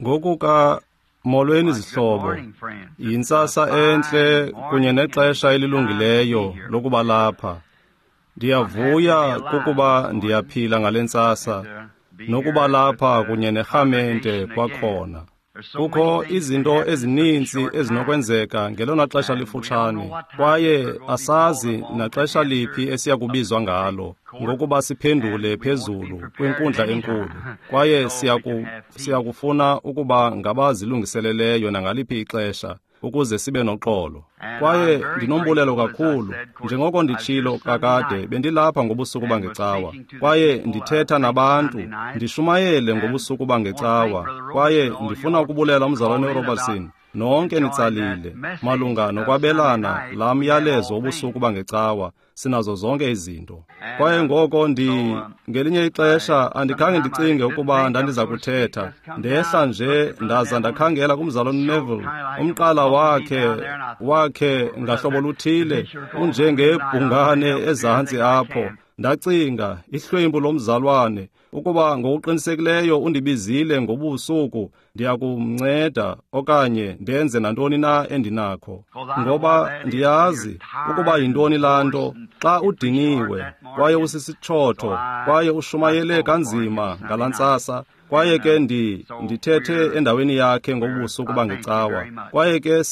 Ngokuka molweni zihlobo, yintsasa entle kunye nexesha elilungileyo lokuba lapha. Ndiyavuya kukuba ndiyaphila ngale ntsasa nokuba lapha kunye nerhamente kwakhona. Kukho izinto ezininzi ezinokwenzeka ngelona xesha lifutshane, kwaye asazi naxesha liphi esiya kubizwa ngalo ngokuba siphendule phezulu kwinkundla enkulu, kwaye siyakufuna ukuba ngabazilungiseleleyo nangaliphi ixesha ukuze sibe noxolo. Kwaye ndinombulelo kakhulu, njengoko nditshilo kakade, bendilapha ngobusuku bangecawa, kwaye ndithetha nabantu, ndishumayele ngobusuku bangecawa, kwaye ndifuna ukubulela umzalwane uRobertson, nonke nitsalile, malunga nokwabelana laa myalezo wobusuku bangecawa, sinazo zonke izinto. Kwaye ngoko ngelinye ixesha andikhange ndicinge ukuba ndandiza kuthetha. Ndehla nje ndaza ndakhangela kumzalwane Neville, umqala wakhe ngahlobo luthile unjengebhungane ezantsi apho. Ndacinga, ihlwempu lomzalwane, ukuba ngokuqinisekileyo undibizile ngobusuku, ndiyakumnceda okanye ndenze nantoni na endinakho. Ngoba ndiyazi ukuba yintoni laa nto xa udiniwe kwaye usisitshotho kwaye ushumayele kanzima ngalaa ntsasa, kwaye ke ndithethe endaweni yakhe ngobusuku bangecawa. Kwaye ke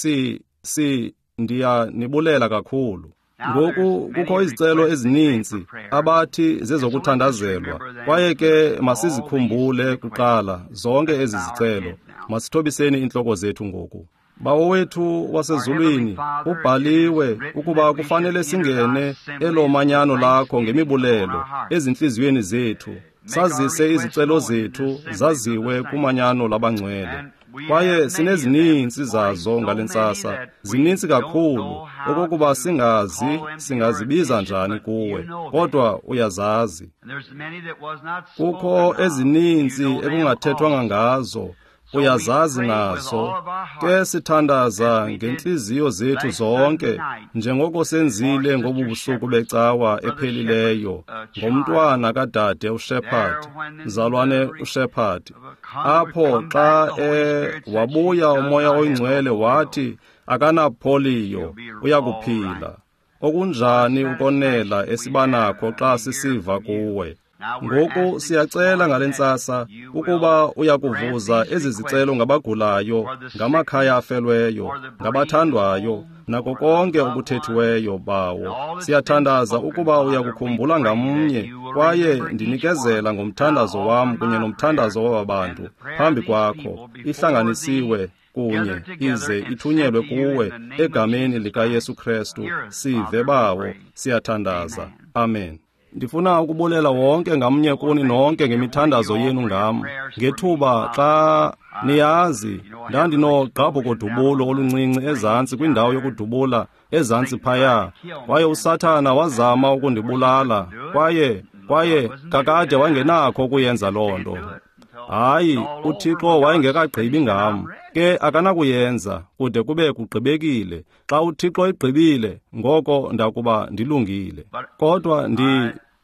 ndiyanibulela kakhulu. Ngoku kukho izicelo ezininzi abathi zezokuthandazelwa, kwaye ke masizikhumbule kuqala zonke ezi zicelo. Masithobiseni iintloko zethu ngoku. Bawo wethu wasezulwini, ubhaliwe ukuba kufanele singene elo manyano lakho ngemibulelo ezintliziyweni zethu, sazise izicelo zethu zaziwe kumanyano labangcwele. Kwaye sinezininzi zazo ngale ntsasa, zininzi kakhulu okokuba singazi singazibiza njani kuwe, kodwa uyazazi. Kukho ezininzi ekungathethwanga ngazo, uyazazi nazo. Ke sithandaza ngentliziyo zethu zonke, njengoko senzile ngobu busuku becawa ephelileyo, ngomntwana kadade uShepherd, mzalwane uShepherd. Apho xa wabuya uMoya oyiNgcwele wathi akanapoliyo, uyakuphila. Okunjani ukonela esibanakho xa sisiva kuwe. Ngoku siyacela ngale ntsasa ukuba uyakuvuza ezi zicelo ngabagulayo, ngamakhaya afelweyo, ngabathandwayo, nako konke okuthethiweyo, Bawo. Siyathandaza ukuba uyakukhumbula ngamnye, kwaye ndinikezela ngomthandazo wam kunye nomthandazo waba bantu phambi kwakho, ihlanganisiwe kunye ize ithunyelwe kuwe egameni likaYesu Krestu. Sive, Bawo, siyathandaza. Amen. Ndifuna ukubulela wonke ngamnye kuni nonke ngemithandazo yenu ngam. Ngethuba xa niyazi, ndandinogqabhuko-dubulo oluncinci ezantsi kwindawo yokudubula ezantsi phaya, kwaye uSathana wazama ukundibulala, kwaye kakade wangenakho ukuyenza loo nto. Hayi, uThixo wayengekagqibi ngam, ke akanakuyenza kude kube kugqibekile. Xa uThixo egqibile, ngoko ndakuba ndilungile. Kodwa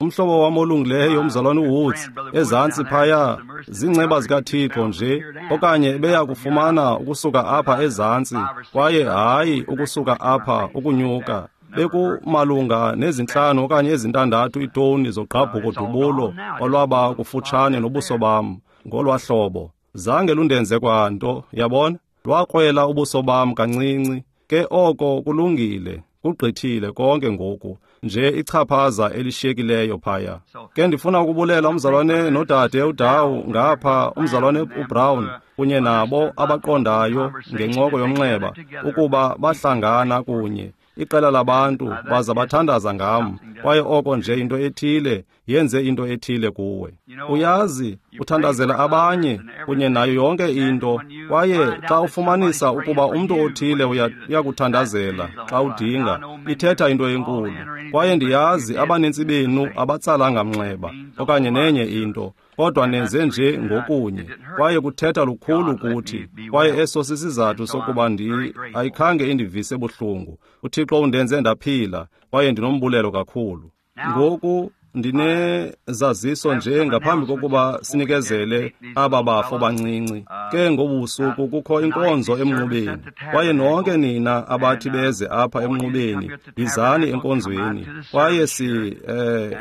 umhlobo wam olungileyo, umzalwane uWoods, ezantsi phaya, ziinceba zikaThixo nje, okanye beya kufumana ukusuka apha ezantsi, kwaye hayi ukusuka apha ukunyuka. Bekumalunga nezintlanu okanye ezintandathu iitoni zogqabhuko-dubulo olwaba kufutshane nobuso bam ngolwa hlobo. Zange lundenze kwanto, yabona? Lwakrwela ubuso bam kancinci. Ke oko kulungile, kugqithile konke ngoku, nje ichaphaza elishiyekileyo phaya. Ke ndifuna ukubulela umzalwane nodade uDawu ngapha, umzalwane uBrown kunye nabo abaqondayo ngencoko yomnxeba ukuba bahlangana kunye iqela labantu baza bathandaza ngam, kwaye oko nje into ethile yenze into ethile kuwe. Uyazi, uthandazela abanye kunye nayo yonke into, kwaye xa ufumanisa ukuba umntu othile uyakuthandazela xa udinga, ithetha into enkulu. Kwaye ndiyazi abanintsi benu abatsalanga mnxeba okanye nenye into, kodwa nenze nje ngokunye, kwaye kuthetha lukhulu kuthi. Kwaye eso sisizathu sokuba ayikhange indivise buhlungu. uThixo undenze ndaphila, kwaye ndinombulelo kakhulu. Ngoku ndinezaziso nje ngaphambi kokuba sinikezele aba bafo bancinci. Ke ngobu busuku kukho inkonzo emnqubeni, kwaye nonke nina abathi beze apha emnqubeni, yizani enkonzweni. Kwaye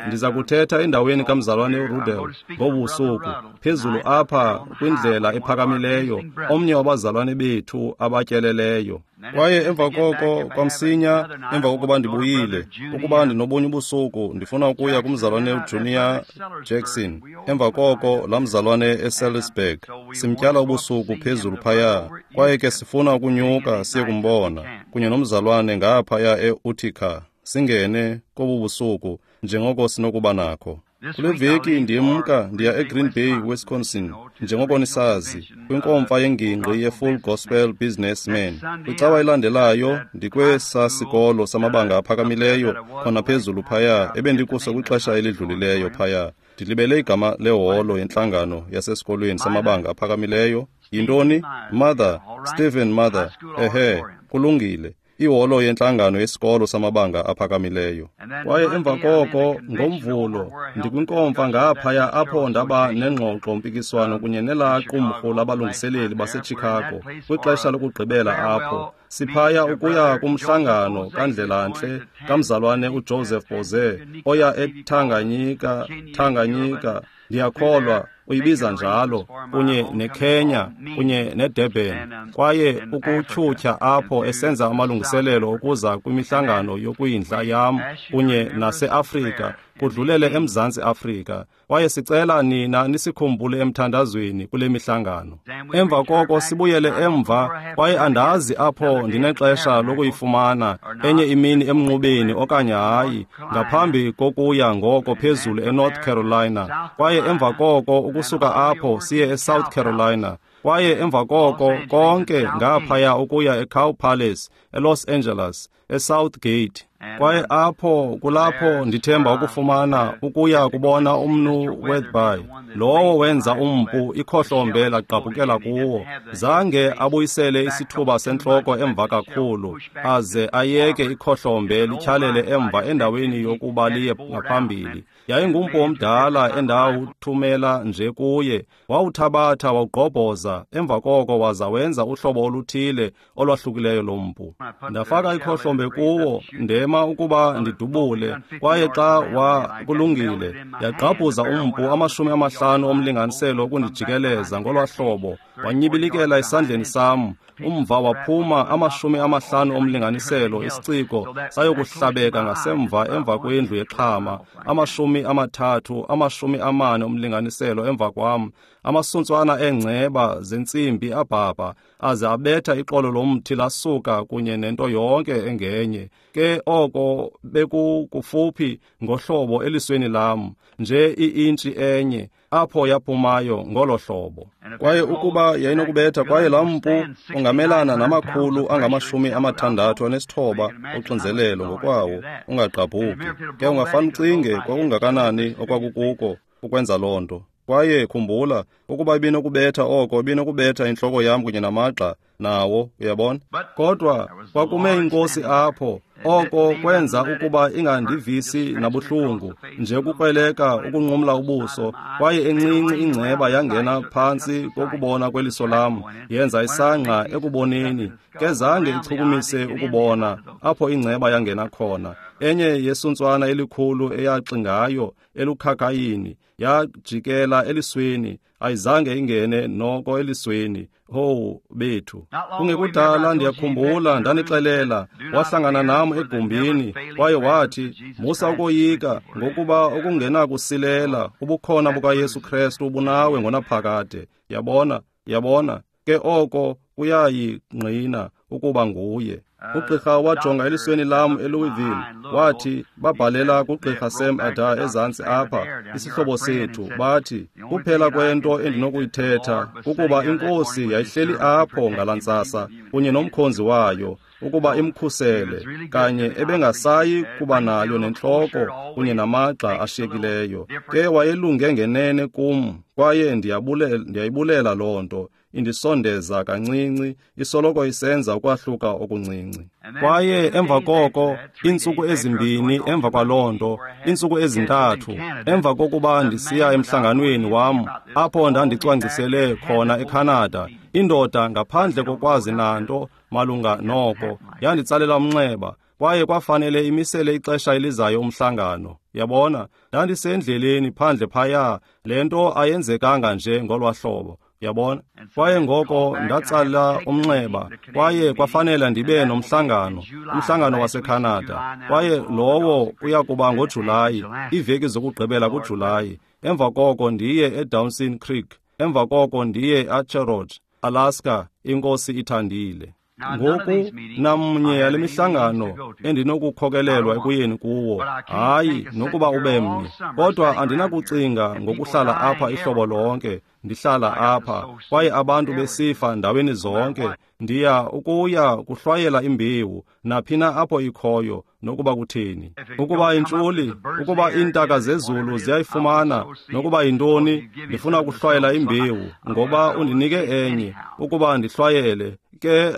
ndiza kuthetha endaweni kamzalwane uRudel ngobu busuku, phezulu apha kwindlela ephakamileyo, omnye wabazalwane bethu abatyeleleyo. Kwaye emva koko kwamsinya emva kokuba ndibuyile, ukuba ndinobunye ubusuku, ndifuna ukuya kumzalwane uJunior Jackson. Emva koko laa mzalwane eSalisburg, simtyala ubusuku phezulu phaya, kwaye ke sifuna ukunyuka siye kumbona kunye nomzalwane ngaphaya e-Utica, singene kobu busuku njengoko sinokuba nakho. Kule veki ndiyemka ndiya eGreen Bay, Wisconsin, njengoko nisazi, kwinkomfa yengingqi ye-Full Gospel Businessmen. Kwicawa elandelayo ndikwesa sikolo samabanga aphakamileyo khona phezulu phaya ebendikuso kwixesha elidlulileyo phaya. Ndilibele igama leholo yentlangano yasesikolweni samabanga aphakamileyo. Yintoni? Mother, Stephen Mother. Ehe, kulungile. Iholo yentlangano yesikolo samabanga aphakamileyo. Kwaye emva koko ngoMvulo ndikwinkomfa ngaphaya apho ndaba nengxoxo-mpikiswano kunye nelaa qumrhu labalungiseleli baseChicago kwixesha lokugqibela apho. Siphaya ukuya kumhlangano kandlelantle kamzalwane uJoseph Boze oya eTanganyika, Tanganyika, ndiyakholwa uyibiza njalo, kunye neKenya kunye neDurban, kwaye ukutyhutyha apho esenza amalungiselelo ukuza kwimihlangano yokwindla yam kunye naseAfrika, kudlulele eMzantsi Afrika. Kwaye sicela nina nisikhumbule emthandazweni kule mihlangano. Emva koko sibuyele emva, kwaye andazi apho ndinexesha lokuyifumana enye imini emnqubeni okanye hayi, ngaphambi kokuya ngoko phezulu eNorth Carolina. Kwaye emva koko ukusuka apho siye eSouth Carolina. Kwaye emva koko konke ngaphaya ukuya eCow Palace, eLos Angeles, eSouth Gate. Kwaye apho kulapho ndithemba ukufumana ukuya kubona umnu Wetherby, lowo wenza umpu ikhohlombe lagqabhukela kuwo. Zange abuyisele isithuba sentloko emva kakhulu, aze ayeke ikhohlombe lityhalele emva endaweni yokuba liye ngaphambili. Yayingumpu omdala endawuthumela nje kuye, wawuthabatha wawugqobhoza, emva koko waza wenza uhlobo oluthile olwahlukileyo lompu. Ndafaka ikhohlombe kuwo, ndema ukuba ndidubule, kwaye xa wakulungile yagqabhuza umpu 50 omlinganiselo ukundijikeleza ngolwa hlobo, wanyibilikela esandleni sam. Umva waphuma 50 omlinganiselo, isiciko sayokuhlabeka ngasemva emva kwendlu yexhama, 30, 40 omlinganiselo emva kwam, amasuntswana eengceba zentsimbi abhabha, aze abetha ixolo lomthi lasuka kunye nento yonke engenye. Ke oko bekukufuphi ngohlobo elisweni lam, nje i-intshi enye, apho yaphumayo ngolo hlobo. Kwaye ukuba yayinokubetha, kwaye laa mpu ungamelana nama-669 oxinzelelo ngokwawo, ungagqabhuki. Ke ungafane ucinge kwakungakanani okwakukuko ukwenza loo nto. Kwaye khumbula, ukuba ibinokubetha oko, ibinokubetha intloko yam kunye namagxa nawo, uyabona? Kodwa kwakume inkosi apho, oko kwenza ukuba ingandivisi nabuhlungu, nje ukukrweleka ukunqumla ubuso, kwaye encinci ingceba yangena phantsi kokubona kweliso lam, yenza isangqa ekuboneni, ke zange ichukumise ukubona apho ingceba yangena khona. Enye yesuntswana elikhulu eyaxingayo elukhakhayini yajikela elisweni, ayizange ingene noko elisweni. Ho bethu! Kungekudala ndiyakhumbula ndanixelela, wahlangana nam egumbini, kwaye wathi, musa ukoyika, ngokuba okungenakusilela ubukhona bukaYesu Krestu bunawe ngonaphakade. Yabona, yabona, ke oko kuyayingqina ukuba nguye. Ugqirha wajonga elisweni lam eLouisville, wathi babhalela kugqirha Sam Adair ezantsi apha, isihlobo sethu, bathi kuphela kwento endinokuyithetha kukuba inkosi yayihleli apho ngalaa ntsasa kunye nomkhonzi wayo ukuba imkhusele, kanye ebengasayi kuba nayo nentloko kunye namagxa ashiyekileyo. Ke wayelunge ngenene kum, kwaye ndiyayibulela loo nto. indisondeza kancinci, isoloko isenza ukwahluka okuncinci. Kwaye emva koko, iintsuku ezimbini emva kwaloo nto, iintsuku ezintathu, emva kokuba ndisiya emhlanganweni wam, apho ndandicwangcisele khona eCanada, indoda ngaphandle kokwazi nanto malunga noko, yanditsalela umnxeba, kwaye kwafanele imisele ixesha elizayo umhlangano. Yabona, ndandisendleleni phandle phaya, le nto ayenzekanga nje ngolwa hlobo. Yabona? Kwaye ngoko ndatsala umnxeba, kwaye kwafanele ndibe nomhlangano, umhlangano waseCanada. Kwaye lowo uya kuba ngoJulayi, iiveki zokugqibela kuJulayi. Emva koko ndiye eDawson Creek, emva koko ndiye eAcherot, Alaska, iNkosi ithandile. Ngoku namnye yale mihlangano endinokukhokelelwa ekuyeni kuwo, hayi nokuba ube mnye, kodwa andinakucinga ngokuhlala apha ihlobo lonke. Ndihlala apha kwaye abantu besifa ndaweni zonke. Ndiya ukuya kuhlwayela imbewu naphina apho ikhoyo, nokuba kutheni. Ukuba intshuli, ukuba iintaka zezulu ziyayifumana, nokuba yintoni, ndifuna ukuhlwayela imbewu, ngoba undinike enye ukuba ndihlwayele. Ke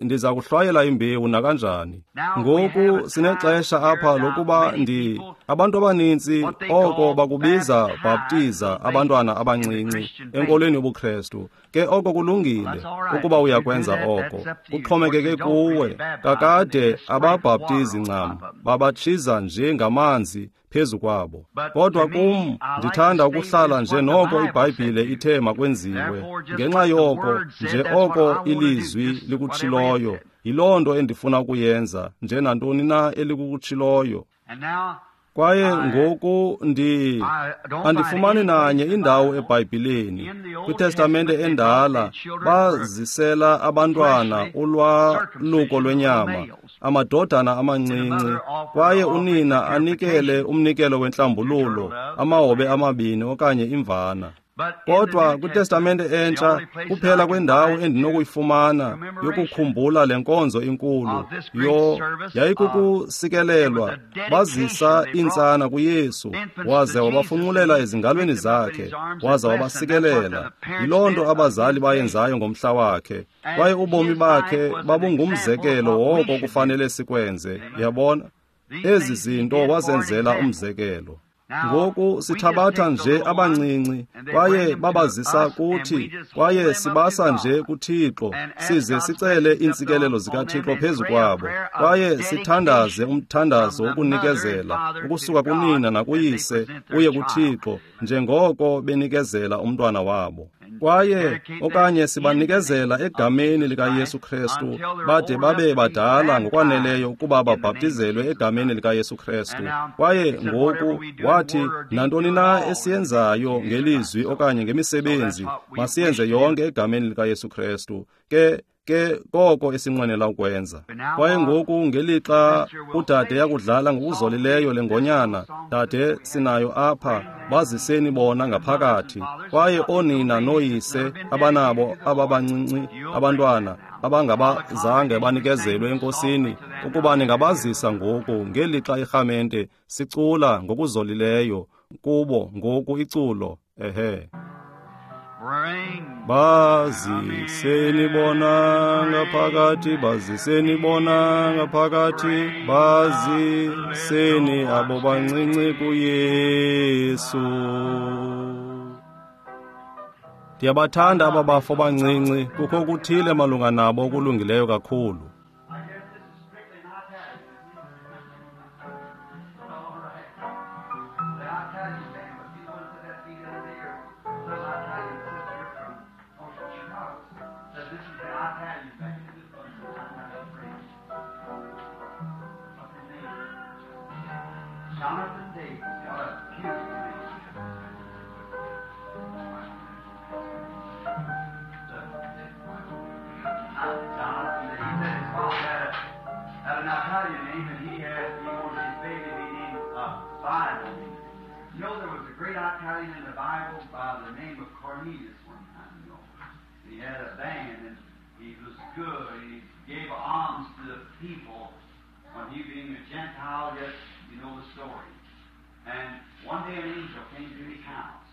ndiza kuhlwayela imbewu nakanjani. Ngoku sinexesha apha lokuba abantu abanintsi oko bakubiza bhaptiza abantwana abancinci enkolweni yobuKrestu. Ke oko kulungile ukuba uyakwenza oko, kuxhomekeke kuwe. Kakade ababhaptizi ncam, babatshiza nje ngamanzi phezu kwabo. Kodwa kum ndithanda ukuhlala nje noko iBhayibhile ithe makwenziwe. Ngenxa yoko nje oko ilizwi likutshiloyo, yiloo nto endifuna ukuyenza, nje nantoni na elikutshiloyo. Kwaye ngoku andifumani nanye indawo eBhayibhileni. KwiTestamente endala bazisela abantwana ulwaluko lwenyama, amadodana amancinci, kwaye unina anikele umnikelo wentlambululo, amahobe amabini okanye imvana. Kodwa kwiTestamente entsha kuphela kwendawo endinokuyifumana yokukhumbula le nkonzo inkulu yayikukusikelelwa. Bazisa iintsana kuYesu, waze wabafunqulela ezingalweni zakhe, waza wabasikelela. Yiloo nto abazali bayenzayo ngomhla wakhe, kwaye ubomi bakhe babungumzekelo woko kufanele sikwenze. Yabona, ezi zinto wazenzela umzekelo. Ngoku sithabatha nje abancinci kwaye babazisa kuthi, kwaye sibasa nje kuThixo, size sicele iintsikelelo zikaThixo phezu kwabo, kwaye sithandaze umthandazo wokunikezela ukusuka kunina nakuyise uye kuThixo njengoko benikezela umntwana wabo. Kwaye okanye sibanikezela egameni likaYesu Krestu bade babe badala ngokwaneleyo ukuba babhaptizelwe egameni likaYesu Krestu. Kwaye ngoku wathi, nantoni na esiyenzayo ngelizwi okanye ngemisebenzi, masiyenze yonke egameni likaYesu Krestu. Ke koko esinqwenela ukwenza. Kwaye ngoku ngelixa udade yakudlala ngokuzolileyo le ngonyana, dade sinayo apha, baziseni bona ngaphakathi. Kwaye oonina nooyise abanabo ababancinci abantwana abangabazange banikezelwe eNkosini, ukuba ningabazisa ngoku ngelixa irhamente sicula ngokuzolileyo kubo ngoku iculo. Ehe. Baziseni bona ngaphakathi, baziseni bona ngaphakathi, baziseni abo bancinci kuYesu. Ndiyabathanda aba bafo bancinci, kukho okuthile malunga nabo okulungileyo kakhulu. Jonathan Davis, what a beautiful name. Jonathan Davis. He said his father had an Italian name, and he wanted his baby to be named Bible. You know, there was a great Italian in the Bible by the name of Cornelius one time, you know. He had a band, and he was good, and he gave alms to the people. When he being a Gentile, yet you know the story. And one day an angel came to his house.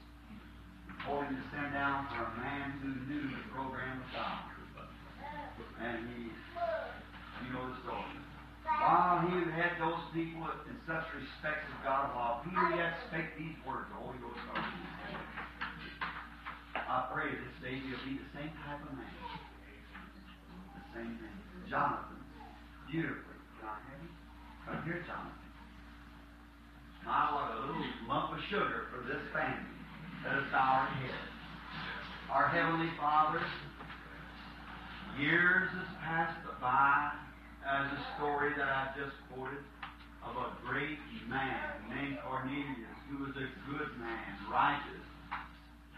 told him to send down for a man who knew the program of God. And he, you know the story. While he had those people in such respect of God, while Peter yet spake these words, the Holy Ghost started. I pray this day he'll be the same type of man. The same man. Jonathan. Beautifully. Can I have him? Come here, Jonathan. My, what a little lump of sugar for this family. Let us bow our heads. Our Heavenly Father, years has passed by as a story that I just quoted of a great man named Cornelius, who was a good man, righteous,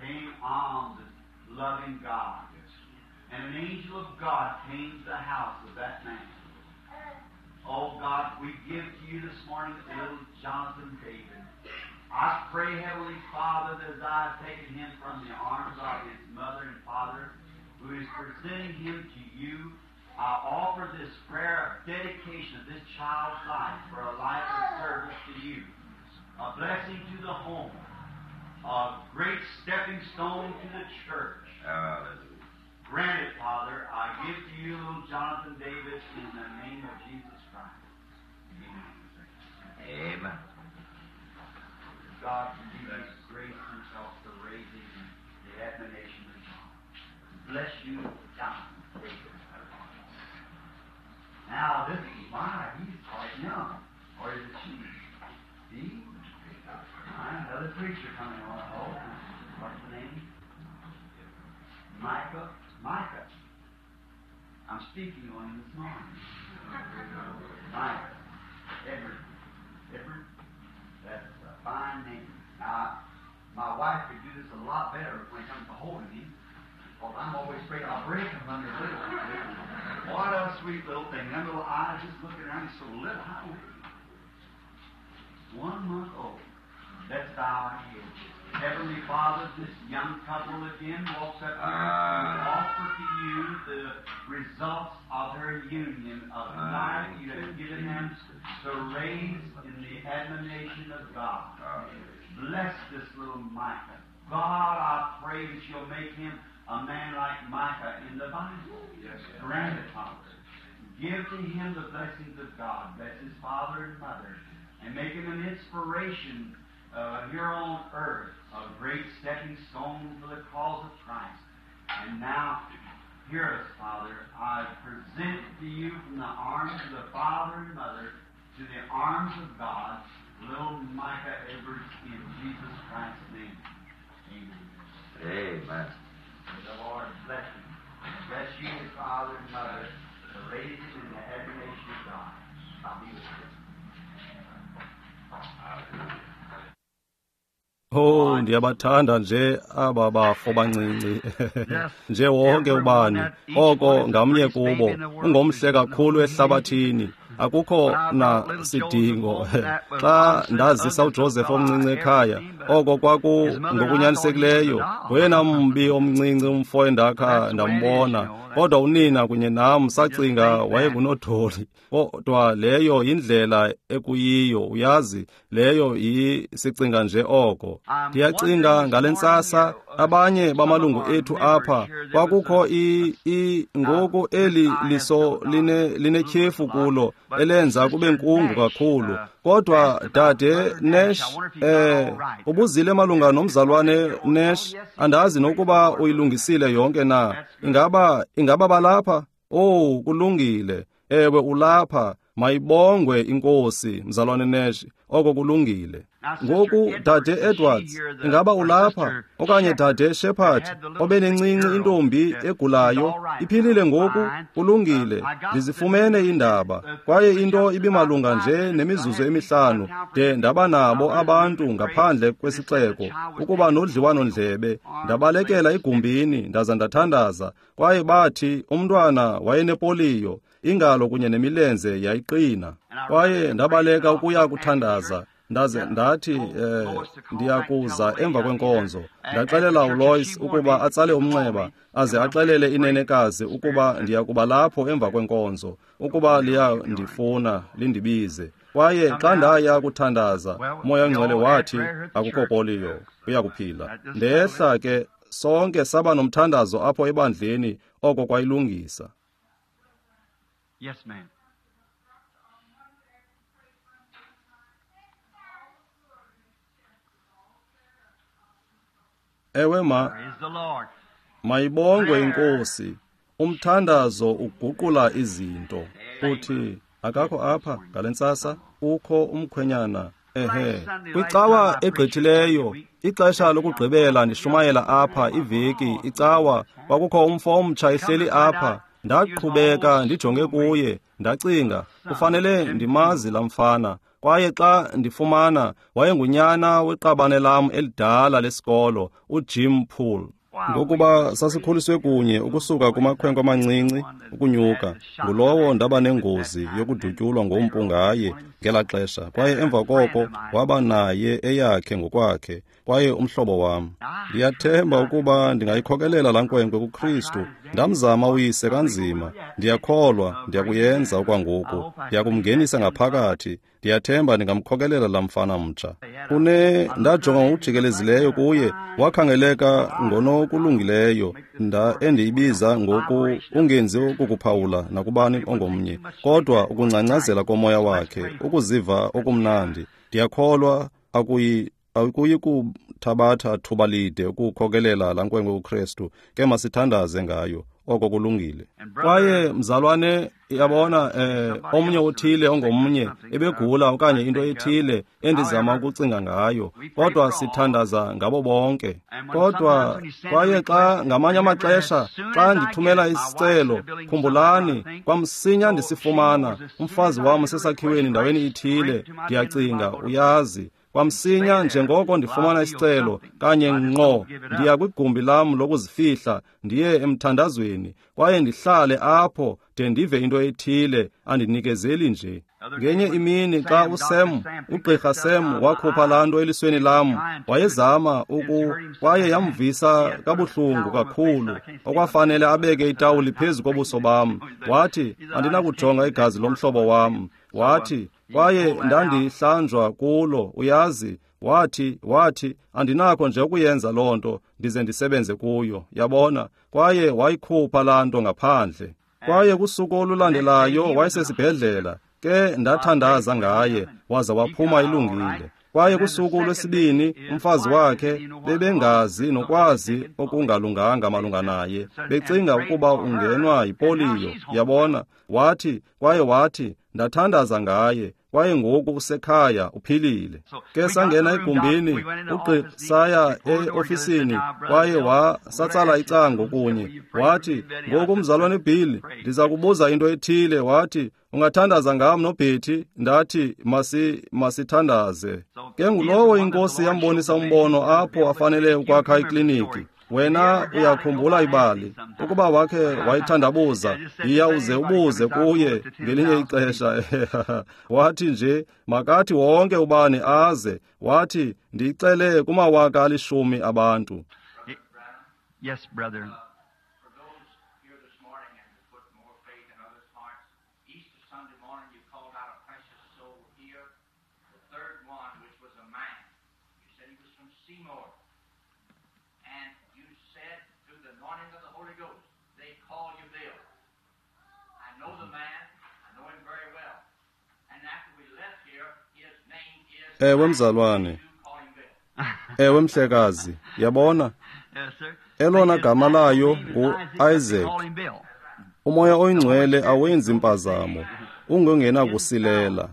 came on this loving God. And an angel of God came to the house of that man. Oh God, we give to you this morning little Jonathan David. I pray, Heavenly Father, that as I have taken him from the arms of his mother and father, who is presenting him to you, I offer this prayer of dedication of this child's life for a life of service to you, a blessing to the home, a great stepping stone to the church. Hallelujah. Grant it, Father. I give to you little Jonathan David in the name of Jesus Christ. Amen. Amen. God can give us grace himself to raise him in the admonition of God. Bless you, Jonathan David. Now, this is my, he's quite young. Or is it she? He? Another preacher coming on. Oh, what's the name? Micah. Micah. I'm speaking on him this morning. Micah. Edward. Edward. That's a fine name. Now, my wife could do this a lot better when it comes to holding him, because I'm always afraid I'll break him under little. What a sweet little thing. Them little eyes just looking around. He's so little. How old is he? 1 month old. Let's bow our heads. Heavenly Father, this young couple again walks up here to offer to you the results of their union of life you have given them to raise in the admonition of God. Bless this little Micah. God, I pray that you'll make him a man like Micah in the Bible. Yes. Grant it, Father. Give to him the blessings of God. Bless his father and mother. And make him an inspiration here on earth, a great stepping stone for the cause of Christ. And now, hear us, Father. I present to you from the arms of the father and mother to the arms of God, little Micah Edwards, in Jesus Christ's name. Amen. Amen. May the Lord bless you. Bless you, his father and mother, to raise him in the admiration of God. I'll be with you. Hallelujah. Oh, ndiyabathanda nje aba bafo bancinci nje wonke ubani oko ngamnye kubo ungomhle kakhulu ehlabathini akukho na sidingo. Xa ndazisa uJoseph omncinci ekhaya, oko kwaku ngokunyanisekileyo ngoyena mbi omncinci umfo endakha ndambona, kodwa unina kunye nam sacinga wayengunodoli. Kodwa leyo yindlela ekuyiyo, uyazi, leyo sicinga nje oko. Ndiyacinga ngale ntsasa abanye bamalungu ethu apha kwakukho ngoku eli liso linetyhefu kulo elenza kube nkungu kakhulu. Kodwa dade Nash, ubuzile malunga nomzalwane Nash, andazi nokuba uyilungisile yonke na. Ingaba balapha? Oh, kulungile. Ewe, ulapha. Mayibongwe inkosi, mzalwane Nash, oko kulungile. Ngoku dade Edwards, ingaba ulapha? Okanye dade Shepherd, obenencinci intombi egulayo, iphilile ngoku? Kulungile. Ndizifumene indaba, kwaye into ibimalunga nje nemizuzu emihlanu de ndaba nabo abantu ngaphandle kwesixeko ukuba nodliwano-ndlebe. Ndabalekela egumbini ndaza ndathandaza, kwaye bathi umntwana wayenepoliyo, ingalo kunye nemilenze yayiqina. Kwaye ndabaleka ukuya kuthandaza. Ndaze ndathi ndiyakuza emva kwenkonzo. Ndaxelela uLois ukuba atsale umnxeba aze axelele inenekazi ukuba ndiyakuba lapho emva kwenkonzo, ukuba liyandifuna lindibize. Kwaye xa ndaya kuthandaza, uMoya oNgcwele wathi akukho poliyo. uyakuphila. Ndehla ke, sonke saba nomthandazo apho ebandleni, oko kwayilungisa. Yes, ma'am. Ewe ma, mayibongwe iNkosi. Umthandazo uguqula izinto. Uthi akakho apha ngale ntsasa, ukho umkhwenyana. Ehe, kwicawa egqithileyo, ixesha lokugqibela ndishumayela apha iveki, icawa, kwakukho umfo omtsha ehleli apha. Ndaqhubeka ndijonge kuye, ndacinga, kufanele ndimazi laa mfana. Kwaye xa ndifumana, wayengunyana weqabane lam elidala lesikolo, uJim Poole. Ngokuba sasikhuliswe kunye ukusuka kumakhwenkwe amancinci ukunyuka, ngulowo ndaba nengozi yokudutyulwa ngompu ngaye ngelaa xesha, kwaye emva koko waba naye eyakhe ngokwakhe, kwaye umhlobo wam. Ndiyathemba ukuba ndingayikhokelela laa nkwenkwe kuKristu. Ndamzama uyise kanzima, ndiyakholwa ndiyakuyenza okwangoku, ndiyakumngenisa ngaphakathi. Ndiyathemba ndingamkhokelela laa mfana mtsha. Ndajonga ngokujikelezileyo kuye, wakhangeleka ngonokulungileyo, endiyibiza ngoku ungenzi ukukuphawula nakubani ongomnye, kodwa ukungcangcazela komoya wakhe, ukuziva okumnandi. Ndiyakholwa akuyi kuthabatha thuba lide ukukhokelela laa nkwenkwe kuKristu. Ke masithandaze ngayo. Oko kulungile. Kwaye mzalwane, yabona, omnye othile ongomnye ebegula okanye into ethile endizama ukucinga ngayo, kodwa sithandaza ngabo bonke. Kodwa kwaye xa ngamanye amaxesha xa ndithumela isicelo, khumbulani, kwamsinya ndisifumana, umfazi wam usesakhiweni ndaweni ithile, ndiyacinga uyazi. Kwamsinya njengoko ndifumana isicelo, kanye ngqo ndiya kwigumbi lam lokuzifihla, ndiye emthandazweni, kwaye ndihlale apho de ndive into ethile, andinikezeli nje. Ngenye imini xa uSam, ugqirha Sam, wakhupha laa nto elisweni lam, wayezama kwaye yamvisa kabuhlungu kakhulu, okwafanele abeke itawuli phezu kobuso bam. Wathi, andinakujonga igazi lomhlobo wam. Wathi, kwaye ndandihlanjwa kulo, uyazi. Wathi, andinakho nje ukuyenza loo nto, ndize ndisebenze kuyo, yabona. Kwaye wayikhupha laa nto ngaphandle. Kwaye kusuku olulandelayo wayesesibhedlela, ke ndathandaza ngaye, waza waphuma ilungile. Kwaye kusuku lwesibini umfazi wakhe bebengazi nokwazi okungalunganga malunga naye, becinga ukuba ungenwa yipoliyo, yabona. Wathi, kwaye wathi, ndathandaza ngaye, kwaye ngoku usekhaya uphilile. Ke sangena egumbini, saya eofisini, kwaye satsala icango kunye. Wathi, ngoku mzalwane Bill, ndiza kubuza into ethile. Wathi, ungathandaza ngam noBetty? Ndathi, masithandaze. Ke ngulowo iNkosi yambonisa umbono apho afanele ukwakha ikliniki. Wena uyakhumbula ibali, ukuba wakhe wayithandabuza, yiya uze ubuze kuye ngelinye ixesha. Wathi nje, makathi wonke ubani aze. Wathi, ndiyicele kumawaka 10,000 abantu. Yes, brother. For those here this morning and to put more faith in others' hearts, Easter Sunday morning you called out a precious soul here, the third one, which was a man. You said he was from Seymour. And you said through the anointing of the Holy Ghost, they call you Bill. I know the man. I know him very well. And after we left here, his name is... Ewe mzalwane. You call him Bill. Ewe mhlekazi, yabona? Elona gama layo ngu-Isaac. Umoya oyingcwele awenzi impazamo, ungongenakusilela.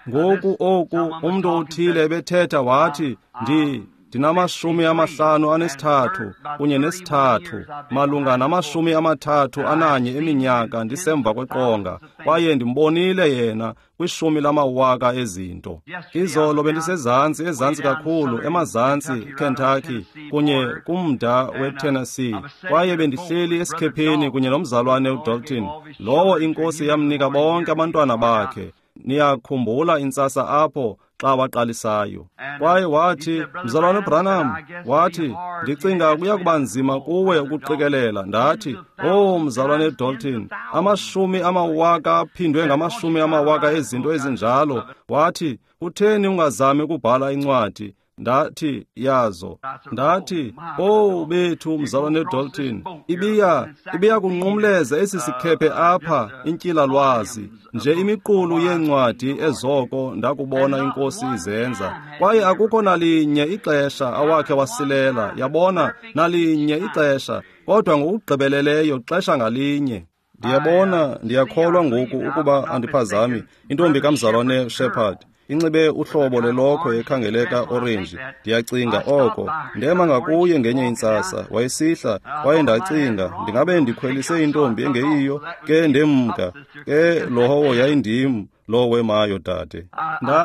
Ngoku oku umntu othile ebethetha wathi, ndinama-53 kunye nesithathu, malunga nama-31 eminyaka ndisemva kweqonga, kwaye ndimbonile yena kwishumi lamawaka ezinto. Izolo bendisezantsi, ezantsi kakhulu, emazantsi Kentucky, kunye kumda weTennessee, kwaye bendihleli esikhepheni kunye nomzalwane uDalton, lowo iNkosi yamnika bonke abantwana bakhe. Niyakhumbula intsasa apho xa waqalisayo. Kwaye wathi, mzalwane Branham, wathi, ndicinga kuya kuba nzima kuwe ukuqikelela. Ndathi, oh mzalwane Dalton, 100,000 aphindwe ngama-100,000 ezinto ezinjalo. Wathi, kutheni ungazami ukubhala incwadi? Ndathi, yazo. Ndathi, "Oh bethu mzalwane Dalton, ibiya kunqumleza esi sikhephe apha intyila-lwazi, nje imiqulu yeencwadi ezoko ndakubona inkosi izenza. Kwaye akukho nalinye ixesha awakhe wasilela, yabona, nalinye ixesha, kodwa ngokugqibeleleyo xesha ngalinye." Ndiyabona, ndiyakholwa ngoku ukuba andiphazami, intombi kamzalwane Shepherd inxibe uhlobo lelokhwe ekhangeleka orenji. Ndiyacinga oko. Ndema ngakuye ngenye intsasa, wayesihla, kwaye ndacinga, ndingabe ndikhwelise intombi engeyiyo, ke ndemka, ke lowo yayindim lo wemayo dade.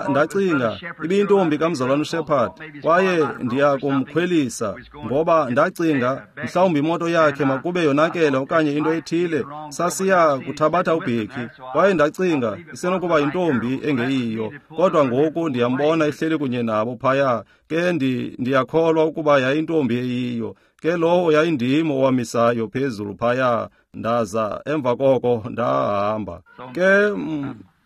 Ndacinga, ibiyintombi kamzalwane uShepherd, kwaye ndiya kumkhwelisa, ngoba ndacinga, mhlawumbi imoto yakhe makube yonakele okanye into ethile, sasiya kuthabatha uBheki, kwaye ndacinga, isenokuba yintombi engeyiyo, kodwa ngoku ndiyambona ihleli kunye nabo phaya, ke ndiyakholwa ukuba yayintombi eyiyo, ke lowo yayindim owamisayo phezulu phaya, ndaza emva koko ndahamba. Ke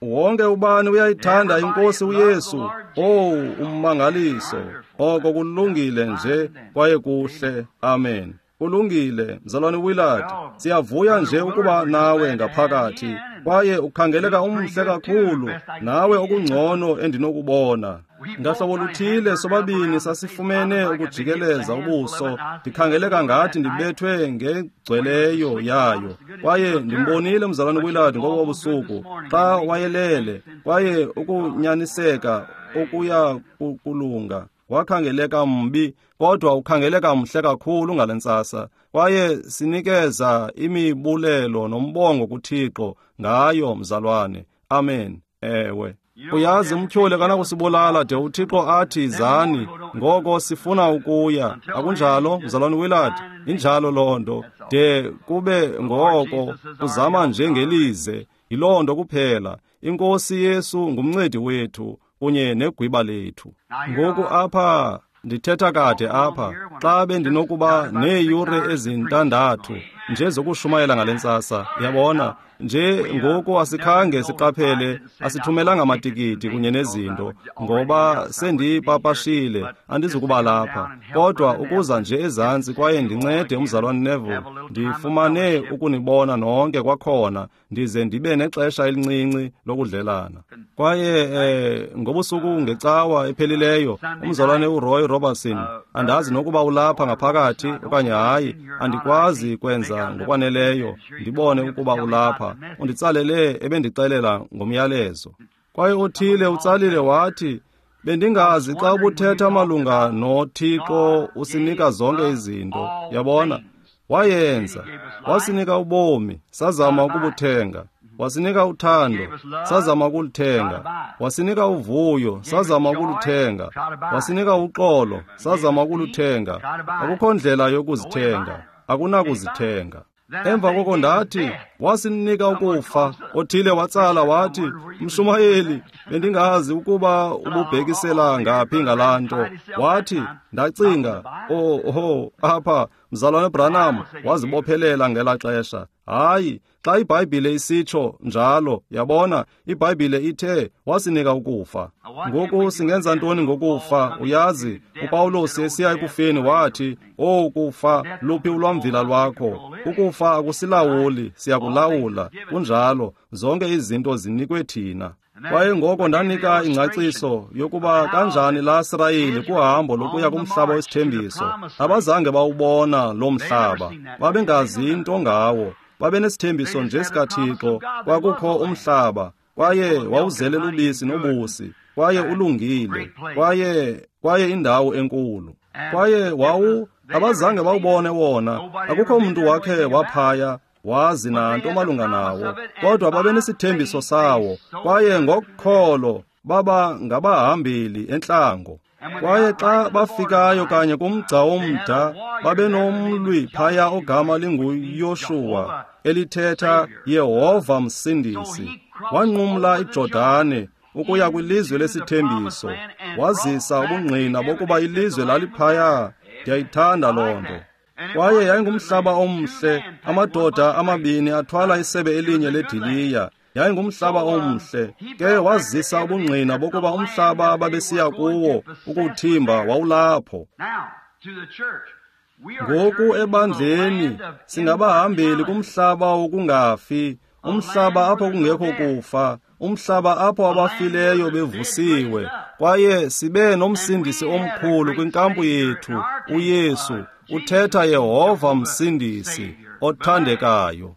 wonke ubani uyayithanda inkosi uYesu. Oh, ummangaliso. Oko kulungile nje kwaye kuhle. Amen. Kulungile, mzalwane Willard. Siyavuya nje ukuba nawe ngaphakathi. Kwaye ukhangeleka umhle kakhulu, nawe okungcono endinokubona. Ngahlobo luthile sobabini sasifumene ukujikeleza ubuso, ndikhangeleka ngathi ndibethwe ngegcweleyo yayo. Kwaye ndimbonile mzalwane Willard ngobo busuku xa wayelele, kwaye ukunyaniseka okuya kulunga. Wakhangeleka mbi, kodwa ukhangeleka mhle kakhulu ngale ntsasa. Kwaye sinikeza imibulelo nombongo kuThixo ngayo, mzalwane. Amen. Ewe. Uyazi umtyholi kanakusibulala de uThixo athi zani, ngoko sifuna ukuya. Akunjalo, mzalwane Willard? Injalo loo nto. De kube ngoko uzama njengelize. Yiloo nto kuphela. INkosi Yesu ngumncedi wethu kunye negwiba lethu. Ngoku apha ndithetha kade apha, xa bendinokuba neeyure ezintandathu nje zokushumayela ngale ntsasa, yabona nje ngoku asikhange siqaphele, asithumelanga amatikiti kunye nezinto, ngoba sendipapashile, andizukuba lapha, kodwa ukuza nje ezantsi kwaye ndincede umzalwane Neville, ndifumane ukunibona nonke kwakhona, ndize ndibe nexesha elincinci lokudlelana. Kwaye ngobusuku ngecawa ephelileyo, umzalwane uRoy Robertson, andazi nokuba ulapha ngaphakathi okanye hayi, andikwazi kwenza ngokwaneleyo ndibone ukuba ulapha. Unditsalele ebendixelela ngomyalezo. Kwaye othile utsalile wathi, bendingazi xa ubuthetha malunga noThixo usinika zonke izinto. Yabona, wayenza, wasinika ubomi, sazama ukubuthenga. Wasinika uthando, sazama ukuluthenga. Wasinika uvuyo, sazama ukuluthenga. Wasinika uxolo, sazama ukuluthenga. Akukho ndlela yokuzithenga, akunakuzithenga. Emva koko ndathi, wasinika ukufa. Othile watsala wathi, mshumayeli, bendingazi ukuba ububhekisela ngaphi ngalaa nto. Wathi, ndacinga, oh, apha, mzalwane Branham wazibophelela ngelaa xesha. Hayi, xa iBhayibhile isitsho njalo, yabona, iBhayibhile ithe wasinika ukufa. Ngoku singenza ntoni ngokufa? Uyazi, uPawulos esiya ekufeni wathi, "Oh kufa, luphi ulwamvila lwakho?" Ukufa akusilawuli, siyakulawula. Kunjalo, zonke izinto zinikwe thina. Kwaye ngoko ndanika ingcaciso yokuba kanjani la Sirayeli kuhambo lokuya kumhlaba wesithembiso. Abazange bawubona lo mhlaba, babengazi into ngawo. Babenesithembiso nje sikaThixo, kwakukho umhlaba, kwaye wawuzele lubisi nobusi, kwaye ulungile, kwaye indawo enkulu. Kwaye abazange bawubone wona, akukho mntu wakhe waphaya wazi nanto malunga nawo, kodwa babenesithembiso sawo, kwaye ngokholo baba ngabahambeli entlango. Kwaye xa bafikayo kanye kumgca womda, babenomlwi phaya ogama linguYoshuwa, elithetha Yehova Msindisi. Wanqumla iJordane ukuya kwilizwe lesithembiso, wazisa ubungqina bokuba ilizwe laliphaya. Ndiyayithanda loo nto. Kwaye yayingumhlaba omhle, amadoda amabini athwala isebe elinye lediliya. Yayingumhlaba omhle. Ke wazisa ubungqina bokuba umhlaba ababesiya kuwo ukuwuthimba wawulapho. Ngoku ebandleni singabahambeli kumhlaba wokungafi, umhlaba apho kungekho kufa, umhlaba apho abafileyo bevusiwe. Kwaye sibe nomsindisi omkhulu kwinkampu yethu, uYesu, uthetha Yehova Msindisi othandekayo.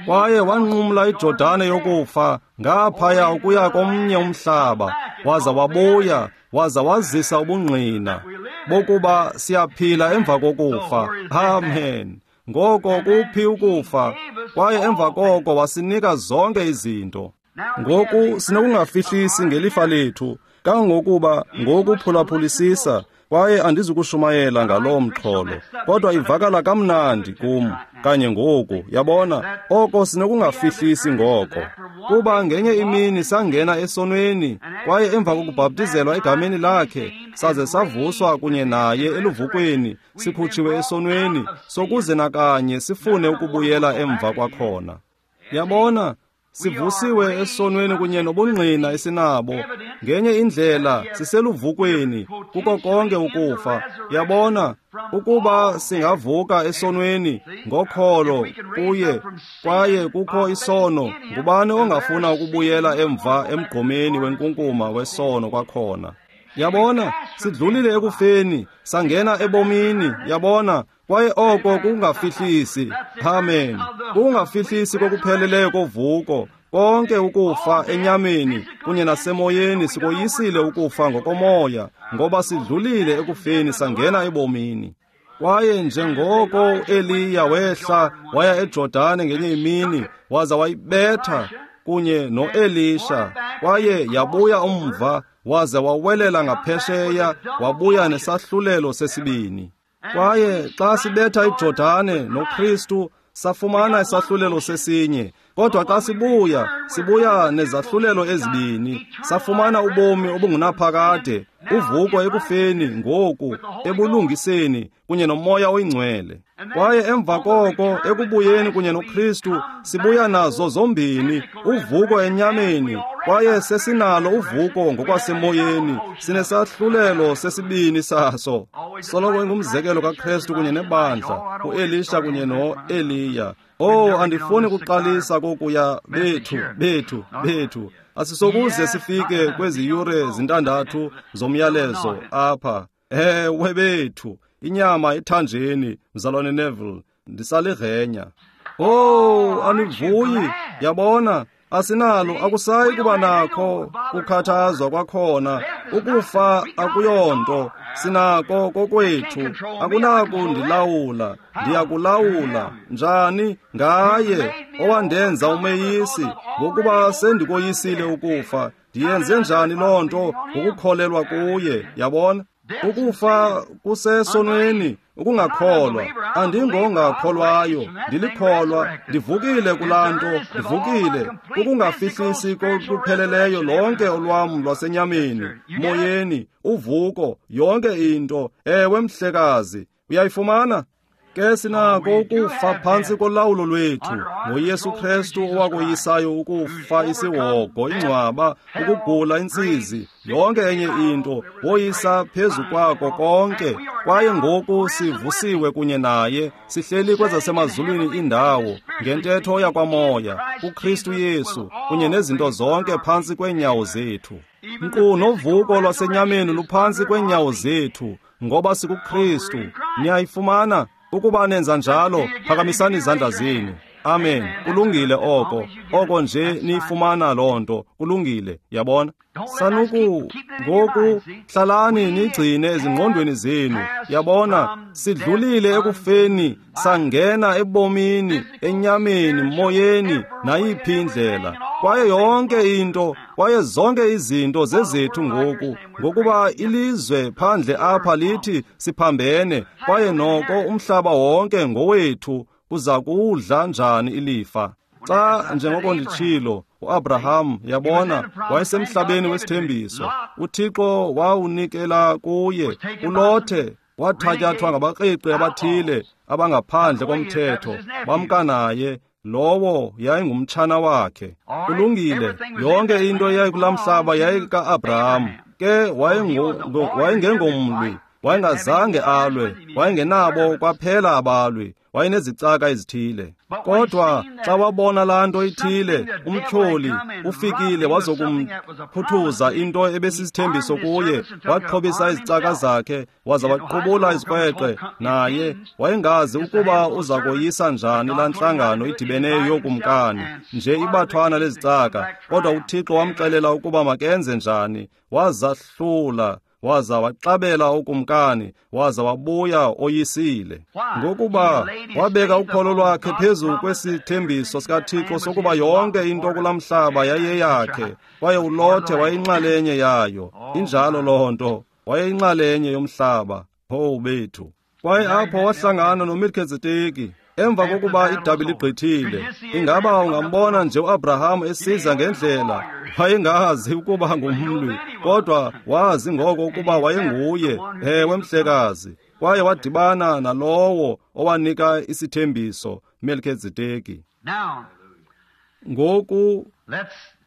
Kwaye wanqumla iJordane yokufa ngaphaya ukuya komnye umhlaba, waza wabuya, waza wazisa ubungqina bokuba siyaphila emva kokufa. Amen. Ngoko kuphi ukufa? Kwaye emva koko wasinika zonke izinto. Ngoku sinokungafihlisi ngelifa lethu, kangangokuba ngoku phulaphulisisa, kwaye andizukushumayela ngaloo mxholo, kodwa ivakala kamnandi kum kanye ngoku, yabona, oko sinokungafihlisi ngoko. Kuba ngenye imini sangena esonweni, kwaye emva kokubhaptizelwa egameni lakhe, saze savuswa kunye naye eluvukweni, sikhutshiwe esonweni, sokuze nakanye sifune ukubuyela emva kwakhona. Yabona, sivusiwe esonweni kunye nobungqina esinabo. Ngenye indlela siseluvukweni kuko konke ukufa. Yabona, ukuba singavuka esonweni ngokholo kuye, kwaye kukho isono, ngubani ongafuna ukubuyela emva emgqomeni wenkunkuma wesono kwakhona? Yabona, sidlulile ekufeni, sangena ebomini. Yabona, kwaye oko kungafihlisi. Amen. Kungafihlisi kokupheleleyo kovuko. Konke ukufa enyameni kunye nasemoyeni sikoyisile ukufa ngokomoya, ngoba sidlulile ekufeni sangena ebomini. Kwaye njengoko uEliya wehla waya eJordane ngenye imini, waza wayibetha kunye noElisha, kwaye yabuya umva, waze wawelela ngaphesheya, wabuya nesahlulelo sesibini. Kwaye xa sibetha iJordane noKristu, safumana isahlulelo sesinye, kodwa xa sibuya, sibuya nezahlulelo ezibini. Safumana ubomi obungunaphakade, uvuko ekufeni ngoku, ebulungiseni kunye noMoya oyiNgcwele. Kwaye emva koko ekubuyeni kunye noKristu, sibuya nazo zombini, uvuko enyameni, kwaye sesinalo uvuko ngokwasemoyeni, sinesahlulelo sesibini saso. Soloko ingumzekelo kaKristu kunye nebandla, uElisha kunye noEliya. Oh, andifuni kuqalisa kokuya bethu. Asisokuze sifike kwezi yure zintandathu zomyalezo apha. Ewe bethu, inyama ethanjeni, mzalwane Neville, ndisalirhenya. Oh, anivuyi, yabona, asinalo, akusayi kuba nakho kukhathazwa kwakhona. Ukufa akuyonto, sinako kokwethu, akunaku ndilawula, ndiyakulawula. Njani? Ngaye owandenza umeyisi, ngokuba sendikoyisile ukufa. Ndiyenze njani loo nto? Ngokukholelwa kuye, yabona? Ukufa kusesonweni, ukungakholwa. Andingongakholwayo, ndilikholwa, ndivukile kulaa nto, ndivukile. Ukungafihlisi kokupheleleyo lonke olwam lwasenyameni, moyeni, uvuko, yonke into. Ewe mhlekazi, uyayifumana? Ke sinako ukufa phantsi kolawulo lwethu ngoYesu Kristu owakoyisayo ukufa, isihogo, ingcwaba, ukugula, intsizi, yonke enye into, woyisa phezu kwako konke. Kwaye ngoku sivusiwe kunye naye, sihleli kwezasemazulwini indawo, ngentetho yakwamoya, kuKristu Yesu, kunye nezinto zonke phantsi kweenyawo zethu. Nkqu novuko lwasenyameni luphantsi kweenyawo zethu, ngoba sikuKristu. Niyayifumana? Ukuba nenza njalo, phakamisani izandla zenu. Amen. Kulungile oko. Oko nje niyifumana loo nto. Kulungile, yabona? Sanuku ngoku hlalani nigcine ezingqondweni zenu. Yabona, sidlulile ekufeni, sangena ebomini, enyameni, moyeni, nayiphi indlela. Kwaye yonke into, kwaye zonke izinto zezethu ngoku, ngokuba ilizwe phandle apha lithi siphambene, kwaye noko umhlaba wonke ngowethu. Uza kuwudla njani ilifa? Xa, njengoko nditshilo, uAbraham, yabona, wayesemhlabeni wesithembiso. uThixo wawunikela kuye. uLothe wathatyathwa ngabakreqi abathile abangaphandle komthetho, bamka naye. Lowo yayingumtshana wakhe. Kulungile, yonke into eyayikulaa mhlaba yayika-Abraham. Ke wayengengomlwi, wayengazange alwe, wayengenabo kwaphela abalwi, wayenezicaka ezithile. Kodwa xa wabona laa nto ithile, umtyholi ufikile wazokumphuthuza into ebesisithembiso kuye, waxhobisa izicaka zakhe waza waqubula izikrweqe naye. Wayengazi ukuba uza koyisa njani laa ntlangano idibeneyo yokumkani, nje ibathwana lezicaka. Kodwa uThixo wamxelela ukuba makenze njani, wazahlula waza waxabela ukumkani, waza wabuya oyisile. Ngokuba wabeka ukholo lwakhe phezu kwesithembiso sikaThixo sokuba yonke into kulaa mhlaba yayeyakhe, kwaye uLothe wayeyinxalenye yayo. Injalo loo nto, wayeyinxalenye yomhlaba. Owu bethu! Kwaye apho wahlangana noMelkizedeki emva kokuba idabi ligqithile. Ingaba ungambona nje uAbraham esiza ngendlela? Wayengazi ukuba ngumlwi, kodwa wazi ngoko ukuba wayenguye. Ewe, mhlekazi. Kwaye wadibana nalowo owanika isithembiso, Melkizedeki. Ngoku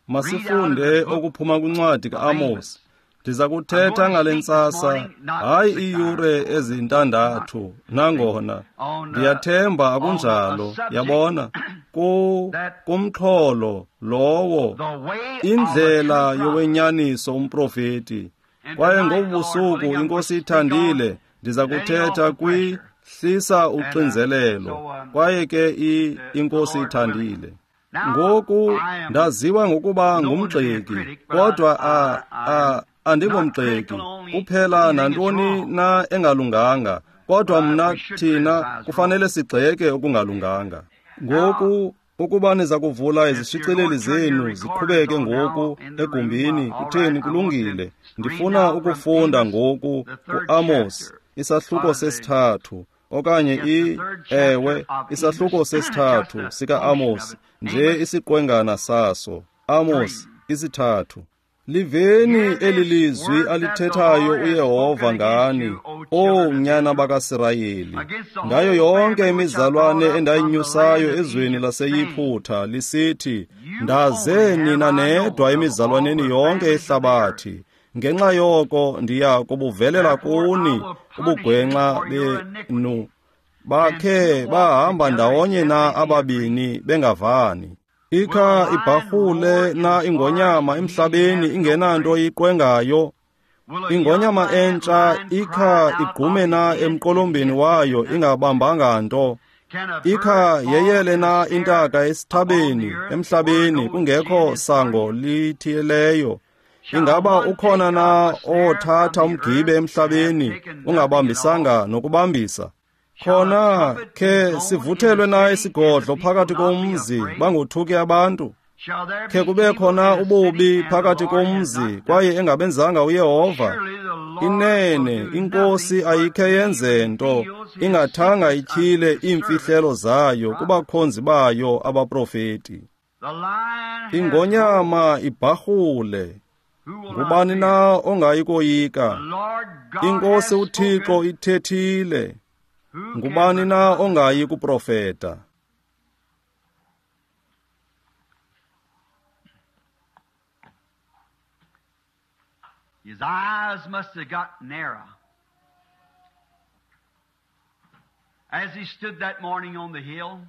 masifunde okuphuma kwincwadi kaAmos. Ndiza kuthetha ngale ntsasa, hayi iiyure ezintandathu, nangona ndiyathemba akunjalo. Yabona, kumxholo lowo, indlela yowenyaniso umprofeti. Kwaye ngobu busuku, iNkosi ithandile, ndiza kuthetha kwi-Hlisa Uxinzelelo. Kwaye ke iNkosi ithandile. Ngoku ndaziwa ngokuba ngumgxeki, kodwa andingomgxeki kuphela nantoni na engalunganga, kodwa mna thina kufanele sigxeke okungalunganga. Ngoku ukuba niza kuvula izishicileli zenu ziqhubeke ngoku egumbini, kutheni, kulungile. Ndifuna ukufunda ngoku kuAmos isahluko 3, okanye isahluko 3 sika-Amos, nje isiqwengana saso. Amos 3. Liveni eli lizwi alithethayo uYehova ngani, O nyana bakaSirayeli, ngayo yonke imizalwane endayinyusayo ezweni laseYiphutha, lisithi, ndaze nina nedwa emizalwaneni yonke ehlabathi. Ngenxa yoko ndiya kubuvelela kuni ubugwenxa benu. Bakhe bahamba ndawonye na ababini bengavani? Ikha ibharhule na ingonyama emhlabeni ingenanto iqwengayo? Ingonyama entsha ikha igqume na emqolombeni wayo ingabambanga nto? Ikha yeyele na intaka esithabeni emhlabeni kungekho sango lithiyeleyo? Ingaba ukhona na othatha umgibe emhlabeni ungabambisanga nokubambisa? Khona khe sivuthelwe na isigodlo phakathi komzi bangothuki abantu? Khe kube khona ububi phakathi komzi kwaye engabenzanga uYehova? Inene iNkosi ayikhe yenze nto ingathanga ityhile iimfihlelo zayo kubakhonzi bayo abaprofeti. Ingonyama ibharhule, ngubani na ongayi koyika? INkosi uThixo ithethile, ngubani na ongayi kuprofeta? His eyes must have got narrow as he stood that morning on the hill.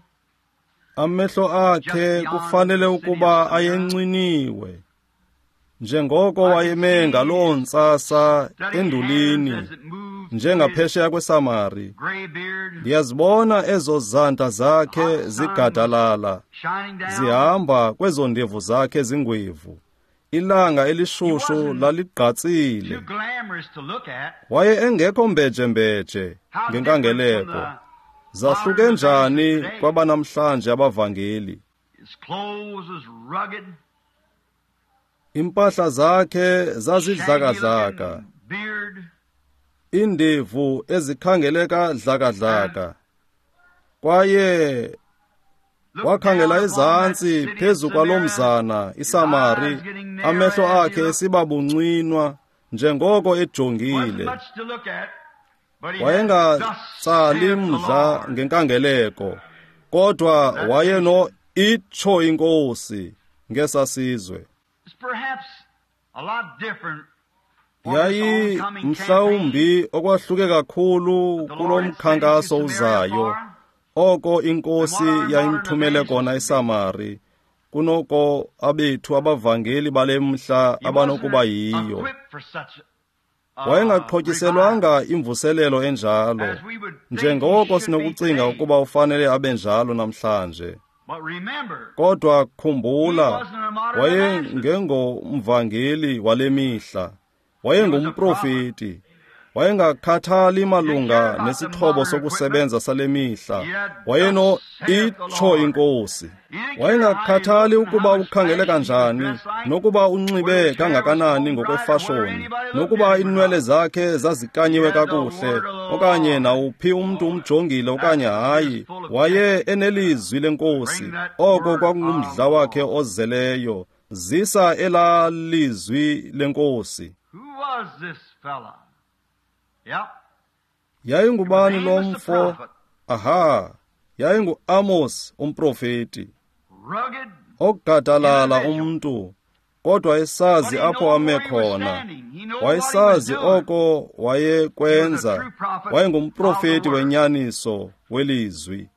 Amehlo akhe kufanele ukuba ayencwiniwe, njengoko wayeme ngaloo ntsasa endulini, njengaphesheya kweSamari. Ndiyazibona ezo zandla zakhe zigadalala, zihamba kwezo ndevu zakhe zingwevu. Ilanga elishushu laligqatsile. Waye engekho mbejembeje ngenkangeleko. Zahluke njani kwabanamhlanje abavangeli? Impahla zakhe zazidlakadlaka, iindevu ezikhangeleka dlakadlaka. Kwaye wakhangela ezantsi phezu kwaloo mzana iSamari, amehlo akhe esiba buncwinwa njengoko ejongile. Wayengatsali mdla ngenkangeleko, Kodwa wayeno itsho inkosi ngesasizwe. Yayi mhlawumbi okwahluke kakhulu kulo mkhankaso uzayo, oko inkosi yayimthumele kona eSamari, kunoko abethu abavangeli bale mhla abanokuba yiyo. Wayengaxhotyiselwanga imvuselelo enjalo, njengoko sinokucinga ukuba ufanele abe njalo namhlanje. Kodwa khumbula, wayengengomvangeli wale mihla, wayengumprofeti. Wayengakhathali malunga nesixhobo sokusebenza sale mihla, wayeno itsho inkosi. Wayengakhathali ukuba ukhangele kanjani, nokuba unxibe kangakanani ngokwefashoni, nokuba inwele zakhe zazikanyiwe kakuhle, okanye nawuphi umntu umjongile okanye hayi. Waye enelizwi lenkosi, oko kwakungumdla wakhe ozeleyo. Zisa elaa lizwi lenkosi. Yayingubani lo mfo? Aha, yayingu-Amos umprofeti, ogadalala umntu, kodwa esazi apho ame khona. Wayesazi oko wayekwenza. Wayengumprofeti wenyaniso welizwi.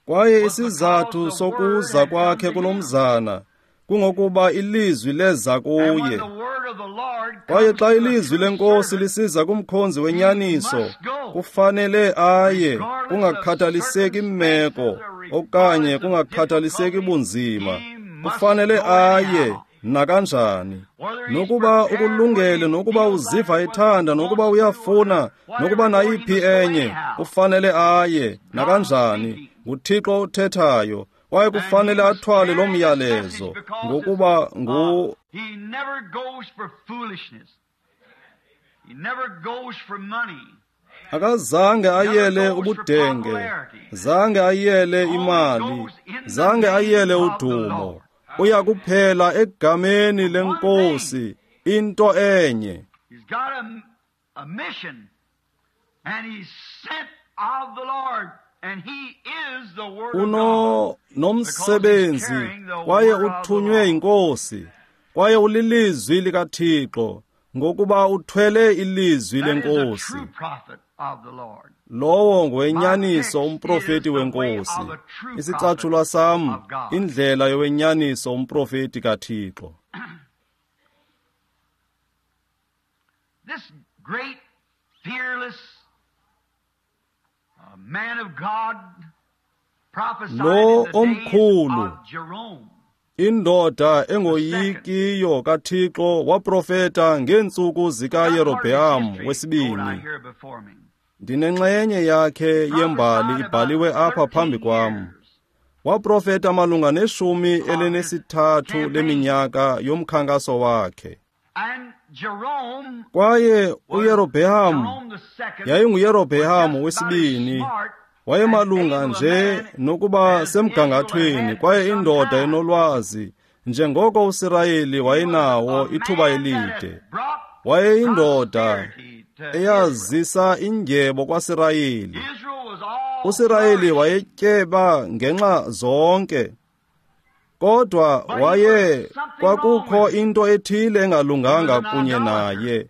Kwaye isizathu sokuza kwakhe kulomzana kungokuba ilizwi leza kuye. Kwaye xa ilizwi lenkosi lisiza kumkhonzi wenyaniso, kufanele aye, kungakhathaliseki imeko okanye kungakhathaliseki bunzima, kufanele aye nakanjani. Nokuba ukulungele, nokuba uziva ethanda, nokuba uyafuna, nokuba nayiphi enye, kufanele aye nakanjani. NguThixo othethayo, kwaye kufanele athwale lo myalezo, ngokuba ngu akazange ayele ubudenge, zange ayele imali, zange ayele udumo. Uya kuphela egameni lenkosi, into enye. Uno nomsebenzi, kwaye uthunywe inkosi, kwaye ulilizwi likaThixo, ngokuba uthwele ilizwi lenkosi. Lowo ngowenyaniso umprofeti wenkosi. Isicatshulwa sam, indlela yowenyaniso umprofeti kaThixo. This great, fearless man of God prophesied Lo in the days omkhulu, of Jerome. Indoda engoyikiyo kaThixo waprofeta ngeentsuku zikaYerobheam wesibini. Ndinenxenye yakhe yembali ibhaliwe apha phambi kwam. Waprofeta malunga ne-13 leminyaka yomkhankaso wakhe. Kwaye uYerobheam yayinguYerobheam wesibini, wayemalunga nje nokuba semgangathweni, kwaye indoda enolwazi njengoko uSirayeli wayenawo ithuba elide. Wayeyindoda eyazisa indyebo kwaSirayeli. uSirayeli wayetyeba ngenxa zonke, kodwa waye kwakukho into ethile engalunganga kunye naye.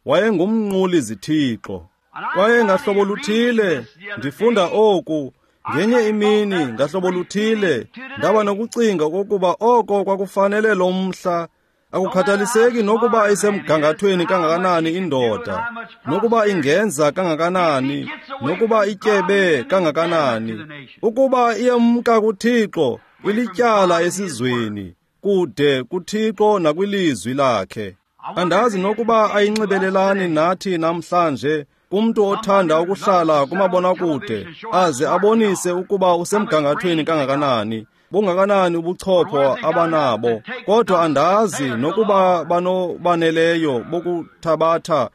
Wayengumnquli zithixo. Kwaye ngahlobo luthile ndifunda oku ngenye imini, ngahlobo luthile ndaba nokucinga okokuba oko kwakufanele lo mhla. Akukhathaliseki nokuba isemgangathweni kangakanani indoda, nokuba ingenza kangakanani, nokuba ityebe kangakanani, ukuba iyemka kuThixo, ilityala esizweni, kude kuThixo nakwilizwi lakhe. Andazi nokuba ayinxibelelani nathi namhlanje, kumntu othanda ukuhlala kumabonakude aze abonise ukuba usemgangathweni kangakanani, bungakanani ubuchopho abanabo, kodwa andazi nokuba banobaneleyo bokuthabatha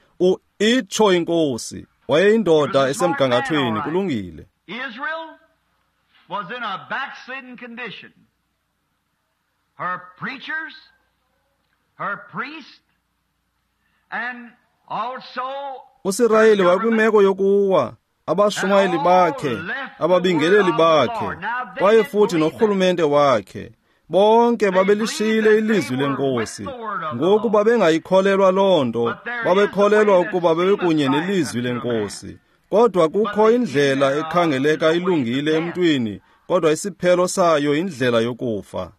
itsho inkosi. Wayeyindoda esemgangathweni, kulungile. Israel was in a backslidden condition. Her preachers, her priests, and also uSirayeli wayekwimeko yokuwa. abashumayeli bakhe, ababingeleli bakhe, kwaye futhi norhulumente wakhe, bonke babelishiyile ilizwi leNkosi. Ngoku babengayikholelwa loo nto, babekholelwa ukuba bebekunye nelizwi leNkosi. Kodwa kukho indlela ekhangeleka ilungile emntwini, kodwa isiphelo sayo indlela yokufa.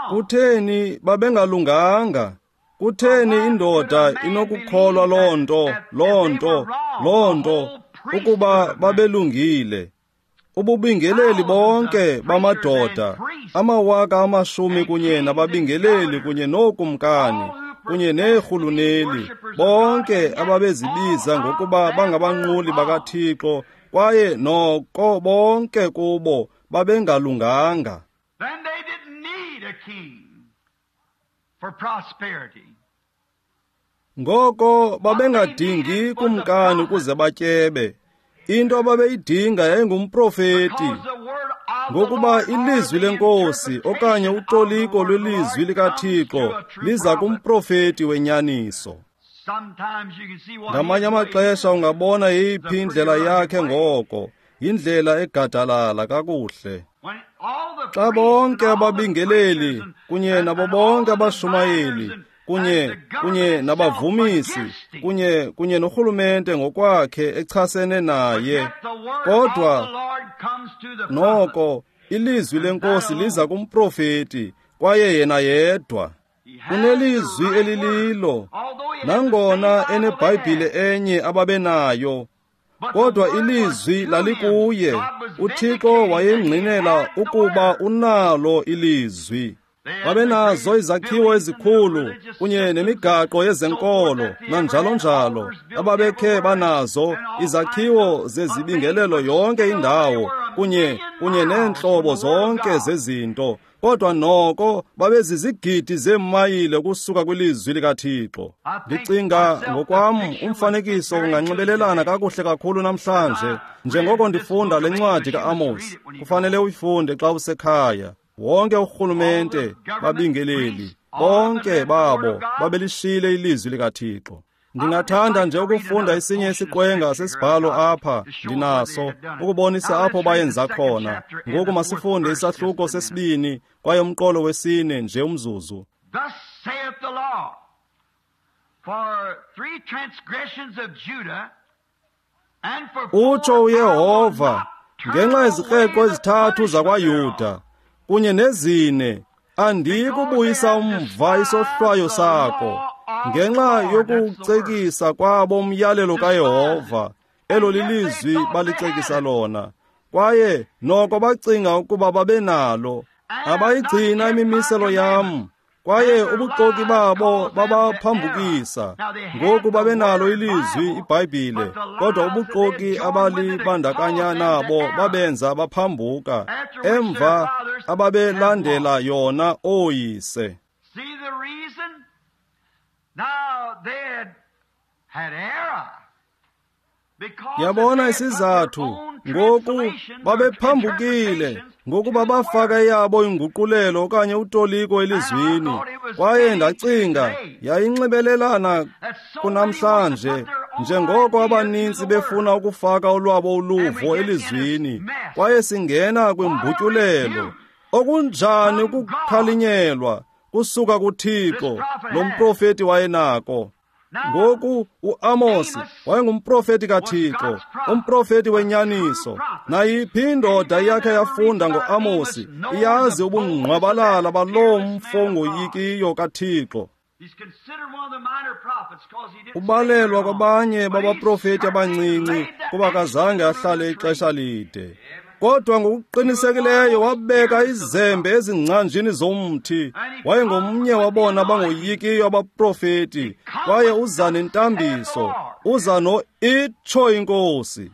Kutheni babengalunganga? Kutheni indoda inokukholwa loo nto, loo nto, loo nto, ukuba babelungile? Ububingeleli bonke bamadoda, 10,000 kunye nababingeleli kunye nookumkani, kunye neerhuluneli, bonke ababezibiza ngokuba bangabanquli bakaThixo, kwaye noko bonke kubo babengalunganga. Ngoko babengadingi kumkani ukuze batyebe. Into ababeyidinga yayingumprofeti, ngokuba ilizwi leNkosi okanye utoliko lwelizwi likaThixo liza kumprofeti wenyaniso. Ngamanye amaxesha ungabona yeyiphi indlela yakhe ngoko, yindlela egadalala kakuhle. Xa bonke ababingeleli kunye nabo bonke abashumayeli kunye nabavumisi kunye norhulumente ngokwakhe echasene naye, kodwa noko ilizwi leNkosi liza kumprofeti, kwaye yena yedwa unelizwi elililo, nangona eneBhayibhile enye ababenayo, kodwa ilizwi lalikuye. uThixo wayengqinela ukuba unalo ilizwi. Babenazo izakhiwo ezikhulu kunye nemigaqo yezenkolo nanjalo njalo ababekhe banazo, izakhiwo zezibingelelo yonke indawo kunye neentlobo zonke zezinto, kodwa noko babezizigidi zeemayile ukusuka kwilizwi likaThixo. Ndicinga ngokwam umfanekiso unganxibelelana kakuhle kakhulu namhlanje, njengoko ndifunda le ncwadi ka-Amos. Kufanele uyifunde xa usekhaya. Wonke urhulumente, babingeleli, bonke babo babelishiyile ilizwi likaThixo. Ndingathanda nje ukufunda esinye isiqwenga sesibhalo apha ndinaso, ukubonisa apho bayenza khona. Ngoku masifunde isahluko sesibini kwaye umqolo wesine nje umzuzu. Utsho uYehova, ngenxa yezikreqo ezithathu zakwaYuda kunye nezine, andikubuyisa umva isohlwayo sakho, ngenxa yokucekisa kwabo umyalelo kaYehova. Elo lilizwi balicekisa lona, kwaye noko bacinga ukuba babenalo. Abayigcina imimiselo yam, kwaye ubuxoki babo babaphambukisa. Ngoku babenalo ilizwi, iBhayibhile, kodwa ubuxoki abalibandakanya nabo babenza baphambuka, emva ababelandela yona ooyise. Yabona isizathu, ngoku babephambukile ngokuba bafaka eyabo inguqulelo okanye utoliko elizwini. Kwaye ndacinga yayinxibelelana kunamhlanje, njengoko abanintsi befuna ukufaka olwabo uluvo elizwini, kwaye singena kwimbutyulelo. Okunjani ukukhalinyelwa kusuka kuThixo lo mprofeti wayenako. Ngoku uAmos wayengumprofeti kaThixo, umprofeti wenyaniso. Nayiphi indoda yakhe yafunda ngoAmosi iyazi ubungqwabalala baloo mfo ngoyikiyo kaThixo. Ubalelwa kwabanye babaprofeti abancinci kuba kazange ahlale ixesha lide, kodwa ngokuqinisekileyo wabeka izembe ezingcanjini zomthi. Wayengomnye wabona bangoyikiyo abaprofeti, kwaye uza nentambiso, uza no-itsho iNkosi.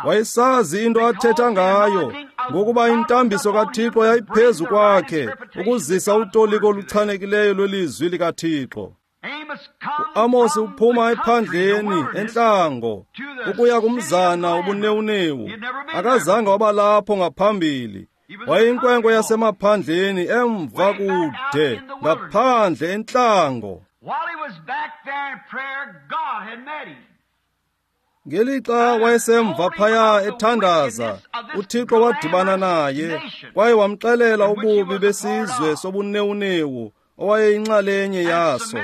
Wayesazi into athetha ngayo, ngokuba intambiso kaThixo yayiphezu kwakhe ukuzisa utoliko oluchanekileyo lwelizwi likaThixo. uAmosi uphuma ephandleni entlango ukuya kumzana ubunewunewu. Akazange wabalapho ngaphambili. Wayeyinkwenkwe yasemaphandleni emva kude ngaphandle entlango. Ngelixa wayesemva phaya ethandaza, uThixo wadibana naye kwaye wamxelela ububi besizwe sobunewunewu owayeyinxalenye yaso.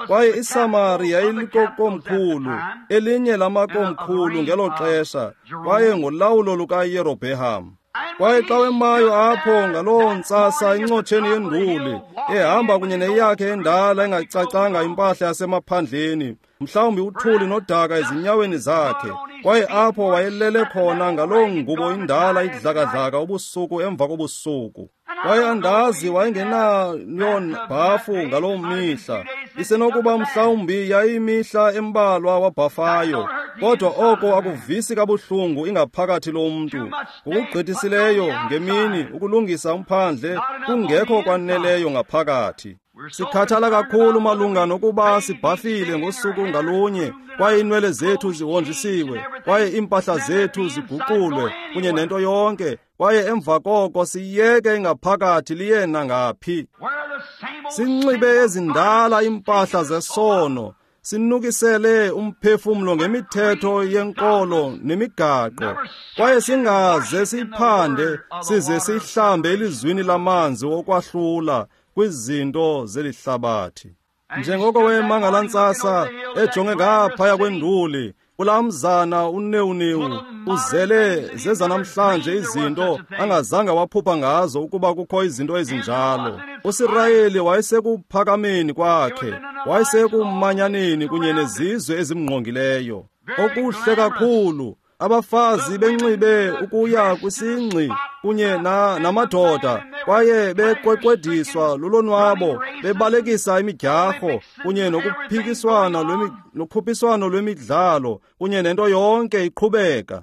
Kwaye iSamari yayilikokomkhulu, elinye lamakomkhulu ngelo xesha, kwaye ngolawulo lukaYerobheham. Kwaye xa wemayo apho ngaloo ntsasa incotsheni yenduli, ehamba kunye neyakhe endala engacacanga impahla yasemaphandleni, mhlawumbi uthuli nodaka ezinyaweni zakhe, kwaye apho wayelele khona ngaloo ngubo indala idlakadlaka ubusuku emva kobusuku. Kwaye andazi wayengenayo bhafu ngaloo mihla, isenokuba mhlawumbi yayimihla embalwa wabhafayo, kodwa oko akuvisi kabuhlungu ingaphakathi lomntu. Ngokugqithisileyo ngemini ukulungisa umphandle kungekho kwaneleyo ngaphakathi. Sikhathala kakhulu malunga nokuba sibhafile ngosuku ngalunye, kwaye iinwele zethu zihonjisiwe, kwaye iimpahla zethu ziguqulwe kunye nento yonke, kwaye emva koko siyeke ingaphakathi liye nangaphi. Sinxibe ezindala iimpahla zesono, sinukisele umphefumlo ngemithetho yenkolo nemigaqo, kwaye singaze siyiphande size siyihlambe elizwini lamanzi okwahlula kwizinto zeli hlabathi. Njengoko wema ngalaa ntsasa ejonge ngaphaya kwenduli, kulaa mzana unewunewu uzele zezanamhlanje izinto angazange waphupha ngazo ukuba kukho izinto ezinjalo. USirayeli wayesekuphakameni kwakhe, wayesekumanyaneni kunye nezizwe ezimngqongileyo. Okuhle kakhulu, abafazi benxibe ukuya kwisingxi kunye namadoda, kwaye beqweqwediswa lulonwabo, bebalekisa imidyarho kunye nokuphikiswano lwemidlalo kunye nento yonke iqhubeka.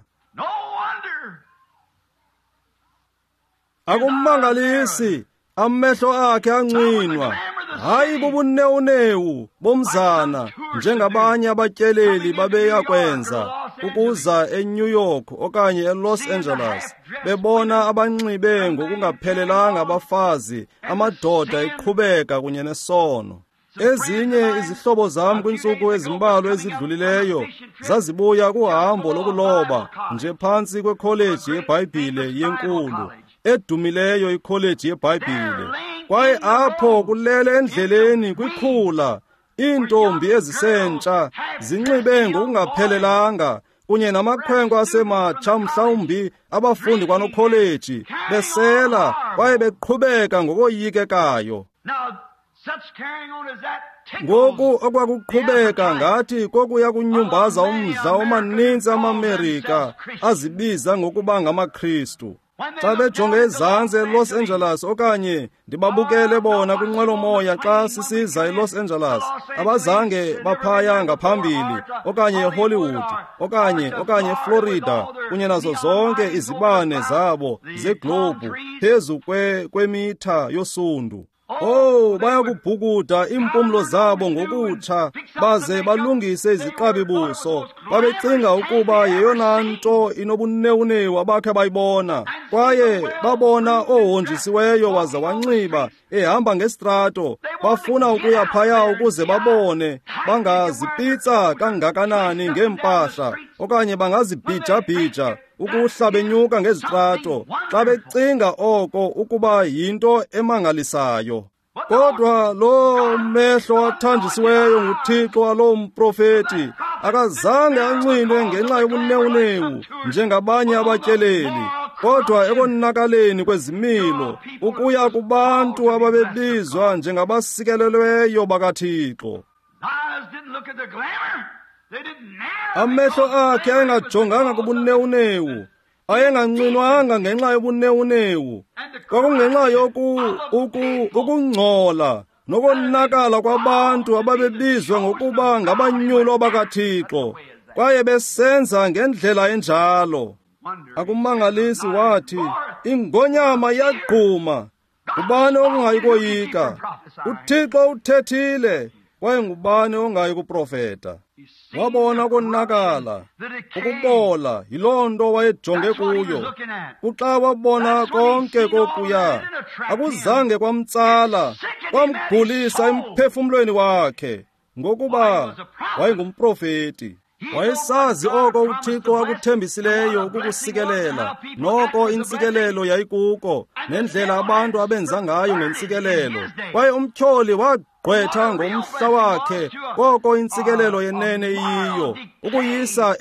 Akumangalisi, amehlo akhe ancinwa, hayi bubunewunewu bomzana njengabanye abatyeleli babeyakwenza ukuza eNew York okanye eLos Angeles, bebona abanxibe ngokungaphelelanga abafazi, amadoda eqhubeka kunye nesono. Ezinye izihlobo zam kwiintsuku ezimbalwa ezidlulileyo zazibuya kuhambo lokuloba nje phantsi kwekholeji yeBhayibhile yenkulu, edumileyo ikholeji yeBhayibhile. Kwaye apho kulele endleleni kwikhula iintombi ezisentsha zinxibe ngokungaphelelanga kunye namakhwenkwe asematsha, mhlawumbi abafundi kwanokholeji, besela kwaye beqhubeka ngokoyikekayo. Ngoku okwakuqhubeka ngathi kokuya kunyumbaza umdla omaninzi amaMerika azibiza ngokuba ngamaKristu. Xa bejonge ezantsi eLos Angeles okanye ndibabukele bona kwinqwelomoya xa sisiza eLos Angeles, abazange baphaya ngaphambili okanye eHollywood okanye eFlorida kunye nazo zonke izibane zabo zeglobhu phezu kwemitha yosundu. Oh, bayakubhukuda iimpumlo zabo ngokutsha baze balungise iziqabi buso. Babecinga ukuba yeyona nto inobunewunewu abakhe bayibona. Kwaye babona ohonjisiweyo waze wanxiba ehamba ngesitrato. Bafuna ukuya phaya ukuze babone bangazipitsa kangakanani ngeempahla okanye bangazibhijabhija ukuhla benyuka ngezitrato, xa becinga oko ukuba yinto emangalisayo. Kodwa lo mehlo athanjisiweyo nguThixo waloo mprofeti akazange ancinwe ngenxa yobunewunewu njengabanye abatyeleli, kodwa ekonakaleni kwezimilo ukuya kubantu ababebizwa njengabasikelelweyo bakaThixo. Amehlo akhe ayengajonganga kubunewunewu, ayengancinwanga ngenxa yobunewunewu. Kwakungenxa ukungcola nokonakala kwabantu ababebizwa ngokuba ngabanyulwa bakaThixo, kwaye besenza ngendlela enjalo. Akumangalisi wathi, ingonyama yagquma, ngubani ongayi koyika? UThixo uthethile, kwaye ngubani ongayi kuprofeta? Wabona konakala, ukubola, yiloo nto wayejonge kuyo. Kuxa wabona konke kokuya, akuzange kwamtsala, kwamgulisa emphefumlweni wakhe, ngokuba wayengumprofeti. Wayesazi oko uThixo akuthembisileyo ukukusikelela, noko intsikelelo yayikuko, nendlela abantu abenza ngayo ngentsikelelo. Kwaye umtyholi wagqwetha ngomhla wakhe koko intsikelelo yenene iyiyo, ukuyisa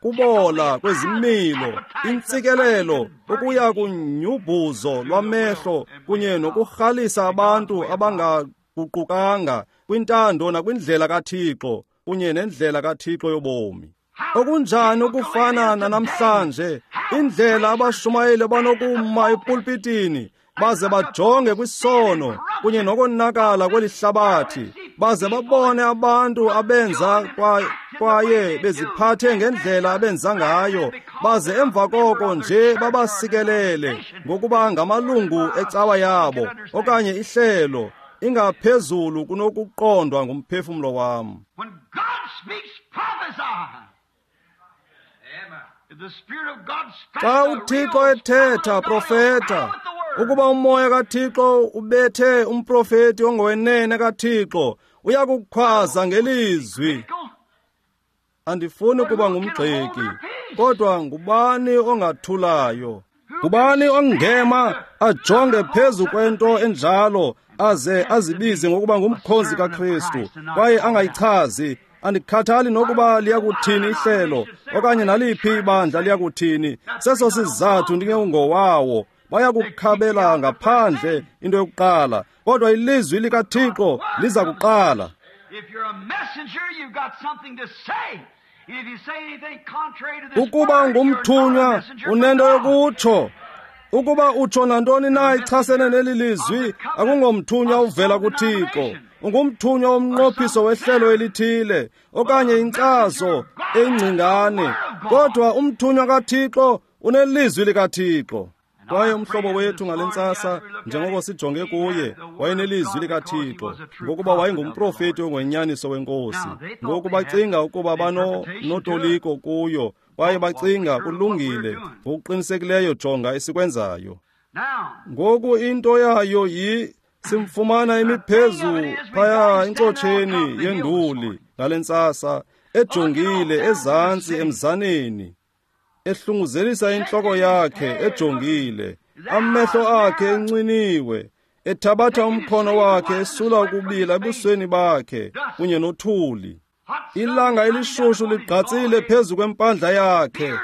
kubola kwezimilo, intsikelelo ukuya kunyubhuzo lwamehlo kunye nokurhalisa abantu abangaguqukanga kwintando nakwindlela kaThixo kunye nendlela kaThixo yobomi. Okunjani ukufana nanamhlanje, indlela abashumayeli banokuma epulpitini baze bajonge kwisono kunye nokonakala kweli hlabathi, baze babone abantu abenza kwaye beziphathe ngendlela abenza ngayo, baze emva koko nje babasikelele ngokuba ngamalungu ecawa yabo okanye ihlelo, ingaphezulu kunokuqondwa ngumphefumlo wam. Xa uThixo ethetha, profeta. Ukuba umoya kaThixo ubethe umprofeti ongowenene kaThixo, uyakukhwaza ngelizwi. Andifuni kuba ngumgxeki, kodwa ngubani ongathulayo? Ngubani ongema ajonge phezu kwento enjalo aze azibize ngokuba ngumkhonzi kaKristu kwaye angayichazi? Andikhathali nokuba liyakuthini ihlelo okanye naliphi ibandla liyakuthini. Seso sizathu ndingengowawo. Bayakukhabela ngaphandle into yokuqala, kodwa ilizwi likaThixo liza kuqala. Ukuba ungumthunywa, unento yokutsho. Ukuba utsho nantoni na ichasene neli lizwi, akungomthunywa uvela kuThixo. Ungumthunywa womnqophiso wehlelo elithile okanye inkcazo engcingane, kodwa umthunywa kaThixo unelizwi likaThixo. Kwaye umhlobo wethu ngale ntsasa, njengoko sijonge kuye, wayenelizwi likaThixo, ngokuba wayengumprofeti ongwenyaniso wenkosi. Ngoku bacinga ukuba banotoliko kuyo, kwaye bacinga kulungile ngokuqinisekileyo. Jonga esikwenzayo ngoku. Into yayo simfumana imiphezu phaya encotsheni yenduli ngale ntsasa, ejongile ezantsi emzaneni, ehlunguzelisa intloko yakhe ejongile, amehlo akhe encwiniwe, ethabatha umkhono wakhe esula ukubila ebusweni bakhe kunye nothuli. Ilanga elishushu ligqatsile phezu kwempandla yakhe,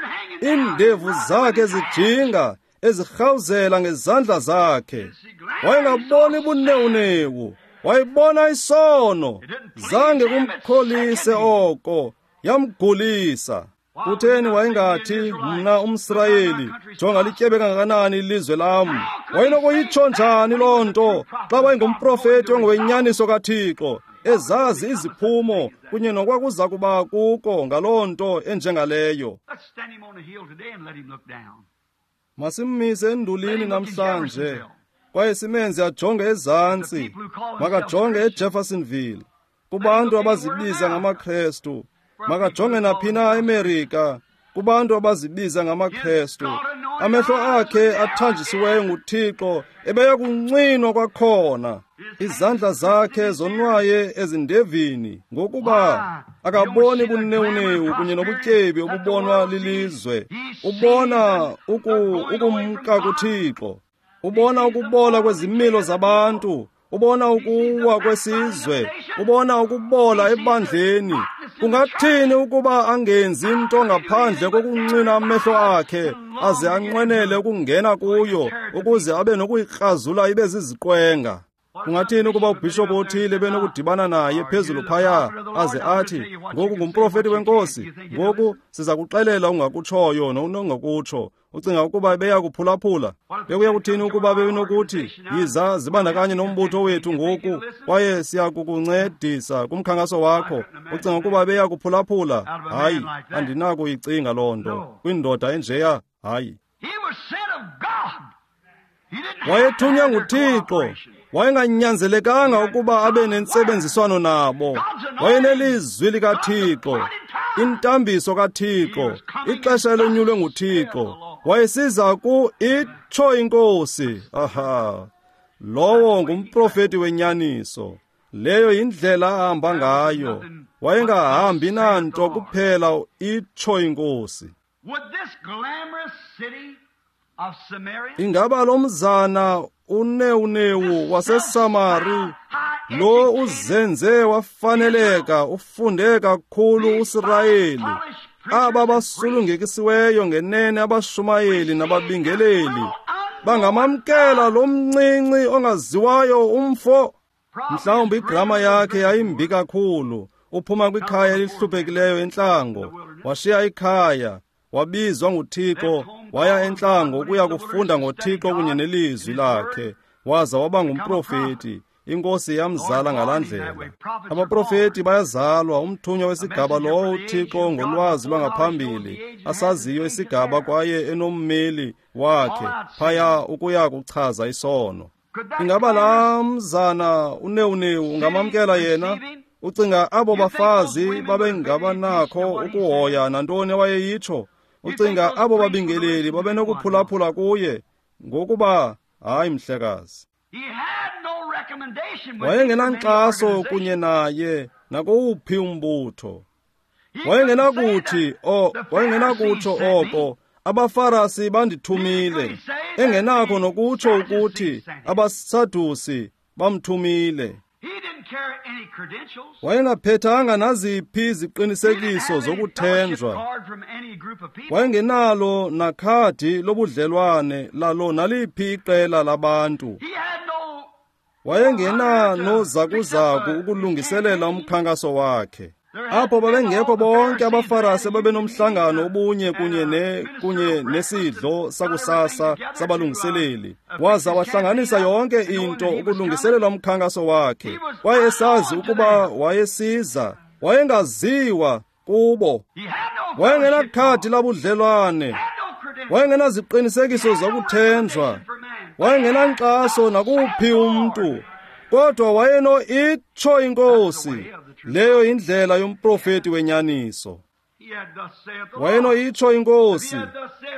iindevu zakhe zijinga ezirhawuzela ngezandla zakhe. Wayengaboni bunewunewu, wayebona isono. Zange kumkholise oko, yamgulisa. Kutheni wayengathi, mna umSirayeli, jonga lityebe kangakanani ilizwe lam? Wayenokuyitsho njani loo nto xa wayengumprofeti ongowenyaniso kaThixo, ezazi iziphumo kunye nokwakuza kuba kuko ngaloo nto enjengaleyo? Masimmise endulini namhlanje kwaye simenze ajonge ezantsi. Makajonge eJeffersonville, kubantu abazibiza ngamaKrestu. Makajonge naphi na eMerika, kubantu abazibiza ngamaKrestu. Amehlo akhe athanjisiweyo nguThixo ebeya kuncinwa kwakhona. Izandla zakhe zonwaye ezindevini, ngokuba akaboni bunewunewu kunye nobutyebi obubonwa lilizwe. Ubona ukumka kuThixo, ubona ukubola kwezimilo zabantu, ubona ukuwa kwesizwe, ubona ukubola ebandleni. Kungathini ukuba angenzi nto ngaphandle kokuncina amehlo akhe aze anqwenele ukungena kuyo ukuze abe nokuyikrazula ibe ziziqwenga? Kungathini ukuba ubhishophu othile benokudibana naye phezulu phaya aze athi, ngoku ngumprofeti wenkosi, ngoku siza kuxelela ungakutshoyo nongakutsho? Ucinga ukuba beya kuphulaphula? Bekuya kuthini ukuba benokuthi, yiza zibandakanye nombutho wethu ngoku kwaye siya kukuncedisa kumkhankaso wakho? Ucinga ukuba beya kuphulaphula? Hayi, andinakuyicinga loo nto kwindoda enjeya. Hayi. Wayethunywa nguThixo. Wayenganyanzelekanga ukuba abe nentsebenziswano nabo. Wayenelizwi likaThixo, intambiso kaThixo, ixesha elonyulwe nguThixo. Wayesiza ku itsho inkosi. Aha, lowo ngumprofeti wenyaniso. Leyo yindlela ahamba ngayo. Wayengahambi nanto kuphela itsho iNkosi. Ingaba lo mzana unewunewu waseSamari lo uzenze wafaneleka ufunde kakhulu uSirayeli, aba basulungekisiweyo ngenene abashumayeli nababingeleli bangamamkela lo mncinci ongaziwayo umfo? Mhlawumbi igrama yakhe yayimbi kakhulu. Uphuma kwikhaya elihluphekileyo entlango, washiya ikhaya, wabizwa nguThixo, waya entlango ukuya kufunda ngoThixo kunye nelizwi lakhe, waza waba ngumprofeti. INkosi yamzala ngalaa ndlela. Abaprofeti bayazalwa, umthunywa wesigaba lowo uThixo ngolwazi lwangaphambili asaziyo isigaba kwaye enommeli wakhe phaya ukuya kuchaza isono. Ingaba laa mzana unewunewu ungamamkela yena? Ucinga abo bafazi babengabanakho ukuhoya nantoni wayeyitsho? Ucinga abo babingeleli babenokuphulaphula kuye? Ngokuba hayi, mhlekazi. Wayengenankxaso kunye naye nakowuphi umbutho. Wayengenakutsho oko abaFarasi bandithumile, engenakho nokutsho ukuthi abaSadusi bamthumile. Wayengaphethanga naziphi iziqinisekiso zokuthenjwa. Wayengenalo nakhadi lobudlelwane lalo naliphi iqela labantu. Wayengenanozakuzaku ukulungiselela umkhankaso wakhe. Apho babengekho bonke abaFarasi babenomhlangano obunye kunye nesidlo sakusasa sabalungiseleli. Waza wahlanganisa yonke into ukulungiselela umkhankaso wakhe. Kwaye esazi ukuba wayesiza, wayengaziwa kubo. Wayengenakhadi labudlelwane, wayengenaziqinisekiso zokuthenjwa, wayengenankxaso nakuphi umntu, kodwa wayeno itsho iNkosi. Leyo indlela yomprofeti wenyaniso. Wayeno itsho iNkosi.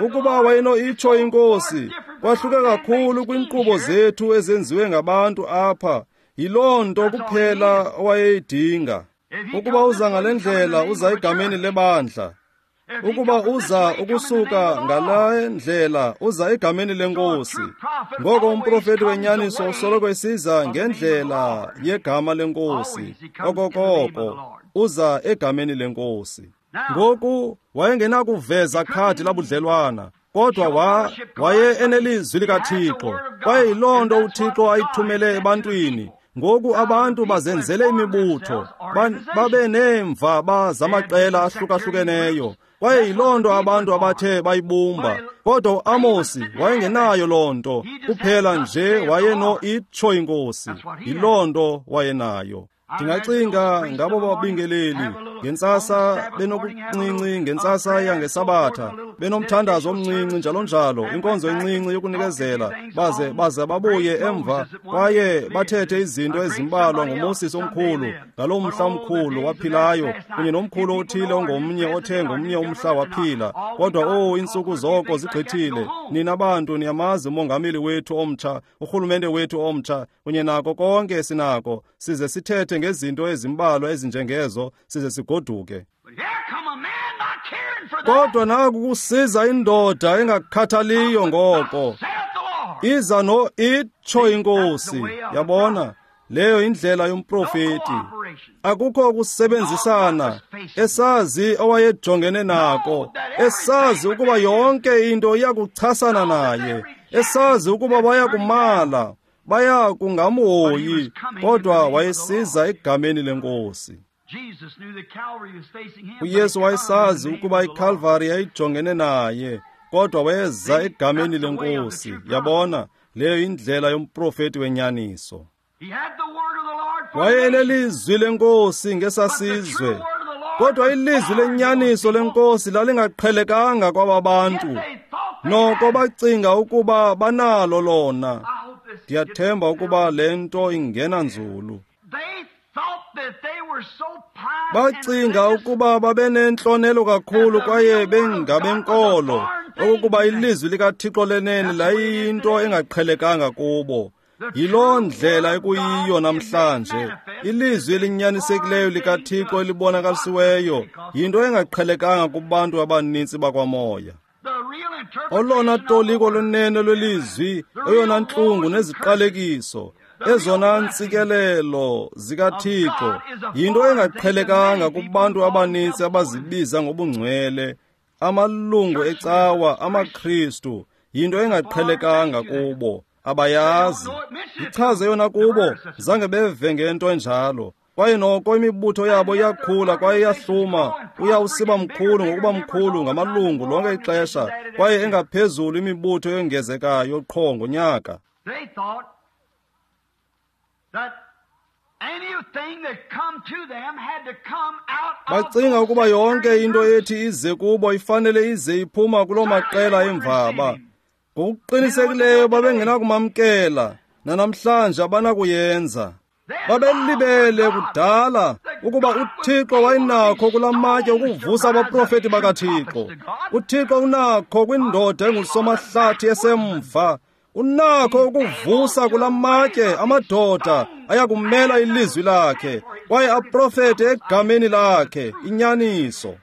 Ukuba wayeno itsho iNkosi, kwahluke kakhulu kwinkqubo zethu ezenziwe ngabantu apha. Yiloo nto kuphela owayeyidinga. Ukuba uza ngale ndlela, uza egameni lebandla. Ukuba uza ukusuka ngale ndlela, uza egameni lenkosi. Ngoko umprofeti wenyaniso usoloko esiza ngendlela yegama lenkosi. Okokoko uza egameni lenkosi. Ngoku wayengenakuveza khadi labudlelwana, kodwa waye enelizwi likaThixo, kwaye yiloo nto uThixo ayithumele ebantwini. Ngoku abantu bazenzele imibutho, babe neemvaba zamaqela ahlukahlukeneyo, kwaye yiloo nto abantu abathe bayibumba. Kodwa uAmosi wayengenayo loo nto, kuphela nje wayeno itsho iNkosi. Yiloo nto wayenayo. Ndingacinga ngabo babingeleli ngentsasa benokuncinci, ngentsasa yangesabatha benomthandazo omncinci njalo njalo, inkonzo encinci yokunikezela, baze babuye emva kwaye bathethe izinto ezimbalwa ngoMoses omkhulu ngaloo mhla omkhulu waphilayo, kunye nomkhulu othile ongomnye othe ngomnye umhla waphila. Kodwa iintsuku zoko zigqithile. Nina bantu niyamazi umongameli wethu omtsha, urhulumente wethu omtsha, kunye nako konke esinako, size sithethe ngezinto ezimbalwa ezinjengezo, size sigoduke. Kodwa naku kusiza indoda engakhathaliyo ngoko, iza no itsho iNkosi. Yabona, leyo indlela yomprofeti. Akukho kusebenzisana, esazi owayejongene nako, esazi ukuba yonke into iyakuchasana naye, esazi ukuba bayakumala, baya kungamhoyi, kodwa wayesiza egameni lenkosi. uYesu wayesazi ukuba iKalvari yayijongene naye, kodwa wayeza egameni lenkosi. Yabona, leyo indlela yomprofeti wenyaniso. Wayenelizwi lenkosi ngesasizwe, kodwa ilizwi lenyaniso lenkosi lalingaqhelekanga kwaba bantu. Noko bacinga ukuba banalo lona. Ndiyathemba ukuba le nto ingena nzulu. Bacinga ukuba babenentlonelo kakhulu kwaye bengabenkolo, okokuba ilizwi likaThixo lenene layiyinto engaqhelekanga kubo. Yiloo ndlela ekuyiyo namhlanje. Ilizwi elinyanisekileyo likaThixo elibonakalisiweyo yinto engaqhelekanga kubantu abaninzi bakwamoya. Olona toliko lunene lwelizwi, eyona ntlungu neziqalekiso, ezona ntsikelelo zikaThixo yinto engaqhelekanga kubantu abaninzi abazibiza ngobungcwele, amalungu ecawa, amaKristu, yinto engaqhelekanga kubo. Abayazi. Ichaze yona kubo, zange beve ngento enjalo. Kwaye noko imibutho yabo iyakhula kwaye iyahluma, uya usiba mkhulu ngokuba mkhulu ngamalungu lonke ixesha, kwaye engaphezulu imibutho eyongezekayo qho ngonyaka. Bacinga ukuba yonke into ethi ize kubo ifanele ize iphuma kuloo maqela emvaba. Ngokuqinisekileyo babengenakumamkela, nanamhlanje abanakuyenza. Babelibele kudala ukuba uThixo wayenakho kula matye ukuvusa abaprofeti bakaThixo. UThixo unakho kwindoda engusomahlathi esemva. Unakho ukuvusa kula matye amadoda ayakumela ilizwi lakhe kwaye aprofete egameni lakhe inyaniso.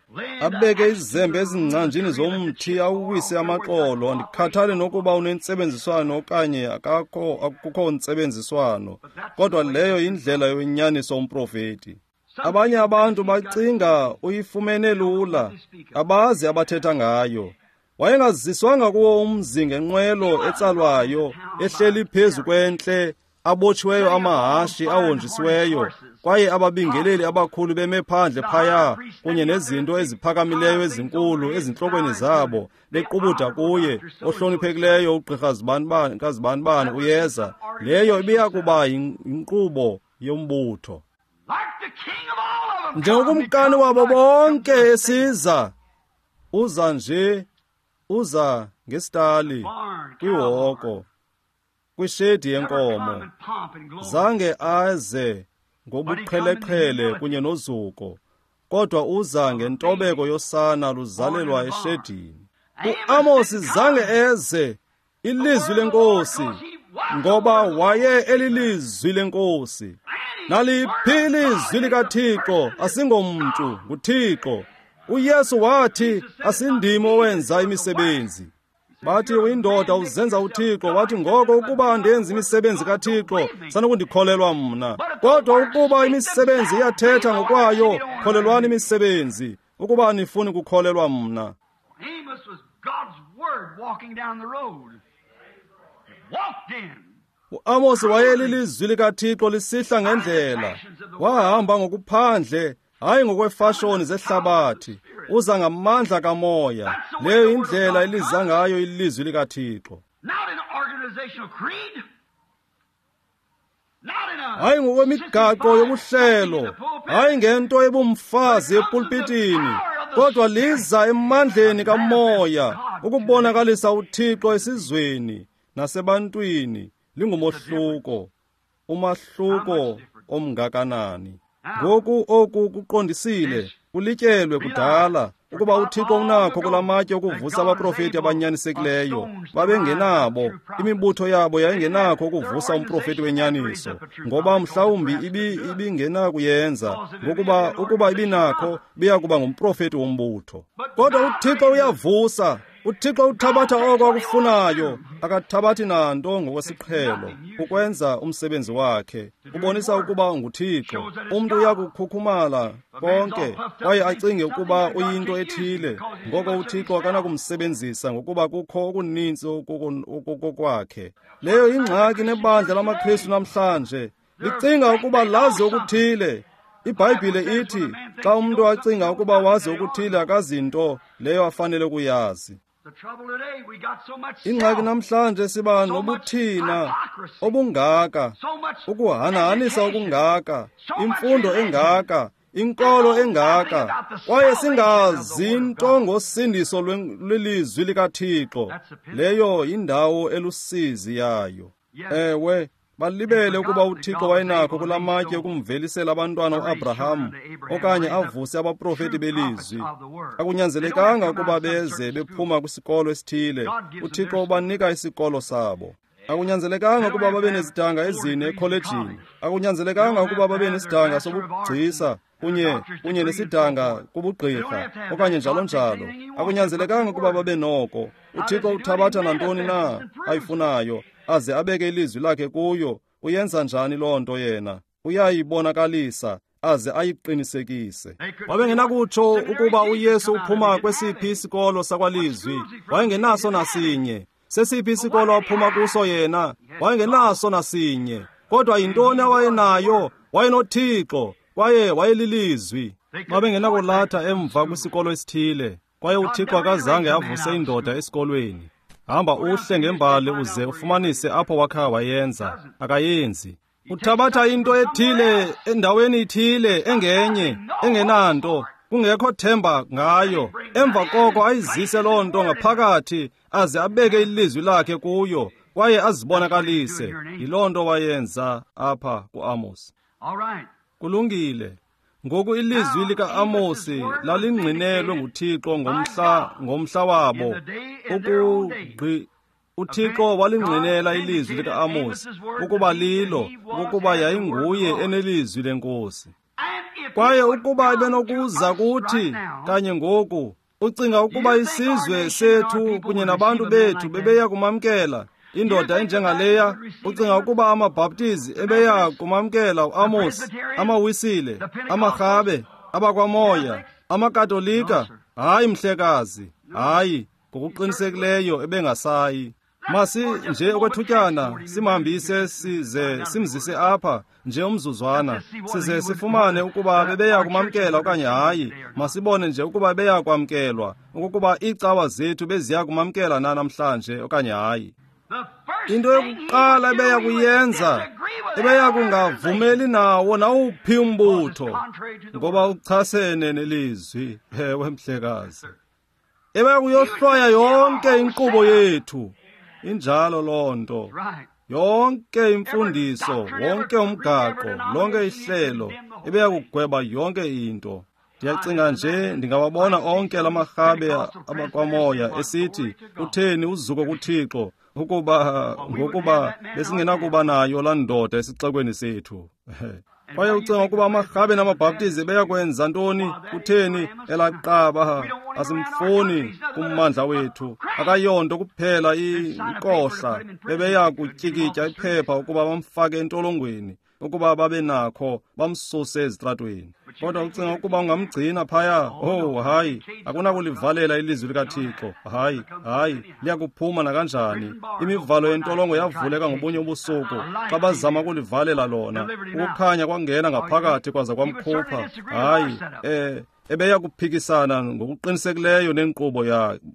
Abeke izembe ezingcanjini zomthi awuwise amaxolo. Andikhathali nokuba unentsebenziswano okanye akukho ntsebenziswano, kodwa leyo yindlela yenyaniso umprofeti. Abanye abantu bacinga uyifumene lula, abazi abathetha ngayo. Wayengaziswanga kuwo umzi ngenqwelo etsalwayo, ehleli phezu kwentle, abotshiweyo amahashi ahonjisiweyo, kwaye ababingeleli abakhulu beme phandle phaya kunye nezinto eziphakamileyo ezinkulu ezintlokweni zabo, bequbuda kuye, ohloniphekileyo ugqirha kazibanibani uyeza. Leyo ibiya kuba yinkqubo yombutho. Njengokumkani wabo bonke esiza, uza nje, uza ngesitali, kwihoko, kwishedi yenkomo. Zange aze ngobuqheleqhele kunye nozuko, kodwa uza ngentobeko yosana luzalelwa eshedini. UAmosi zange eze ilizwi lenkosi, ngoba waye elilizwi lenkosi. Naliphi ilizwi likaThixo asingomntu, nguThixo. uYesu wathi asindimi owenza imisebenzi. Bathi uyindoda uzenza uThixo. Wathi ngoko ukuba andenzi imisebenzi kaThixo, sanukundikholelwa mna. Kodwa ukuba imisebenzi iyathetha ngokwayo, kholelwani imisebenzi, ukuba anifuni kukholelwa mna. UAmosi wayelilizwi likaThixo lisihla ngendlela. Wahamba ngokuphandle, hayi ngokwefashoni zehlabathi. Uza ngamandla kamoya. Leyo indlela eliza ngayo ilizwi likaThixo. Hayi ngokwemigaqo yobuhlelo, hayi ngento ebumfazi epulpitini, kodwa liza emandleni kamoya ukubonakalisa uThixo esizweni nasebantwini. Lingumohluko, umahluko omngakanani. Ngoku oku kuqondisile, kulityelwe kudala ukuba uThixo unakho kula matye ukuvusa abaprofeti abanyanisekileyo. Babengenabo, imibutho yabo yayingenakho ukuvusa umprofeti wenyaniso, ngoba mhlawumbi ibingenakuyenza, ngokuba ukuba ibinakho biya kuba ngumprofeti wombutho. Kodwa uThixo uyavusa. uThixo uthabatha oko akufunayo, akathabathi nanto ngokwesiqhelo ukwenza umsebenzi wakhe. Ubonisa ukuba nguThixo. Umntu uyakukhukhumala konke kwaye acinge ukuba uyinto ethile, ngoko uThixo akanakumsebenzisa ngokuba kukho okuninzi okokwakhe. Leyo ingxaki nebandla lamaKristu namhlanje, licinga ukuba lazi okuthile. IBhayibhile ithi xa umntu acinga ukuba wazi okuthile, akazinto leyo afanele kuyazi. Ingxaki namhlanje siba nobuthina obungaka, ukuhanahanisa okungaka, imfundo engaka, inkolo engaka, kwaye singazi nto ngosindiso lwelizwi likaThixo. Leyo yindawo elusizi yayo. Ewe, balibele ukuba uThixo wayenakho kula matye ukumvelisela abantwana uAbraham okanye avuse abaprofeti belizwi. Akunyanzelekanga ukuba beze bephuma kwisikolo esithile. uThixo ubanika isikolo sabo. Akunyanzelekanga ukuba babe nezidanga ezine ekholejini. Akunyanzelekanga ukuba babe nesidanga sobugcisa kunye nesidanga kubugqirha okanye njalo njalo. Akunyanzelekanga ukuba babe noko. UThixo uthabatha nantoni na ayifunayo aze abeke ilizwi lakhe kuyo. Uyenza njani loo nto yena? Uyayibonakalisa aze ayiqinisekise. Wabengenakutsho ukuba uYesu uphuma kwesiphi isikolo sakwalizwi. Wayengenaso nasinye. Sesiphi isikolo aphuma kuso yena? Wayengenaso nasinye. Kodwa yintoni awayenayo? WayenoThixo kwaye wayelilizwi. Babengenakulatha emva kwisikolo esithile, kwaye uThixo akazange avuse indoda esikolweni. Hamba uhle ngembali uze ufumanise apho wakha wayenza. Akayenzi. Uthabatha into ethile endaweni ithile engenye engenanto, kungekho themba ngayo. Emva koko ayizise loo nto ngaphakathi aze abeke ilizwi lakhe kuyo kwaye azibonakalise. Yiloo nto wayenza apha kuAmos. Kulungile. Ngoku ilizwi lika-Amosi lalingqinelwe nguThixo ngomhla wabo. UThixo walingqinela ilizwi lika-Amosi ukuba lilo, ukuba yayinguye enelizwi lenkosi. Kwaye ukuba ebenokuza kuthi kanye ngoku, ucinga ukuba isizwe sethu kunye nabantu bethu bebeya kumamkela indoda enjengaleya? Ucinga ukuba amaBhaptizi ebeya kumamkela uAmos, amaWisile, amaRhabe, abakwaMoya, amaKatolika? Hayi mhlekazi, hayi, ngokuqinisekileyo ebengasayi. Masi nje okwethutyana simhambise size simzise apha nje umzuzwana, size sifumane ukuba bebeya kumamkela okanye hayi. Masibone nje ukuba beya kwamkelwa, ukuba iicawa zethu beziya kumamkela na namhlanje okanye hayi. Into yokuqala ebeya kuyenza, ebeya kungavumeli nawo nawuphi umbutho, ngoba uchasene nelizwi. Ewe mhlekazi, ebeya kuyohlwaya yonke inkqubo yethu. Injalo loo nto. Yonke imfundiso, wonke umgaqo, lonke ihlelo, ebeya kugweba yonke into. Ndiyacinga nje ndingawabona onke lamarhabe abakwamoya esithi, utheni uzuko kuThixo, ukuba ngokuba besingenakuba nayo laa ndoda esixekweni sethu. Kwaye ucinga ukuba amaRhabe namaBhaptizi beyakwenza ntoni? Kutheni elaqaba? Asimfuni kummandla wethu. Akayonto kuphela inkohla. Bebeya kutyikitya iphepha ukuba bamfake entolongweni, ukuba babe nakho bamsuse ezitratweni. Kodwa ucinga ukuba ungamgcina phaya? Oh hayi, akunakulivalela ilizwi likaThixo. Hayi, hayi, liyakuphuma nakanjani. Imivalo yentolongo yavuleka ngobunye ubusuku xa bazama ukulivalela lona. Ukukhanya kwangena ngaphakathi kwaza kwamkhupha. Hayi, ebeya kuphikisana ngokuqinisekileyo nenkqubo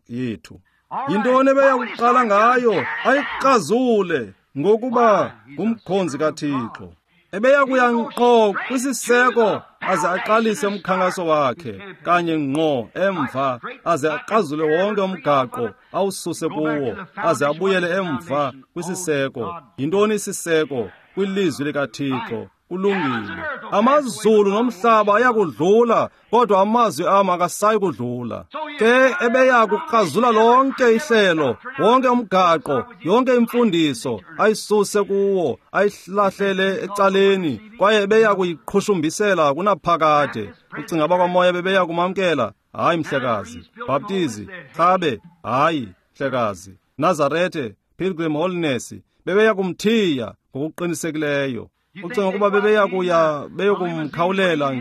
yethu. Yintoni ebeya kuqala ngayo? Ayikrazule, ngokuba ngumkhonzi kaThixo. Ebeya kuya ngqo kwisiseko aze aqalise umkhankaso wakhe kanye ngqo emva, aze aqazule wonke umgaqo awususe kuwo, aze abuyele emva kwisiseko. Yintoni isiseko? Kwilizwi likaThixo. Kulungile. Amazulu nomhlaba ayakudlula, kodwa amazwi am akasayi kudlula. Ke ebeya kukrazula lonke ihlelo, wonke umgaqo, yonke imfundiso, ayisuse kuwo, ayihlahlele ecaleni, kwaye ebeya kuyiqhushumbisela kunaphakade. Ucinga abakwamoya bebeya kumamkela? Hayi mhlekazi. Bhaptizi, Rhabe, hayi mhlekazi. Nazarete, Pilgrim Holiness, bebeya kumthiya ngokuqinisekileyo. Ucinga ukuba bebeya kuya beyokumkhawulela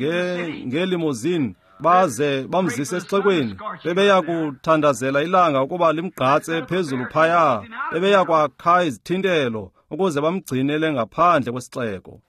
ngelimozini baze bamzise esixekweni? Bebeya kuthandazela ilanga ukuba limgqatse phezulu phaya. Bebeya kwakha izithintelo ukuze bamgcinele ngaphandle kwesixeko.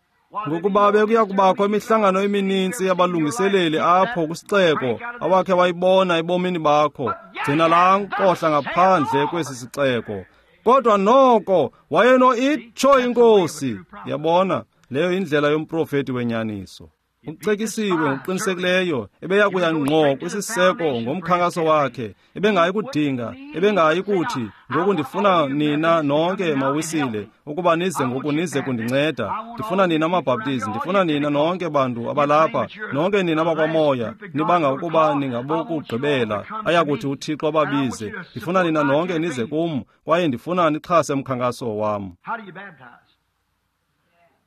Ngokuba bekuya kubakho imihlangano emininzi yabalungiseleli apho kwisixeko awakhe wayibona ebomini bakho. Gcina laa nkohla ngaphandle kwesi sixeko. Kodwa noko wayeno itsho inkosi. Yabona, leyo indlela yomprofeti wenyaniso. Ucekisiwe ngokuqinisekileyo, ebeya kuya ngqo kwisiseko ngomkhankaso wakhe. Ebengayi kudinga, ebengayi kuthi, ngoku ndifuna nina nonke mawisile ukuba nize ngoku nize kundinceda. Ndifuna nina maBhaptizi, ndifuna nina nonke bantu abalapha, nonke nina bakwamoya, nibanga ukuba ningabokugqibela ayakuthi uThixo ababize. Ndifuna nina nonke nize kum, kwaye ndifuna nixhase umkhankaso wam.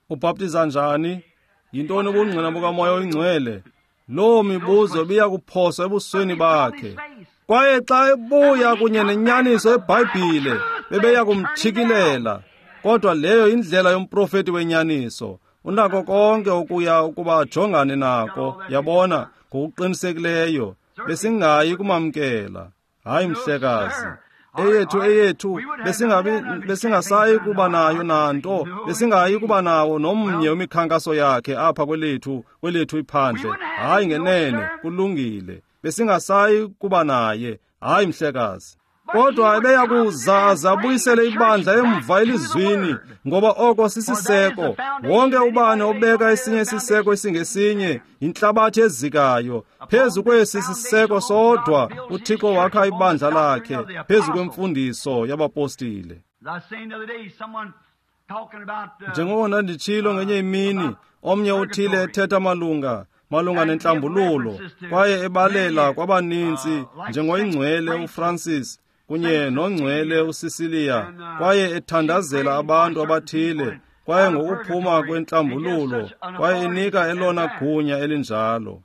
Ubhaptiza njani? Yintoni ubungqina bukaMoya oyiNgcwele? Loo mibuzo ibiya kuphoswa ebusweni bakhe. Kwaye xa ebuya kunye nenyaniso eBhayibhile, bebeya kumtshikilela. Kodwa leyo indlela yomprofeti wenyaniso. Unako konke okuya ukuba ajongane nako, yabona, ngokuqinisekileyo. Besingayi kumamkela. Hayi mhlekazi. Eyethu besingasayi kuba nayo nanto, besingayi kuba nawo nomnye wemikhankaso yakhe apha kwelethu iphandle. Hayi ngenene, kulungile. Besingasayi kuba naye. Hayi mhlekazi. Kodwa ebeya kuza aze abuyisele ibandla emva elizwini, ngoba oko sisiseko. Wonke ubani obeka esinye isiseko esingesinye yintlabathi ezikayo. Phezu kwesi siseko sodwa uThixo wakha ibandla lakhe, phezu kwemfundiso yabapostile. Njengoko ndanditshilo ngenye imini, omnye uthile ethetha malunga nentlambululo, kwaye ebalela kwabaninzi njengoyingcwele uFrancis kunye nongcwele uSicilia, kwaye ethandazela abantu abathile, kwaye ngokuphuma kwentlambululo, kwaye inika elona gunya elinjalo.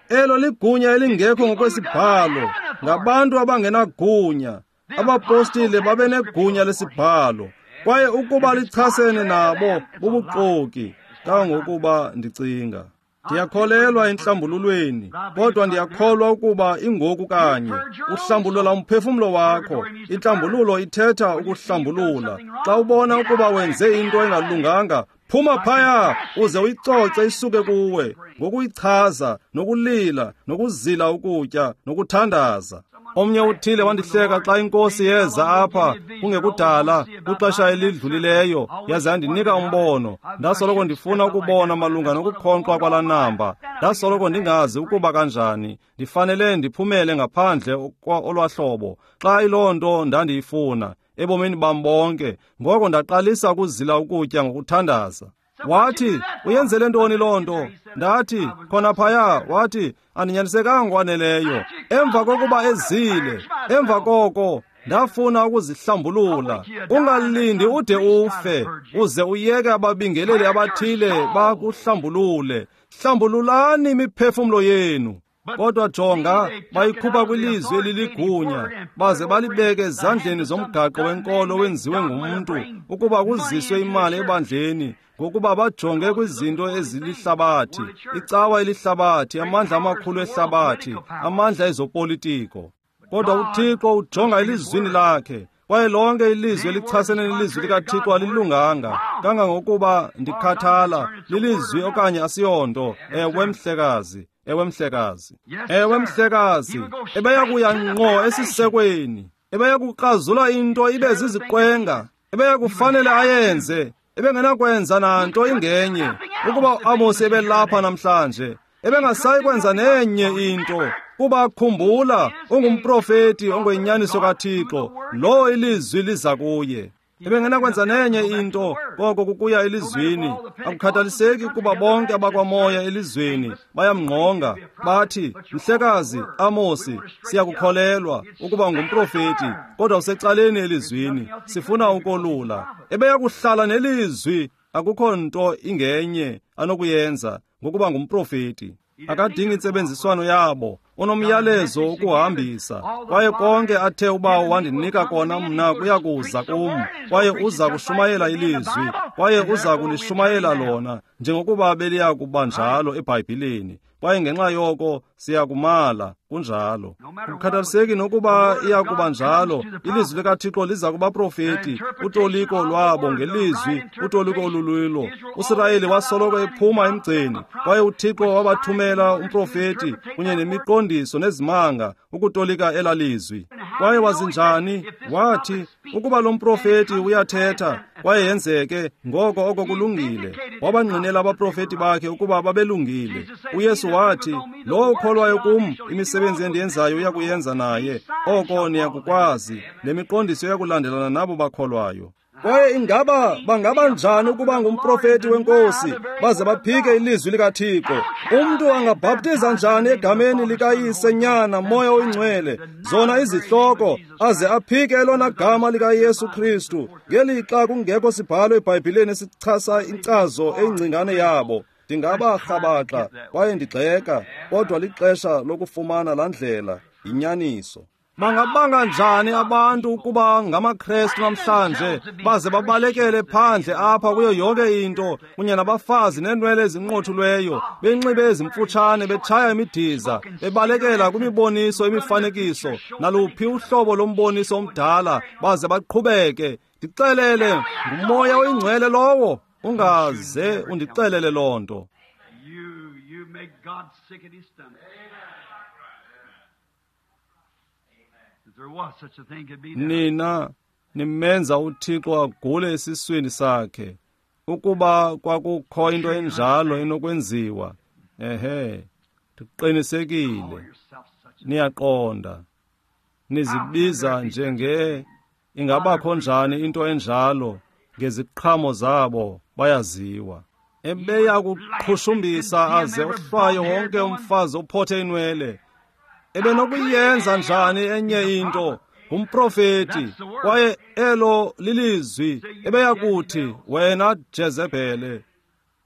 Elo ligunya elingekho ngokwesibhalo, ngabantu abangenagunya. Abapostile babenegunya lesibhalo, kwaye ukuba lichasene nabo bubuxoki, kangangokuba ndicinga. Ndiyakholelwa entlambululweni, kodwa ndiyakholwa ukuba ingoku kanye. Uhlambulula umphefumlo wakho. Intlambululo ithetha ukuhlambulula. Xa ubona ukuba wenze into engalunganga, phuma phaya uze uyicoce isuke kuwe, ngokuyichaza, nokulila, nokuzila ukutya, nokuthandaza. Omnye uthile wandihleka xa inkosi yeza apha kungekudala kwixesha elidlulileyo, yaze yandinika umbono. Ndasoloko ndifuna ukubona malunga nokukhonkxwa kwalaa namba. Ndasoloko ndingazi ukuba kanjani. Ndifanele ndiphumele ngaphandle olwahlobo xa iloo nto ndandiyifuna ebomini bam bonke. Ngoko ndaqalisa ukuzila ukutya ngokuthandaza. Wathi, uyenzele ntoni loo nto? Ndathi, khona phaya. Wathi, andinyanisekanga ngokwaneleyo. Emva kokuba ezile, emva koko ndafuna ukuzihlambulula. Ungalindi ude ufe, uze uyeke ababingeleli abathile bakuhlambulule. Hlambululani imiphefumlo yenu. Kodwa jonga, bayikhupha kwilizwi eliligunya, baze balibeke ezandleni zomgaqo wenkolo wenziwe ngumntu, ukuba kuziswe imali ebandleni, ngokuba bajonge kwizinto ezilihlabathi, icawa elihlabathi, amandla amakhulu ehlabathi, amandla ezopolitiko. Kodwa uThixo ujonga elizwini lakhe, kwaye lonke ilizwi elichasene nelizwi likaThixo alilunganga, kangangokuba ndikhathala lilizwi okanye asiyonto. Ewe mhlekazi. Ewe mhlekazi. Ewe mhlekazi. Ebeya kuya ngqo esisekweni. Ebeya kukrazula into ibe ziziqwenga. Ebeya kufanele ayenze. Ebengenakwenza nanto ingenye. Ukuba uAmosi ebelapha namhlanje, ebengasayi kwenza nenye into. Kuba khumbula, ungumprofeti ongoyinyaniso kaThixo, lo ilizwi liza kuye. Ebengenakwenza nenye into koko kukuya elizwini. Akukhathaliseki kuba bonke abakwamoya elizweni bayamngqonga, bathi, mhlekazi Amosi, siyakukholelwa ukuba ngumprofeti, kodwa usecaleni elizwini, sifuna ukolula. Ebeya kuhlala nelizwi, akukho nto ingenye anokuyenza ngokuba ngumprofeti. Akadingi intsebenziswano yabo, unomyalezo ukuhambisa. Kwaye konke athe uBawo wandinika kona mna kuya kuza kum, kwaye uza kushumayela ilizwi, kwaye uza kulishumayela lona njengokuba beliya kuba njalo eBhayibhileni. Kwaye ngenxa yoko siyakumala kunjalo. Kukhathaliseki nokuba iya kuba njalo, ilizwi likaThixo liza kubaprofeti, utoliko lwabo ngelizwi, utoliko olululo. uSirayeli wasoloko ephuma emgceni, kwaye uThixo wabathumela umprofeti kunye nemiqondiso nezimanga ukutolika elalizwi. Kwaye wazi njani? Wathi, ukuba lo mprofeti uyathetha kwaye yenzeke, ngoko oko kulungile. Wabangqinela abaprofeti bakhe ukuba babelungile. UYesu wathi, lowo ukholwayo kum, imisebenzi endiyenzayo uyakuyenza naye. Oko niyakukwazi. Le miqondiso iyakulandelana nabo bakholwayo. Kwaye ingaba bangaba njani ukuba ngumprofeti wenkosi baze baphike ilizwi likaThixo? Umntu angabhaptiza njani egameni likaYise, Nyana, Moya oyiNgcwele, zona izihloko, aze aphike elona gama likaYesu Kristu, ngelixa kungekho sibhalo eBhayibhileni esichasa inkcazo eyingcingane yabo? Ndingaba rhabaxa kwaye ndigxeka, kodwa lixesha lokufumana laa ndlela yinyaniso. Bangabanga njani abantu ukuba ngamaKrestu namhlanje baze babalekele phandle apha kuyo yonke into, kunye nabafazi neenwele ezinqothulweyo, benxibe ezimfutshane, betshaya imidiza, bebalekela kwimiboniso imifanekiso naluphi uhlobo lomboniso omdala, baze baqhubeke? Ndixelele, nguMoya oyiNgcwele lowo? Ungaze undixelele loo nto. You make God sick at his stomach. If there was such a thing could be done. Nina nimenza uThixo agule esiswini sakhe. Ukuba kwakukho into enjalo enokwenziwa, ehe, ndiqinisekile Call yourself such a niyaqonda. Nizibiza njenge ingabakho njani into enjalo? Ngeziqhamo zabo bayaziwa. Ebeya kuqhushumbisa aze ohlwaye wonke umfazi ophothe inwele. Ebenokuyenza njani enye into? Ngumprofeti, kwaye elo lilizwi. Ebeya kuthi, wena Jezebhele,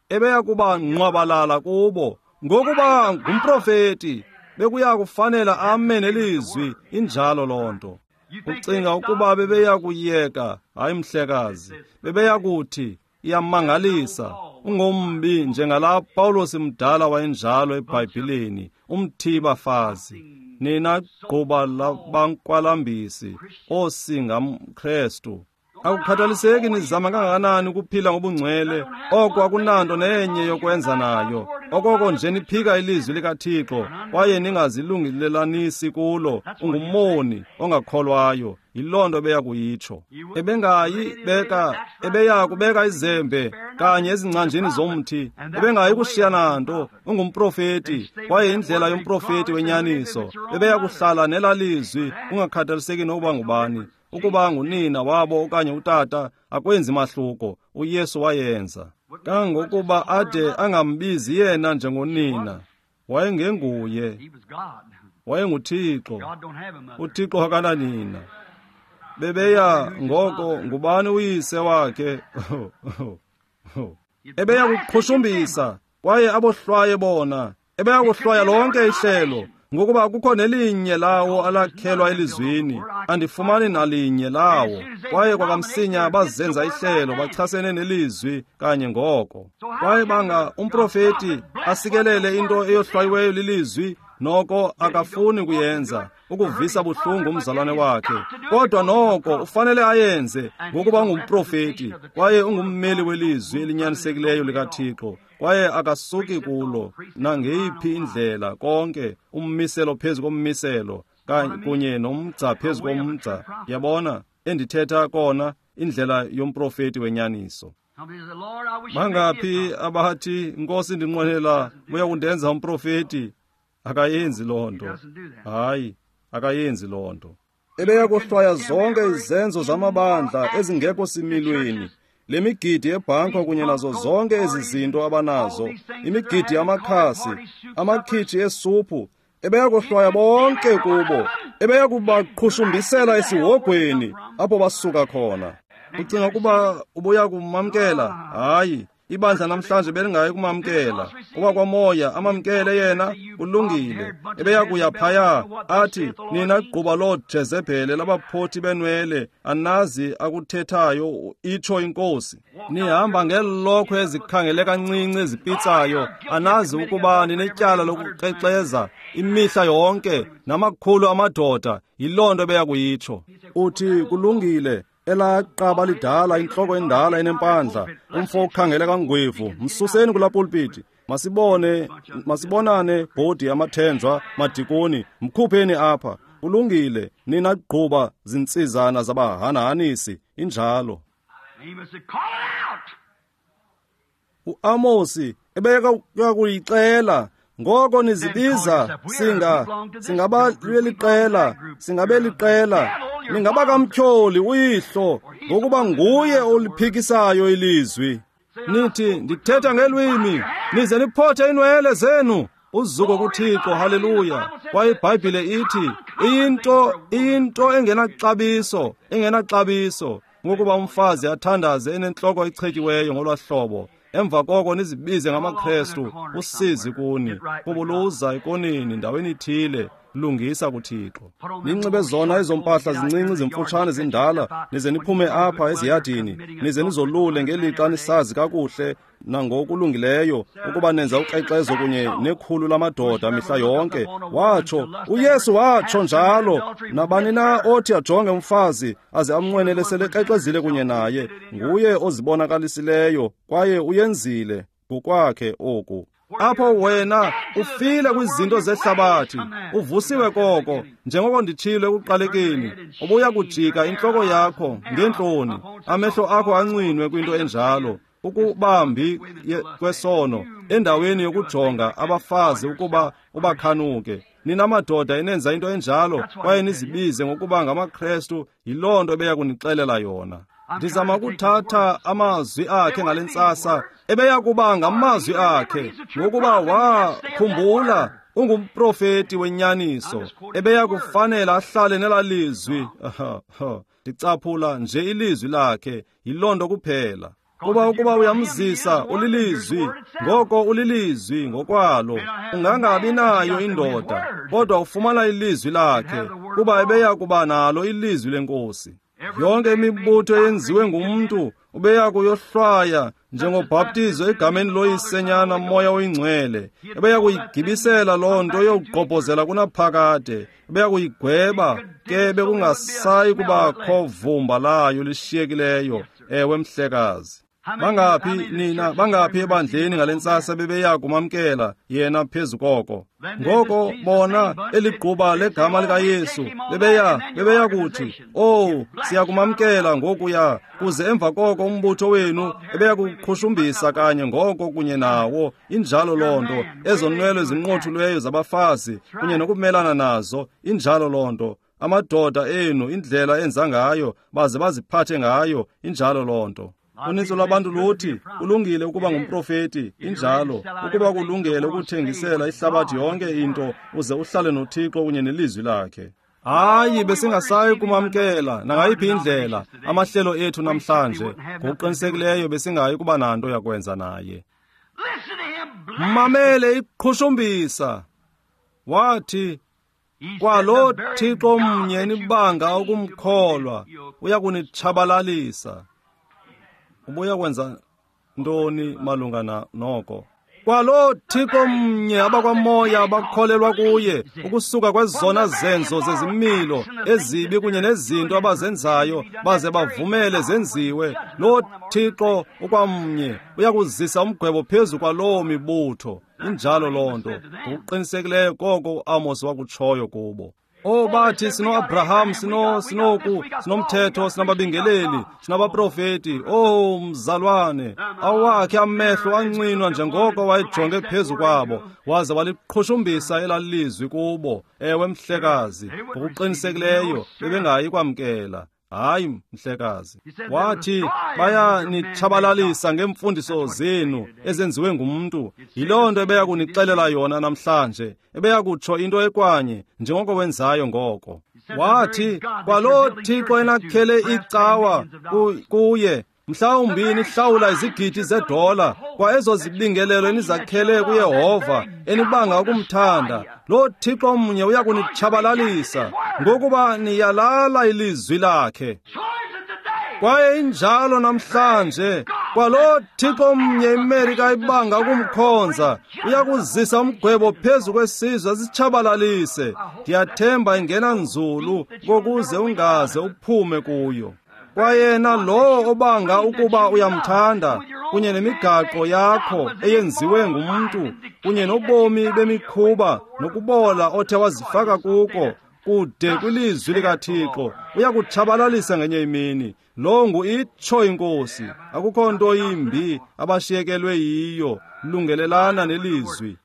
ebeya kuba ngqwabalala kubo. Ngokuba ngumprofeti, bekuya kufanela ame nelizwi. Injalo loo nto. Ucinga ukuba bebeya kuyeka? Hayi mhlekazi, bebeya kuthi iyamangalisa, ungombi njengalaa Pawulos mdala wayenjalo eBhayibhileni, umthibafazi. Nina gquba labankwalambisi, oosingamKrestu. Akukhathaliseki nizama kangakanani ukuphila ngobungcwele, oko akunanto nenye yokwenza nayo. Okoko nje niphika ilizwi likaThixo kwaye ningazilungelelanisi kulo, ungumoni ongakholwayo. Yiloo nto beya kuyitsho. Ebengayi beka, ebeya kubeka izembe kanye ezingcanjini zomthi. Ebengayi kushiya nanto. Ungumprofeti, kwaye indlela yomprofeti wenyaniso. Ebeya kuhlala nelaa lizwi, kungakhathaliseki nokuba ngubani. Ukuba ngunina wabo okanye utata, akwenzi mahluko. uYesu wayenza. Kangokuba ade angambizi yena njengonina. Wayengenguye, He was God. wayenguThixo. God don't have a mother. uThixo akananina. Bebeya ngoko ngubani uyise wakhe? Ebeya kuqhushumbisa kwaye abohlwaye bona. Ebeya kuhlwaya lonke ihlelo, ngokuba akukho nelinye lawo alakhelwa elizwini. Andifumani nalinye lawo. Kwaye kwakamsinya bazenza ihlelo, bachasene nelizwi kanye ngoko. Kwaye banga umprofeti asikelele into eyohlwayiweyo lilizwi, noko akafuni kuyenza, ukuvisa buhlungu umzalwane wakhe. Kodwa noko ufanele ayenze, ngokuba ungumprofeti kwaye ungummeli welizwi elinyanisekileyo likaThixo, kwaye akasuki kulo nangeyiphi indlela. Konke ummiselo phezu kommiselo, kunye nomgca phezu komgca. Yabona endithetha kona, indlela yomprofeti wenyaniso. Somebody said, Lord, I wish you'd make me a Bangaphi prophet." abathi, Nkosi, ndinqwenela buya kundenza umprofeti? Akayenzi loo nto. Hayi, akayenzi loo nto. Ebeya kohlwaya zonke izenzo zamabandla ezingekho similweni, le migidi yebhanka kunye nazo zonke ezi zinto abanazo, imigidi yamakhasi, amakhitshi esuphu. Ebeya kohlwaya bonke kubo. Ebeya kubaqhushumbisela esihogweni apho basuka khona. Ucinga ukuba ubuya kumamkela? Hayi, ibandla namhlanje belingayi kumamkela. Okwakwamoya amamkele yena, kulungile. Ebeya kuya phaya athi, nina gquba loo Jezebhele labaphothi benwele, anazi akuthethayo, itsho inkosi. Nihamba ngeelokhwe ezikhangeleka ncinci ezipitsayo, anazi ukuba ninetyala lokukrexeza imihla yonke namakhulu amadoda. Yiloo nto ebeya kuyitsho. Uthi, kulungile, elaa qaba lidala, intloko endala enempandla, umfo okhangeleka ngwevu, msuseni kulaa pulpiti. Masibone, masibonane, bhodi yamathenjwa, madikoni, mkhupheni apha. Kulungile, nina gquba zintsizana zabahanahanisi, injalo. UAmosi ebeka kuyixela, ngoko nizibiza singabeliqela, singabeliqela, ningabakamtyholi uyihlo, ngokuba nguye oliphikisayo ilizwi. Nithi ndithetha ngelwimi, nize niphothe inwele zenu. Uzuko kuThixo, haleluya. Kwaye iBhayibhile ithi iyinto engenaxabiso, engenaxabiso, ngokuba umfazi athandaze enentloko echetyiweyo ngolwahlobo. Emva koko nizibize ngamaKrestu, usizi kuni, kubuluza ikonini ndaweni ithile, lungisa kuThixo. Ninxibe zona ezo mpahla zincinci zimfutshane zindala, nize niphume apha eziyadini, nize nizolule ngelixa nisazi kakuhle nangokulungileyo ukuba nenza ukrexezo kunye nekhulu lamadoda mihla yonke. Watsho uYesu, watsho njalo, nabani na othi ajonge umfazi aze amnqwenele selekrexezile kunye naye, nguye ozibonakalisileyo kwaye uyenzile ngokwakhe oku. Apho wena ufile kwizinto zehlabathi, uvusiwe koko, njengoko nditshilo ekuqalekeni, ubuya kujika intloko yakho ngeentloni, amehlo akho ancinwe kwinto enjalo, ukubambi kwesono, endaweni yokujonga abafazi ukuba ubakhanuke. Nina madoda enenza into enjalo kwaye nizibize ngokuba ngamaKrestu, yiloo nto ebeya kunixelela yona. Ndizama ukuthatha amazwi akhe ngale ntsasa, ebeya kuba ngamazwi akhe, ngokuba wakhumbula ungumprofeti wenyaniso, ebeya kufanela ahlale nelaa lizwi. Ndicaphula nje ilizwi lakhe, yiloo nto kuphela. Kuba ukuba uyamzisa ulilizwi, ngoko ulilizwi ngokwalo. Ungangabi nayo indoda, kodwa ufumana ilizwi lakhe, kuba ebeya kuba nalo ilizwi leNkosi. Yonke imibutho eyenziwe ngumntu ubeya kuyohlwaya njengobhaptizo egameni loyisenyana Moya oyiNgcwele. Ebeya kuyigibisela loo nto yokugqobhozela kunaphakade, ebeya kuyigweba ke bekungasayi kubakho vumba layo lishiyekileyo. Ewe mhlekazi. Bangaphi nina, bangaphi ebandleni ngale ntsasa bebeya kumamkela yena phezu koko? Ngoko bona eligquba legama likaYesu bebeya kuthi, "Oh, siyakumamkela ngokuya," kuze emva koko umbutho wenu ebeya kuqhushumbisa kanye ngoko kunye nawo. Injalo loo nto, ezo nwele zinqothulweyo zabafazi kunye nokumelana nazo, injalo loo nto. Amadoda enu, indlela enza ngayo, baze baziphathe ngayo, injalo loo nto. Uninzi lwabantu luthi kulungile ukuba ngumprofeti, injalo, ukuba kulungele ukuthengisela ihlabathi yonke into uze uhlale noThixo kunye nelizwi lakhe. Hayi, besingasayi kumamkela nangayiphi indlela amahlelo ethu namhlanje. Ngokuqinisekileyo besingayi kuba nanto yakwenza naye. Mamele iqhushumbisa. Wathi, kwalo Thixo mnye nibanga ukumkholwa uyakunitshabalalisa. Ubuya kwenza ntoni malunga noko? Kwalo Thixo mnye abakwamoya abakholelwa kuye, ukusuka kwezona zenzo zezimilo ezibi kunye nezinto abazenzayo baze bavumele zenziwe, lo Thixo ukwamnye uyakuzisa umgwebo phezu kwaloo mibutho. Injalo loo nto. Ngokuqinisekileyo koko uAmos wakutshoyo kubo. Oh, bathi sino-Abraham, sinoku, sinomthetho, sinababingeleli, sinabaprofeti. Oh, mzalwane, awakhe amehlo ancinwa njengoko wayejonge phezu kwabo, waze waliqhushumbisa elalizwi kubo. Ewe mhlekazi, ngokuqinisekileyo bebengayi kwamkela. Hayi mhlekazi. Wathi bayanitshabalalisa ngeemfundiso zenu ezenziwe ngumntu. Yiloo nto ebeya kunixelela yona namhlanje, ebeya kutsho into ekwanye njengoko wenzayo ngoko. Wathi kwaloo Thixo enakhele icawa kuye, mhlawumbi nihlawula izigidi zedola kwa ezo zibingelelo enizakhele kuYehova enibanga ukumthanda, lo Thixo mnye uya kunitshabalalisa ngokuba niyalala ilizwi lakhe. Kwaye injalo namhlanje, kwalo Thixo mnye iMerika ibanga ukumkhonza uya kuzisa umgwebo phezu kwesizwe asitshabalalise. Ndiyathemba ingena nzulu kokuze ungaze uphume kuyo. Kwayena lowo obanga ukuba uyamthanda kunye nemigaqo yakho eyenziwe ngumntu kunye nobomi bemikhuba nokubola othe wazifaka kuko, kude kwilizwi likaThixo, uyakutshabalalisa ngenye imini. Lo ngu itsho inkosi. Akukho nto yimbi abashiyekelwe yiyo. Lungelelana nelizwi.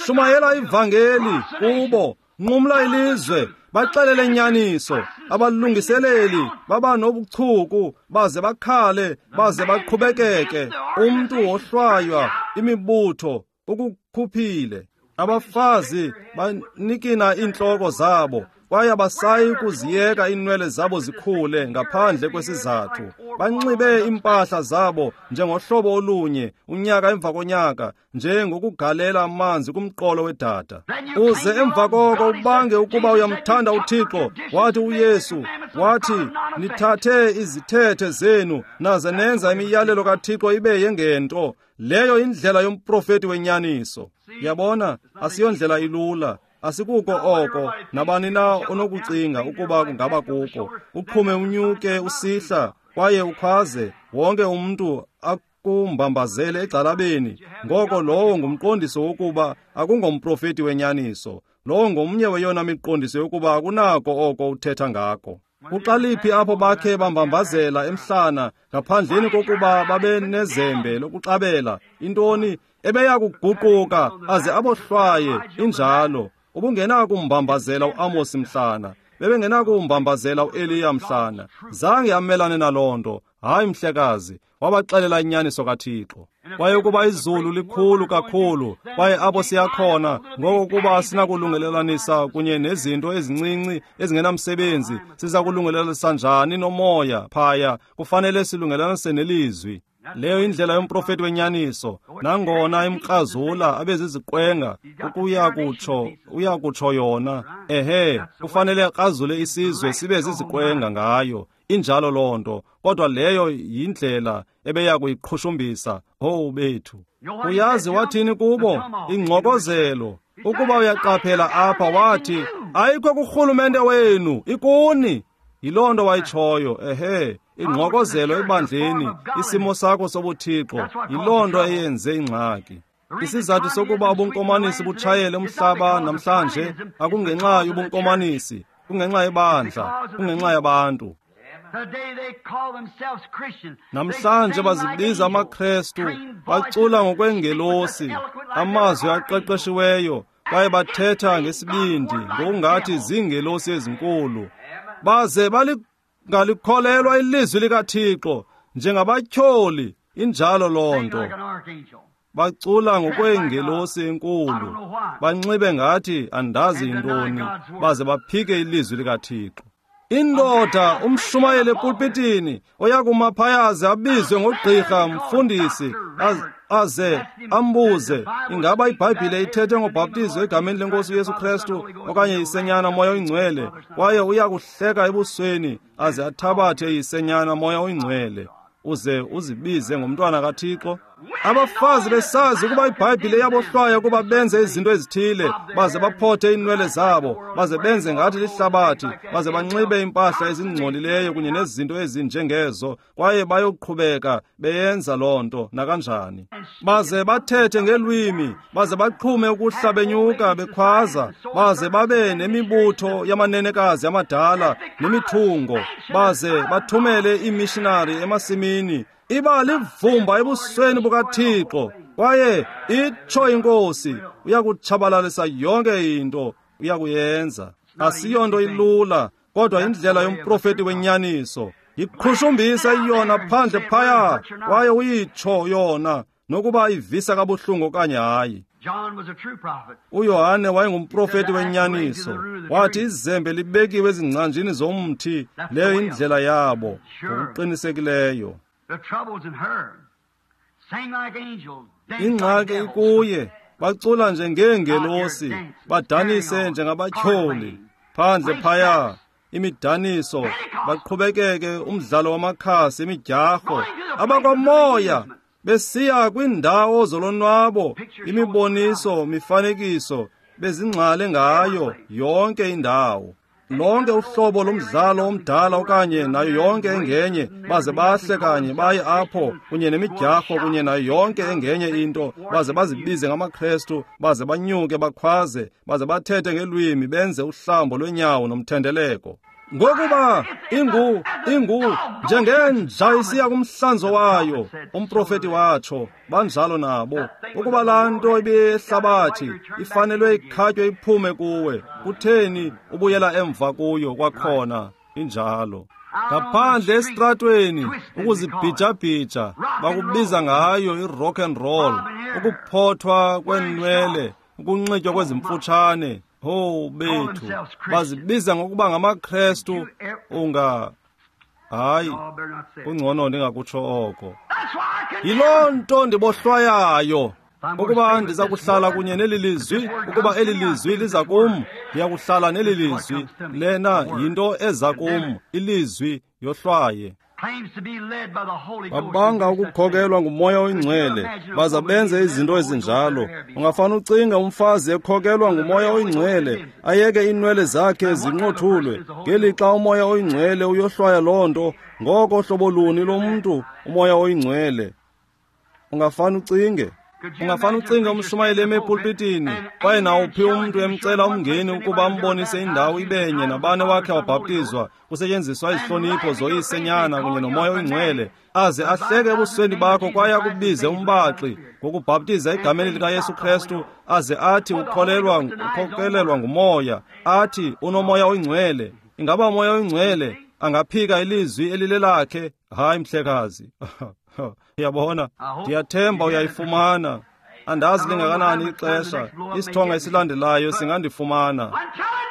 Shumayela ivangeli kubo, nqumla ilizwe, baxelele inyaniso. Abalungiseleli baba nobuchuku, baze bakhale, baze baqhubekeke. Umntu wohlwaywa, imibutho ukukhuphile. Abafazi banikina iintloko zabo, kwaye abasayi kuziyeka iinwele zabo zikhule ngaphandle kwesizathu. Banxibe iimpahla zabo njengohlobo olunye unyaka emva konyaka, njengokugalela amanzi kumqolo wedada. Uze emva koko ubange ukuba uyamthanda uThixo. Wathi uYesu, wathi, nithathe izithethe zenu naze nenza imiyalelo kaThixo ibe yengento. Leyo indlela yomprofeti wenyaniso. Yabona, asiyondlela ilula. Asikuko oko nabani na onokucinga ukuba kungaba kuko. Uqhume unyuke usihla kwaye ukhwaze, wonke umntu akumbambazele egxalabeni. Ngoko lowo ngumqondiso wokuba akungomprofeti wenyaniso. Lowo ngomnye weyona miqondiso yokuba akunako oko uthetha ngako. Kuxaliphi apho bakhe bambambazela emhlana ngaphandleni kokuba babe nezembe lokuxabela intoni ebeya kuguquka aze abohlwaye injalo. Ubungenakumbambazela uAmos mhlana, bebengenakumbambazela uEliya mhlana. Zange amelane naloo nto. Hayi mhlekazi, wabaxelela inyaniso kaThixo. Kwaye ukuba izulu likhulu kakhulu, kwaye apho siyakhona, ngoko kuba sinakulungelelanisa kunye nezinto ezincinci ezingenamsebenzi, siza kulungelelanisa njani nomoya phaya? Kufanele silungelelanise nelizwi. Leyo indlela yomprofeti wenyaniso. Nangona imkrazula abeziziqwenga, uya kutsho yona. Ehe, kufanele akrazule isizwe sibe ziziqwenga ngayo. Injalo loo nto, kodwa leyo yindlela ebeya kuyiqhushumbisa. Owu bethu! Uyazi wathini kubo? Ingxokozelo. Ukuba uyaqaphela apha, wathi, ayikho kurhulumente wenu, ikuni. Yiloo nto wayitshoyo. Ehe, ingxokozelo ebandleni, isimo sakho sobuthixo, yiloo nto eyenze ingxaki. Isizathu sokuba ubunkomanisi butshayele umhlaba namhlanje akungenxa yobunkomanisi, kungenxa yebandla, kungenxa yabantu. Namhlanje bazibiza amaKrestu, bacula ngokwengelosi, amazwi aqeqeshiweyo, kwaye bathetha ngesibindi ngokungathi ziingelosi ezinkulu. Baze balingalikholelwa ilizwi likaThixo njengabatyholi. Injalo loo nto. Bacula ngokweengelosi enkulu, banxibe ngathi andazi yintoni, baze baphike ilizwi likaThixo. Indoda umshumayeli epulpitini oyakuma phaya abizwe ngogqirha mfundisi aze ambuze ingaba iBhayibhile ithethe ngobhaptizo egameni lenkosi uYesu Kristu okanye isenyana moya oyingcwele, kwaye uyakuhleka ebusweni aze athabathe isenyana moya oyingcwele, uze uzibize ngomntwana kaThixo. Abafazi besazi ukuba iBhayibhile iyabohlwaya ukuba benze izinto ezithile, baze baphothe iinwele zabo, baze benze ngathi lihlabathi, baze banxibe impahla ezingcolileyo kunye nezinto ezinjengezo, kwaye bayoqhubeka beyenza loo nto nakanjani. Baze bathethe ngelwimi, baze baqhume ukuhla benyuka bekhwaza, baze babe nemibutho yamanenekazi amadala nemithungo, baze bathumele iimishinari emasimini. Iba livumba ebusweni bukaThixo, kwaye itsho inkosi, uyakutshabalalisa yonke into, uyakuyenza. Asiyonto ilula, kodwa indlela yomprofeti wenyaniso. Yiqhushumbisa yona phandle phaya, kwaye uyitsho yona, nokuba ivisa kabuhlungu okanye hayi. uYohane wayengumprofeti wenyaniso. Wathi izembe libekiwe ezingcanjini zomthi, leyo indlela yabo, ngokuqinisekileyo. Ingxaki ikuye, bacula njengeengelosi, badanise njengabatyholi. Phandle phaya, imidaniso, baqhubekeke umdlalo wamakhasi, imidyarho, abakwamoya besiya kwindawo zolonwabo, imiboniso, mifanekiso, bezingxale ngayo yonke indawo. lonke uhlobo lomdlalo omdala okanye nayo yonke engenye, baze bahle kanye baye apho kunye nemidyarho kunye nayo yonke engenye into, baze bazibize ngamaKrestu, baze banyuke bakhwaze, baze bathethe ngelwimi, benze uhlambo lwenyawo nomthendeleko. Ngokuba ingu njengenja isiya kumhlanzo wayo, umprofeti watsho, banjalo nabo. Ukuba laa nto ibiyehlabathi ifanelwe ikhatywe iphume kuwe, kutheni ubuyela emva kuyo kwakhona? Injalo. Ngaphandle esitratweni ukuzibhijabhija, bakubiza ngayo i-rock and roll, ukuphothwa kwenwele, ukunxitywa kwezimfutshane. Ho bethu, bazibiza ngokuba ngamaKrestu. Unga hayi, kungcono ndingakutsho oko. Yiloo nto ndibohlwayayo. Ukuba ndiza kuhlala kunye neli lizwi, ukuba eli lizwi liza kum, ndiya kuhlala neli lizwi. Lena yinto eza kum, ilizwi yohlwaye. Babanga ukukhokelwa nguMoya oyiNgcwele, baza benze izinto ezinjalo. Ungafana ucinga umfazi ekhokelwa nguMoya oyiNgcwele, ayeke iinwele zakhe zinqothulwe, ngelixa uMoya oyiNgcwele uyohlwaya loo nto. Ngoko hlobo luni lomntu uMoya oyiNgcwele? Ungafana ucinge. Ungafana ucinga umshumayeli eme epulpitini, kwaye nawuphi umntu emcela umngeni ukuba ambonise indawo ibenye nabani wakhe wabhaptizwa, kusetyenziswa izihlonipho zoyisenyana kunye noMoya oyiNgcwele, aze ahleke ebusweni bakho kwaye akubize umbaxi ngokubhaptiza egameni likaYesu Krestu, aze athi ukhokelelwa nguMoya, athi unoMoya oyiNgcwele. Ingaba uMoya oyiNgcwele angaphika ilizwi elilelakhe? Hayi, mhlekazi. Uyabona, ndiyathemba uyayifumana. Andazi lingakanani ixesha, isithonga esilandelayo singandifumana.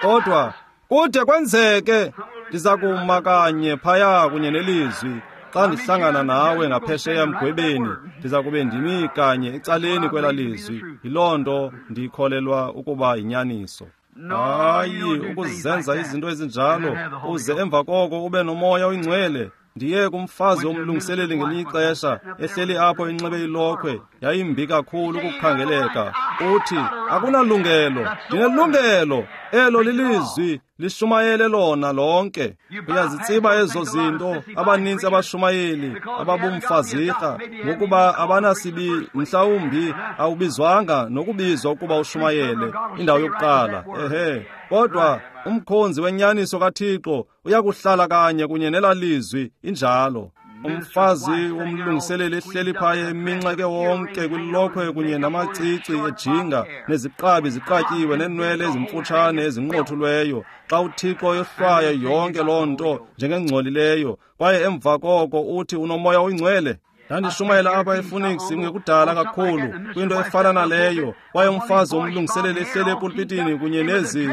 Kodwa kude kwenzeke, ndiza kuma kanye phaya kunye nelizwi. Xa ndihlangana nawe ngaphesheya mgwebeni, ndiza kube ndimi kanye ecaleni kwela lizwi. Yiloo nto ndikholelwa ukuba yinyaniso. Hayi, ukuzenza izinto ezinjalo, uze emva koko ube noMoya oyiNgcwele. Ndiye kumfazi womlungiseleli ngelinye ixesha, ehleli apho inxibe ilokhwe, yayimbi kakhulu ukukhangeleka. Uthi, akunalungelo. Ndinelungelo. Elo lilizwi, lishumayele lona lonke. Uyazitsiba ezo zinto. Abanintsi abashumayeli ababumfazirha, ngokuba abanasibi, mhlawumbi awubizwanga nokubizwa ukuba ushumayele indawo yokuqala. Ehe, kodwa umkhonzi wenyaniso kaThixo uyakuhlala kanye kunye nela lizwi. Injalo. Umfazi womlungiseleli ehleli phaya eminxeke wonke kwilokhwe kunye namacici ejinga neziqabi ziqatyiwe neenwele ezimfutshane ezinqothulweyo, xa uThixo yohlwaya yonke loo nto njengengcolileyo, kwaye emva koko uthi unoMoya oyiNgcwele. Ndandishumayela apha ePhoenix ngekudala kakhulu kwinto efana naleyo, kwaye umfazi womlungiseleli ehleli epulpitini kunye nezi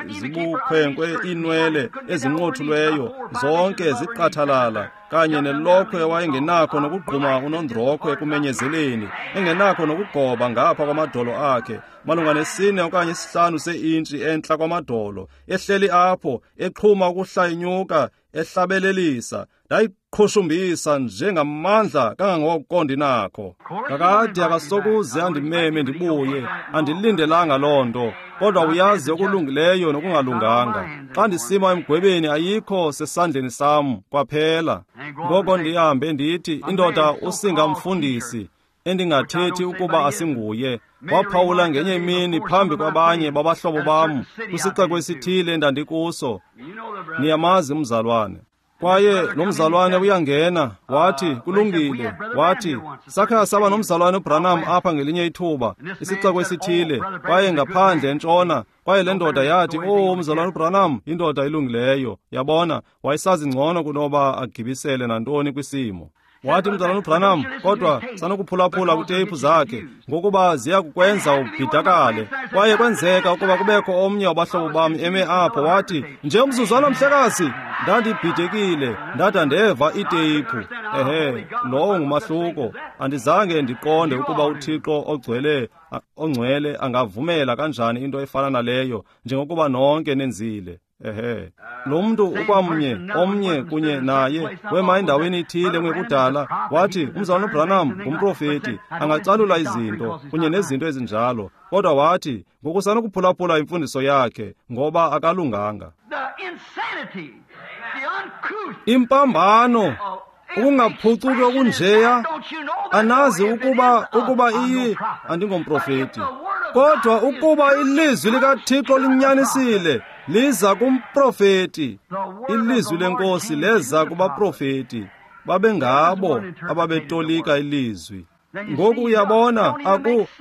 zibukhwenkwe iinwele ezinqothulweyo zonke ziqathalala, kanye nelokhwe wayengenakho nokugquma unondrokhwe ekumenyezeleni, engenakho nokugoba ngapha kwamadolo akhe, malunga ne-4 okanye 5 seintshi entla kwamadolo, ehleli apho exhuma ukuhlayinyuka, ehlabelelisa. Ndayiqhushumbisa njengamandla kangangoko ndinakho. Kakade akasokuze andimeme ndibuye, andilindelanga loo nto. Kodwa uyazi okulungileyo nokungalunganga. Xa ndisima emgwebeni ayikho sesandleni sam kwaphela. Ngoko ndihambe ndithi, indoda usingamfundisi, endingathethi ukuba asinguye, waphawula ngenye imini phambi kwabanye babahlobo bam kwisixeko esithile endandikuso. Niyamazi umzalwane. Kwaye lo mzalwane uyangena, wathi, kulungile, wathi, sakha saba nomzalwane uBranham apha ngelinye ithuba, isixeko esithile, kwaye ngaphandle entshona. Kwaye le ndoda yathi, oh, umzalwane uBranham, indoda ilungileyo. Yabona, wayesazi ngcono kunoba agibisele nantoni kwisimo. Wathi umzalwane uBranham, kodwa sanokuphulaphula kwiteyiphu zakhe, ngokuba ziya kukwenza ubhidakale. Kwaye kwenzeka ukuba kubekho omnye wabahlobo bam eme apho, wathi, nje umzuzwana mhlekazi, ndandibhidekile, ndada ndeva iteyiphu. Ehe, lowo ngumahluko. Andizange ndiqonde ukuba uThixo ongcwele angavumela kanjani into efana naleyo, njengokuba nonke nenzile. Ehe. Lo mntu ukwamnye, omnye kunye naye, wema endaweni ethile ngekudala, wathi, uMzalwana uBranham ngumprofeti, angacalula izinto kunye nezinto ezinjalo. Kodwa wathi, ngokusanokuphulaphula imfundiso yakhe, ngoba akalunganga. Impambano, ukungaphucuki okunjeya, anazi ukuba iyi, andingomprofeti. Kodwa ukuba ilizwi likaThixo linyanisile, liza kumprofeti. Ilizwi lenkosi leza kubaprofeti. Babengabo ababetolika ilizwi. Ngoku uyabona,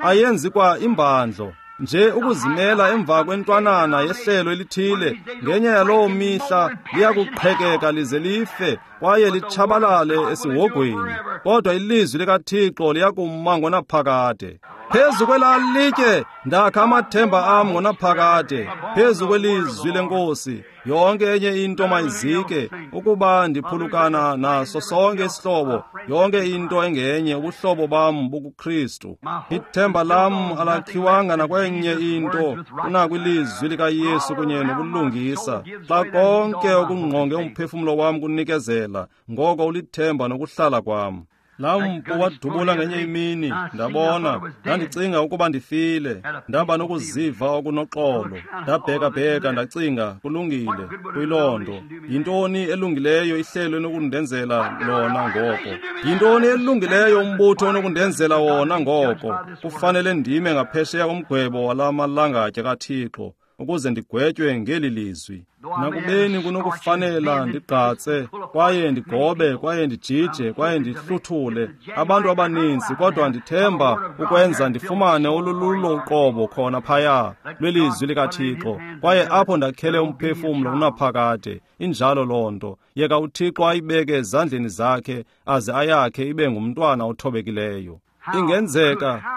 ayenzi kwa imbandlo. Nje ukuzimela emva kwentwanana yehlelo elithile, ngenye yaloo mihla liyakuqhekeka lize life kwaye litshabalale esihogweni. Kodwa ilizwi likaThixo liyakuma ngonaphakade. Phezu kwelaa litye ndakha amathemba am ngonaphakade, phezu kwelizwi lenkosi. Yonke enye into mayizike, ukuba ndiphulukana naso sonke isihlobo, yonke into engenye, ubuhlobo bam bukuKristu. Ithemba lam alakhiwanga nakwenye into kunakwilizwi likaYesu kunye nobulungisa. Xa konke okungqonge umphefumlo wam kunikezela, ngoko ulithemba nokuhlala kwam. Laa mpu wadubula ngenye imini, ndabona, ndandicinga ukuba ndifile, ndaba nokuziva okunoxolo, ndabheka-bheka ndacinga, kulungile, kuyiloo nto. Yintoni elungileyo ihlelo enokundenzela lona ngoko? Yintoni elungileyo umbutho onokundenzela wona ngoko? Kufanele ndime ngaphesheya komgwebo wala malangatye kaThixo, ukuze ndigwetywe ngeli lizwi. Nakubeni kunokufanela ndigqatse, kwaye ndigobe, kwaye ndijije, kwaye ndihluthule abantu abaninzi, kodwa ndithemba ukwenza ndifumane olululo uqobo khona phaya lwelizwi likaThixo, kwaye apho ndakhele umphefumlo unaphakade. Injalo loo nto. Yeka uThixo ayibeke ezandleni zakhe, aze ayakhe ibe ngumntwana othobekileyo.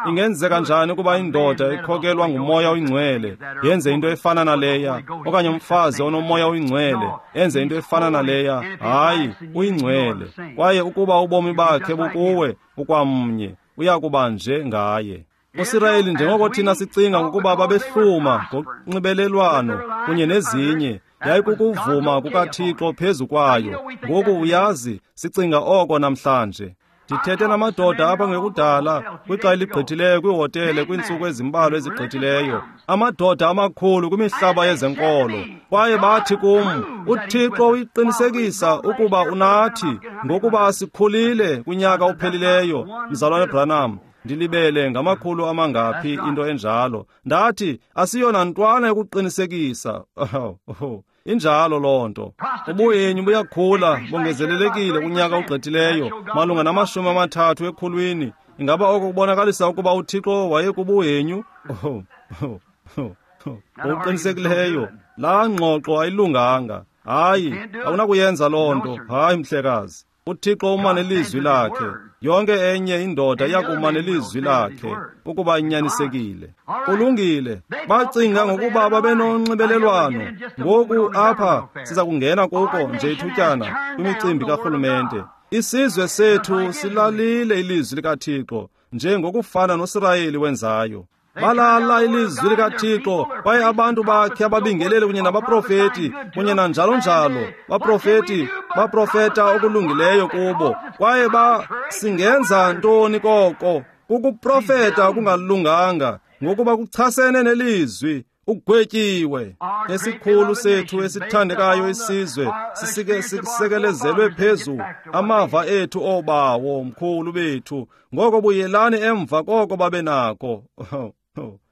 Ingenzeka njani ukuba indoda ekhokelwa nguMoya oyiNgcwele yenze into efana naleya, okanye umfazi onoMoya oyiNgcwele enze into efana naleya? Hayi, uyingcwele. Kwaye ukuba ubomi bakhe bukuwe, ukwamnye, uyakuba nje ngaye. USirayeli, njengoko thina sicinga ngokuba babehluma ngokunxibelelwano kunye nezinye, yayikukuvuma kukaThixo phezu kwayo. Ngoku uyazi, sicinga oko namhlanje. Ndithethe namadoda apha ngekudala, kwixa eligqithileyo kwihotele kwiintsuku ezimbalwa ezigqithileyo, amadoda amakhulu kwimihlaba yezenkolo, kwaye bathi kum, uThixo uyiqinisekisa ukuba unathi, ngokuba sikhulile kunyaka ophelileyo, Mzalwane Branham. Ndilibele ngamakhulu amangaphi into enjalo. Ndathi, asiyona ntwana yokuqinisekisa. Injalo loo nto. Ubuhenyu buyakhula, bongezelelekile kunyaka ogqithileyo, malunga nama-30 ekhulwini. Ingaba oko kubonakalisa ukuba uThixo wayekubuhenyu? Ngokuqinisekileyo, laa ngxoxo ayilunganga. Hayi, awunakuyenza loo nto. Hayi, mhlekazi. uThixo uma nelizwi lakhe. Yonke enye indoda iyakuma nelizwi lakhe ukuba inyanisekile. Kulungile. Bacinga ngokuba babenonxibelelwano. Ngoku apha siza kungena kuko nje ithutyana kwimicimbi karhulumente. Isizwe sethu silalile ilizwi likaThixo njengokufana noSirayeli wenzayo. Balala ilizwi likaThixo, kwaye abantu bakhe ababingeleli kunye nabaprofeti kunye nanjalo njalo, baprofeti baprofeta okulungileyo kubo. Kwaye singenza ntoni koko? Kukuprofeta okungalunganga, ngokuba kuchasene nelizwi. Ugwetyiwe. Esikhulu sethu esithandekayo isizwe sisekelezelwe phezu amava ethu obawo mkhulu bethu. Ngoko buyelani emva koko babe nako.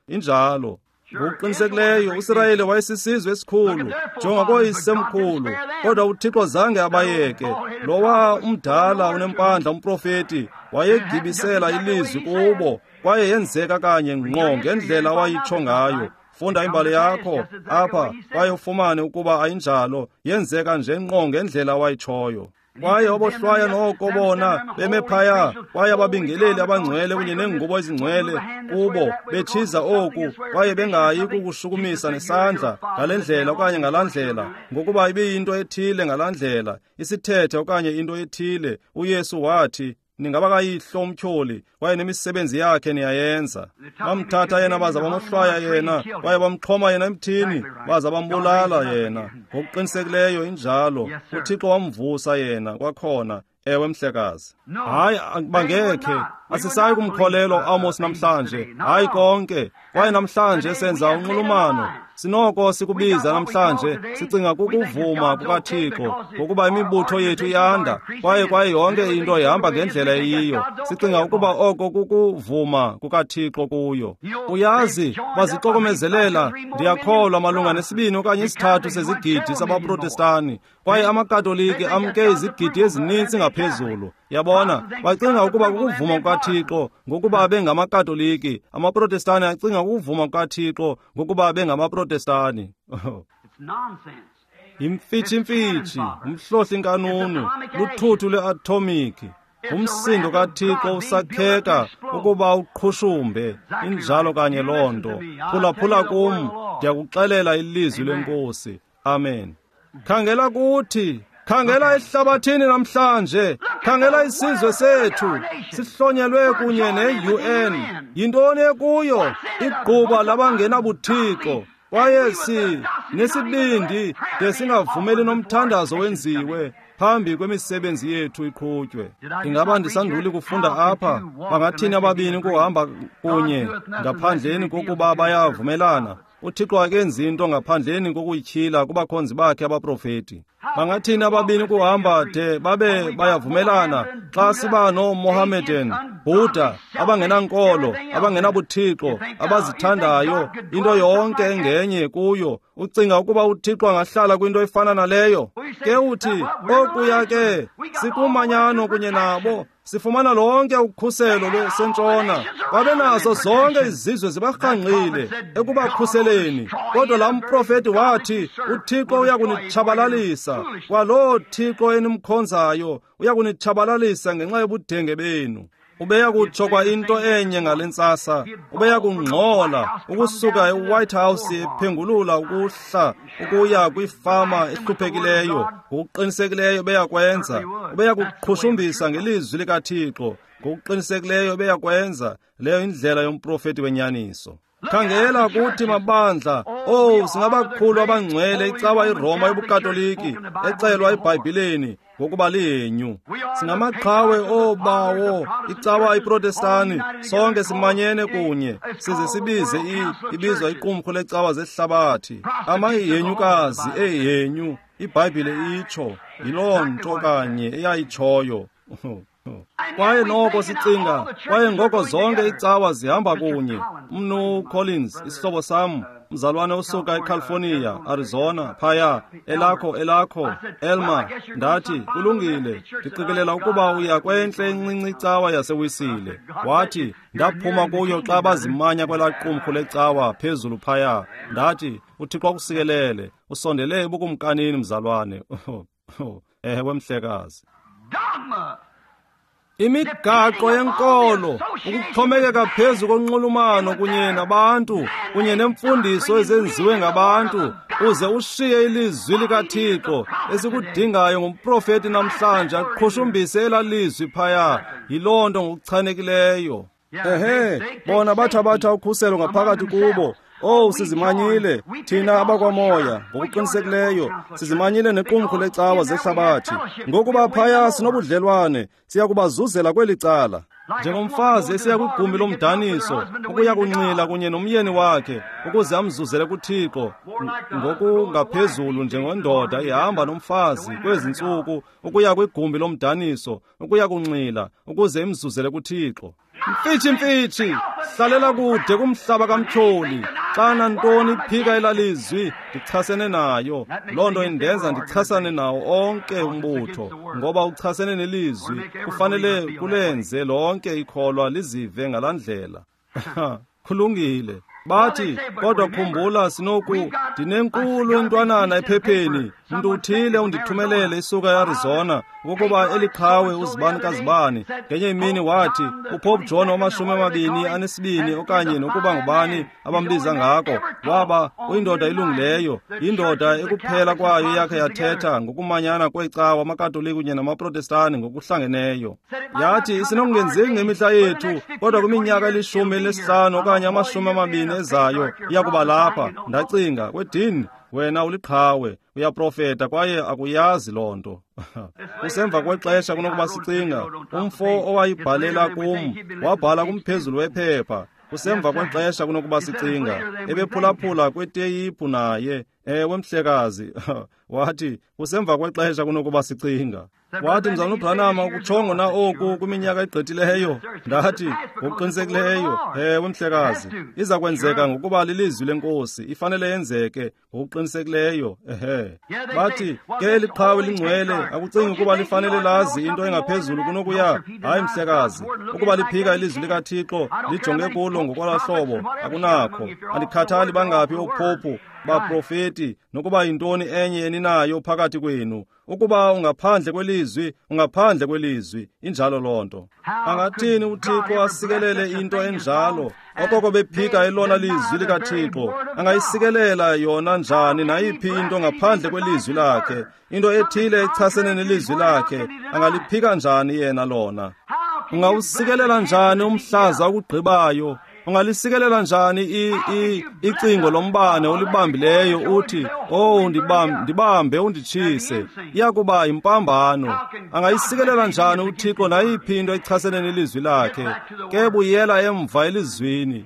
Injalo. Ngokuqinisekileyo uSirayeli wayesisizwe esikhulu, njengokoyisemkhulu, kodwa uThixo zange abayeke. Lowa umdala unempandla umprofeti wayegibisela ilizwi kubo, kwaye yenzeka kanye ngqo ngendlela awayitsho ngayo. Funda imbali yakho apha kwaye ufumane ukuba ayinjalo, yenzeka nje ngqo ngendlela awayitshoyo. Kwaye obohlwaya noko bona beme phaya, kwaye ababingeleli abangcwele kunye neengubo ezingcwele kubo betshiza oku, kwaye bengayi kukushukumisa nesandla ngale ndlela okanye ngalaa ndlela, ngokuba ibiyinto ethile ngalaa ndlela, isithethe okanye into ethile. uYesu wathi, Ningabakayihlo umtyholi, kwaye nemisebenzi yakhe niyayenza. Bamthatha yena baza bamohlwaya yena, kwaye bamxhoma yena emthini, baza bambulala yena. Ngokuqinisekileyo injalo. UThixo wamvusa yena kwakhona. Ewe mhlekazi. Hayi, bangekhe. Asisayi kumkholelwa uAmos namhlanje. Hayi konke. Kwaye namhlanje senza unxulumano. Sinoko sikubiza namhlanje sicinga kukuvuma kukaThixo, ngokuba imibutho yethu iyanda, kwaye yonke into ihamba ngendlela eyiyo. Sicinga ukuba oko kukuvuma kukaThixo kuyo. Uyazi, bazixokomezelela, ndiyakholwa, malunga ne-2 okanye 3 sezigidi sabaProtestani, kwaye amaKatoliki amke izigidi ezininzi ngaphezulu. Yabona, bacinga ukuba kukuvuma kukaThixo ngokuba bengamaKatoliki, amaProtestani acinga ukuvuma kukaThixo ngokuba bengamaProtestani. Yimfitshi-mfitshi, umhlohli-nkanunu, luthuthu lweathomiki. Umsindo kaThixo usakheka ukuba uqhushumbe. Injalo kanye loo nto. Phulaphula kum, ndiyakuxelela ilizwi leNkosi. Amen. Khangela kuthi, khangela ehlabathini namhlanje, khangela isizwe sethu, sihlonyelwe kunye ne-UN. Yintoni ekuyo? Igquba labangenabuthixo. Kwaye sinesibindi de singavumeli nomthandazo wenziwe phambi kwemisebenzi yethu iqhutywe. Ingaba ndisanduli kufunda apha, bangathini ababini ukuhamba kunye ngaphandleni kokuba bayavumelana? UThixo akenzi into ngaphandleni kokuyityhila kubakhonzi bakhe abaprofeti. Bangathini ababini ukuhamba de babe bayavumelana xa siba nooMohammedan, Buddha, abangenankolo, abangenabuthixo, abazithandayo, into yonke engenye kuyo? Ucinga ukuba uThixo angahlala kwinto efana naleyo? Ke uthi, okuya ke, sikumanyano kunye nabo, sifumana lonke ukhuselo lwesentshona. Babe nazo zonke izizwe zibarhangqile ekubakhuseleni. Kodwa laa mprofeti wathi, uThixo uyakunitshabalalisa. Kwaloo Thixo enimkhonzayo uyakunitshabalalisa ngenxa yobudenge benu. Ubeya kutsho kwa into enye ngale ntsasa. Ubeya kungxola ukusuka eWhite House ephengulula ukuhla ukuya kwifama ehluphekileyo. Ngokuqinisekileyo beya kwenza. Ubeya kuqhushumbisa ngelizwi likaThixo. Ngokuqinisekileyo beya kwenza. Leyo indlela yomprofeti wenyaniso. Khangela kuthi mabandla, oh, singabakhulu abangcwele icawa iRoma yobuKatoliki ecelwa eBhayibhileni ngokuba lihenyu. Singamaqhawe oobawo icawa iProtestani, sonke simanyene kunye size sibize ibizwa iqumrhu lecawa zehlabathi, amahenyukazi ehenyu. IBhayibhile itsho, yiloo nto kanye eyayitshoyo. Kwaye noko sicinga, kwaye ngoko zonke icawa zihamba kunye. Mnu Collins, isihlobo sam, mzalwane osuka eCalifornia, Arizona, phaya, elakho, Elma, ndathi, kulungile, ndiqikelela ukuba uya kwentle encinci icawa yaseWisile. Wathi, ndaphuma kuyo xa bazimanya kwelaa qumrhu lecawa phezulu phaya. Ndathi, uThixo akusikelele, usondele ebukumkanini, mzalwane. Ewe mhlekazi. Imigaqo yenkolo, ukuxhomekeka phezu konxulumano kunye nabantu, kunye nemfundiso ezenziwe ngabantu, uze ushiye ilizwi likaThixo esikudingayo ngumprofeti namhlanje aqhushumbise elaa lizwi phaya. Yiloo nto ngokuchanekileyo. Ehe, bona bathabatha ukhuselo ngaphakathi kubo. Oh, sizimanyile thina abakwamoya ngokuqinisekileyo, sizimanyile nequmrhu lecawa zehlabathi. Ngokuba phaya sinobudlelwane, siya kubazuzela kweli cala. Njengomfazi esiya kwigumbi lomdaniso ukuya kunxila kunye nomyeni wakhe ukuze amzuzele kuThixo, ngokungaphezulu njengendoda ihamba nomfazi kwezi ntsuku ukuya kwigumbi lomdaniso ukuya kunxila ukuze imzuzele kuThixo. Mfitshi mfitshi, hlalela kude kumhlaba kamtyholi. Xa nantoni iphika elalizwi, ndichasene nayo. Loo nto indenza ndichasane nawo onke umbutho, ngoba uchasene nelizwi. Kufanele kulenze lonke ikholwa lizive ngalaa ndlela. Kulungile. Bathi, kodwa khumbula sinoku, ndinenkulu intwanana ephepheni, mntu uthile undithumelele isuka eArizona, ukuba eliqhawe uzibani kazibani. Ngenye imini wathi, uPope John 22 okanye nokuba ngubani abambiza ngako, waba uyindoda elungileyo, indoda ekuphela kwayo yakhe yathetha ngokumanyana kweecawa amaKatolika kunye namaProtestani ngokuhlangeneyo. Yathi, isinokungenzeki ngemihla yethu, kodwa kwiminyaka eli-15 okanye 20 ezayo iyakuba lapha. Ndacinga, kwedini, wena uliqhawe, uyaprofeta kwaye akuyazi loo nto. Kusemva kwexesha kunokuba sicinga. Umfo owayibhalela kum wabhala kumphezulu wephepha. Kusemva kwexesha kunokuba sicinga. Ebephulaphula kweteyiphu naye. Ewe, mhlekazi. Wathi, kusemva kwexesha kunokuba sicinga. Wathi, Mzalwana uBranham, ukutshongo na oku kwiminyaka egqithileyo? Ndathi, ngokuqinisekileyo. Ewe, mhlekazi. Iza kwenzeka ngokuba lilizwi lenkosi, ifanele yenzeke ngokuqinisekileyo. Ehe. Bathi, ke eliqhawe lingcwele, akucingi ukuba lifanele lazi into engaphezulu kunokuya? Hayi, mhlekazi. Ukuba liphika ilizwi likaThixo, lijonge kulo ngokwala hlobo, akunakho. Andikhathali bangaphi oophophu, baprofeti, nokuba yintoni enye eninayo phakathi kwenu. Ukuba ungaphandle kwelizwi, ungaphandle kwelizwi. Injalo loo nto. Angathini uThixo asikelele into enjalo? Okoko bephika elona lizwi likaThixo, angayisikelela yona njani nayiphi into ngaphandle kwelizwi lakhe? Into ethile echasene nelizwi lakhe, angaliphika njani yena lona? Ungawusikelela njani umhlaza okugqibayo? Ungalisikelela njani icingo lombane olibambileyo uthi, "Oh, ndibambe unditshise"? Iyakuba yimpambano. Angayisikelela njani uThixo nayiphi into echasene nelizwi lakhe? Ke buyela emva elizwini.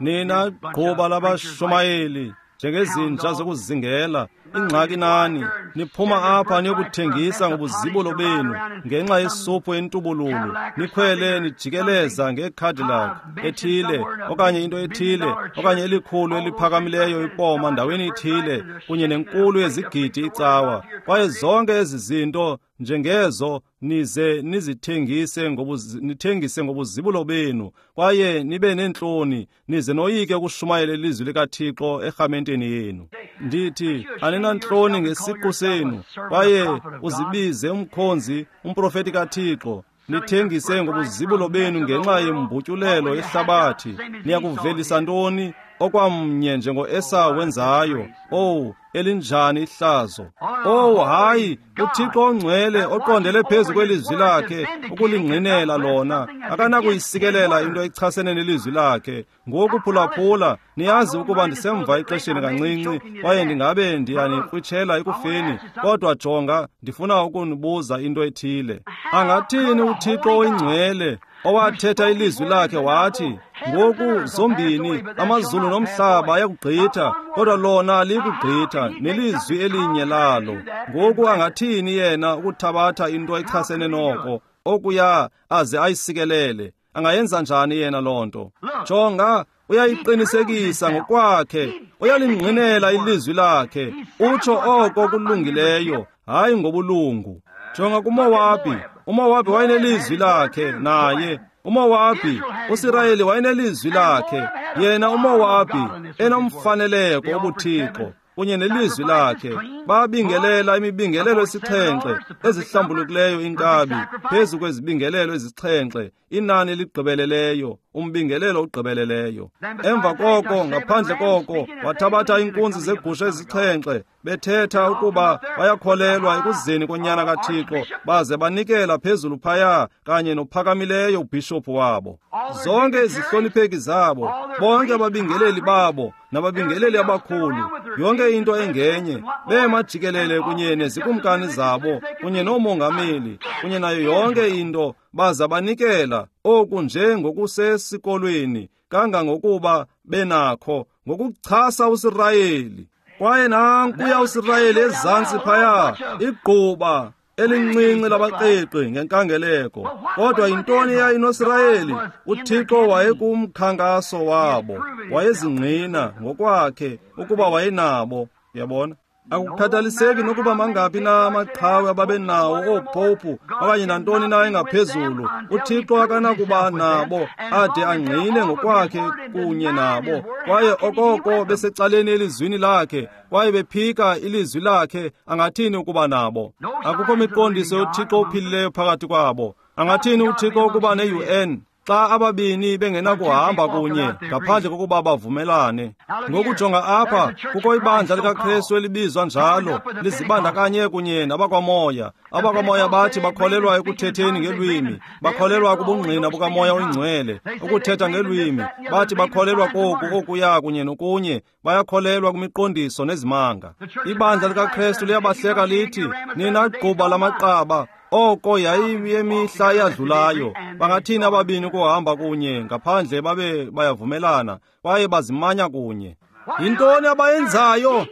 Nina gquba labashumayeli, njengezinja zokuzingela, ingxaki nani, niphuma apha niyokuthengisa ngobuzibulo benu ngenxa yesuphu entubululu, nikhwele nijikeleza ngeCadillac ethile okanye into ethile okanye elikhulu eliphakamileyo ipoma ndaweni ithile kunye nenkulu yezigidi icawa, kwaye zonke ezi zinto njengezo nize nizithengise nithengise ngobuzibulo benu, kwaye nibe neentloni, nize noyike ukushumayela ilizwi likaThixo erhamenteni yenu. Ndithi, aninantloni ngesiqu senu, kwaye uzibize umkhonzi, umprofeti kaThixo. Nithengise ngobuzibulo benu ngenxa yembutyulelo yehlabathi. Niyakuvelisa ntoni? Okwamnye njengo-Esawu wenzayo. Owu, elinjani ihlazo! Owu, hayi, uThixo ongcwele oqondele phezu kwelizwi lakhe ukulingqinela lona, akanakuyisikelela into echasene nelizwi lakhe. Ngoku phulaphula, niyazi ukuba ndisemva ixesheni kancinci, kwaye ndingabe ndiyanikrwitshela ekufeni, kodwa jonga, ndifuna ukunibuza into ethile. Angathini uThixo oyingcwele owathetha ilizwi lakhe wathi, ngoku zombini amazulu nomhlaba ayakugqitha, kodwa lona alikugqitha nelizwi elinye lalo. Ngoku angathini yena ukuthabatha into echasene noko okuya aze ayisikelele? Angayenza njani yena loo nto? Jonga, uyayiqinisekisa ngokwakhe, uyalingqinela ilizwi lakhe, utsho oko kulungileyo, hayi ngobulungu. Jonga kuMowabi, uMowabi wayenelizwi lakhe naye. uMowabi, uSirayeli wayenelizwi lakhe, yena uMowabi enomfaneleko obuThixo kunye nelizwi lakhe. Babingelela imibingelelo esixhenxe ezihlambulukileyo inkabi phezu kwezibingelelo ezixhenxe, inani eligqibeleleyo, umbingelelo ogqibeleleyo. Emva koko, ngaphandle koko, wathabatha iinkunzi zegusha ezixhenxe, bethetha ukuba bayakholelwa ekuzeni konyana kaThixo, baze banikela phezulu phaya kanye nophakamileyo ubhishophu wabo. Zonke izihlonipheki zabo, bonke ababingeleli babo nababingeleli abakhulu, yonke into engenye, bema jikelele kunye nezikumkani zabo kunye noomongameli kunye nayo yonke into, baza banikela oku nje ngokusesikolweni kangangokuba benakho ngokuchasa uSirayeli. Kwaye nankuya uSirayeli ezantsi phaya, igquba elincinci labaqiqi ngenkangeleko. Kodwa yintoni eyayinoSirayeli? uThixo wayekumkhankaso wabo, wayezingqina ngokwakhe ukuba wayenabo. Uyabona? Akukhathaliseki nokuba mangaphi na amaqhawe ababenawo oopopu okanye nantoni na engaphezulu, uThixo akanakuba nabo ade angqine ngokwakhe kunye nabo. Kwaye okoko besecaleni elizwini lakhe kwaye bephika ilizwi lakhe, angathini ukuba nabo? Akukho miqondiso yoThixo ophilileyo phakathi kwabo. Angathini uThixo ukuba ne-UN xa ababini bengenakuhamba kunye ngaphandle kokuba bavumelane? Ngokujonga apha, kukho ibandla likaKristu elibizwa njalo, lizibandakanye kunye nabakwamoya. Abakwamoya bathi bakholelwa ekuthetheni ngelwimi, bakholelwa kubungqina bukaMoya oyiNgcwele, ukuthetha ngelwimi. Bathi bakholelwa koku, okuya kunye nokunye, bayakholelwa kwimiqondiso nezimanga. Ibandla likaKristu liyabahleka lithi, nina gquba lamaqaba, oko yayiyemihla eyadlulayo. Bangathini ababini ukuhamba kunye ngaphandle babe bayavumelana kwaye bazimanya kunye? Yintoni abayenzayo?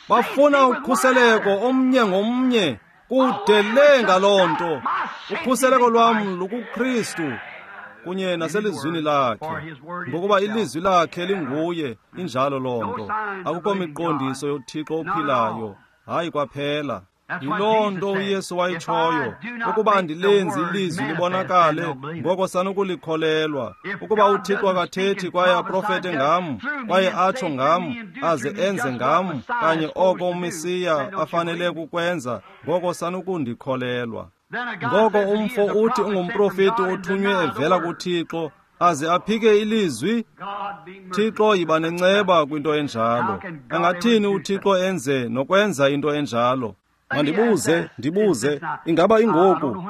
Bafuna ukhuseleko omnye ngomnye, kude le ngaloo nto. Ukhuseleko lwam lukuKristu kunye naselizwini lakhe, ngokuba ilizwi lakhe linguye. Injalo loo nto. Akukho miqondiso yoThixo ophilayo, hayi kwaphela. Yiloo nto uYesu wayitshoyo, ukuba andilenzi ilizwi libonakale, ngoko sanukulikholelwa. Ukuba uThixo akathethi kwaye aprofete ngam, kwaye atsho ngam, aze enze ngam kanye oko uMesiya afanele kukwenza, ngoko sanukundikholelwa. Ngoko umfo uthi ungumprofeti othunywe evela kuThixo, aze aphike ilizwi. Thixo yiba nenceba kwinto enjalo. Angathini uThixo enze nokwenza into enjalo? Mandibuze, ndibuze, ingaba ingoku?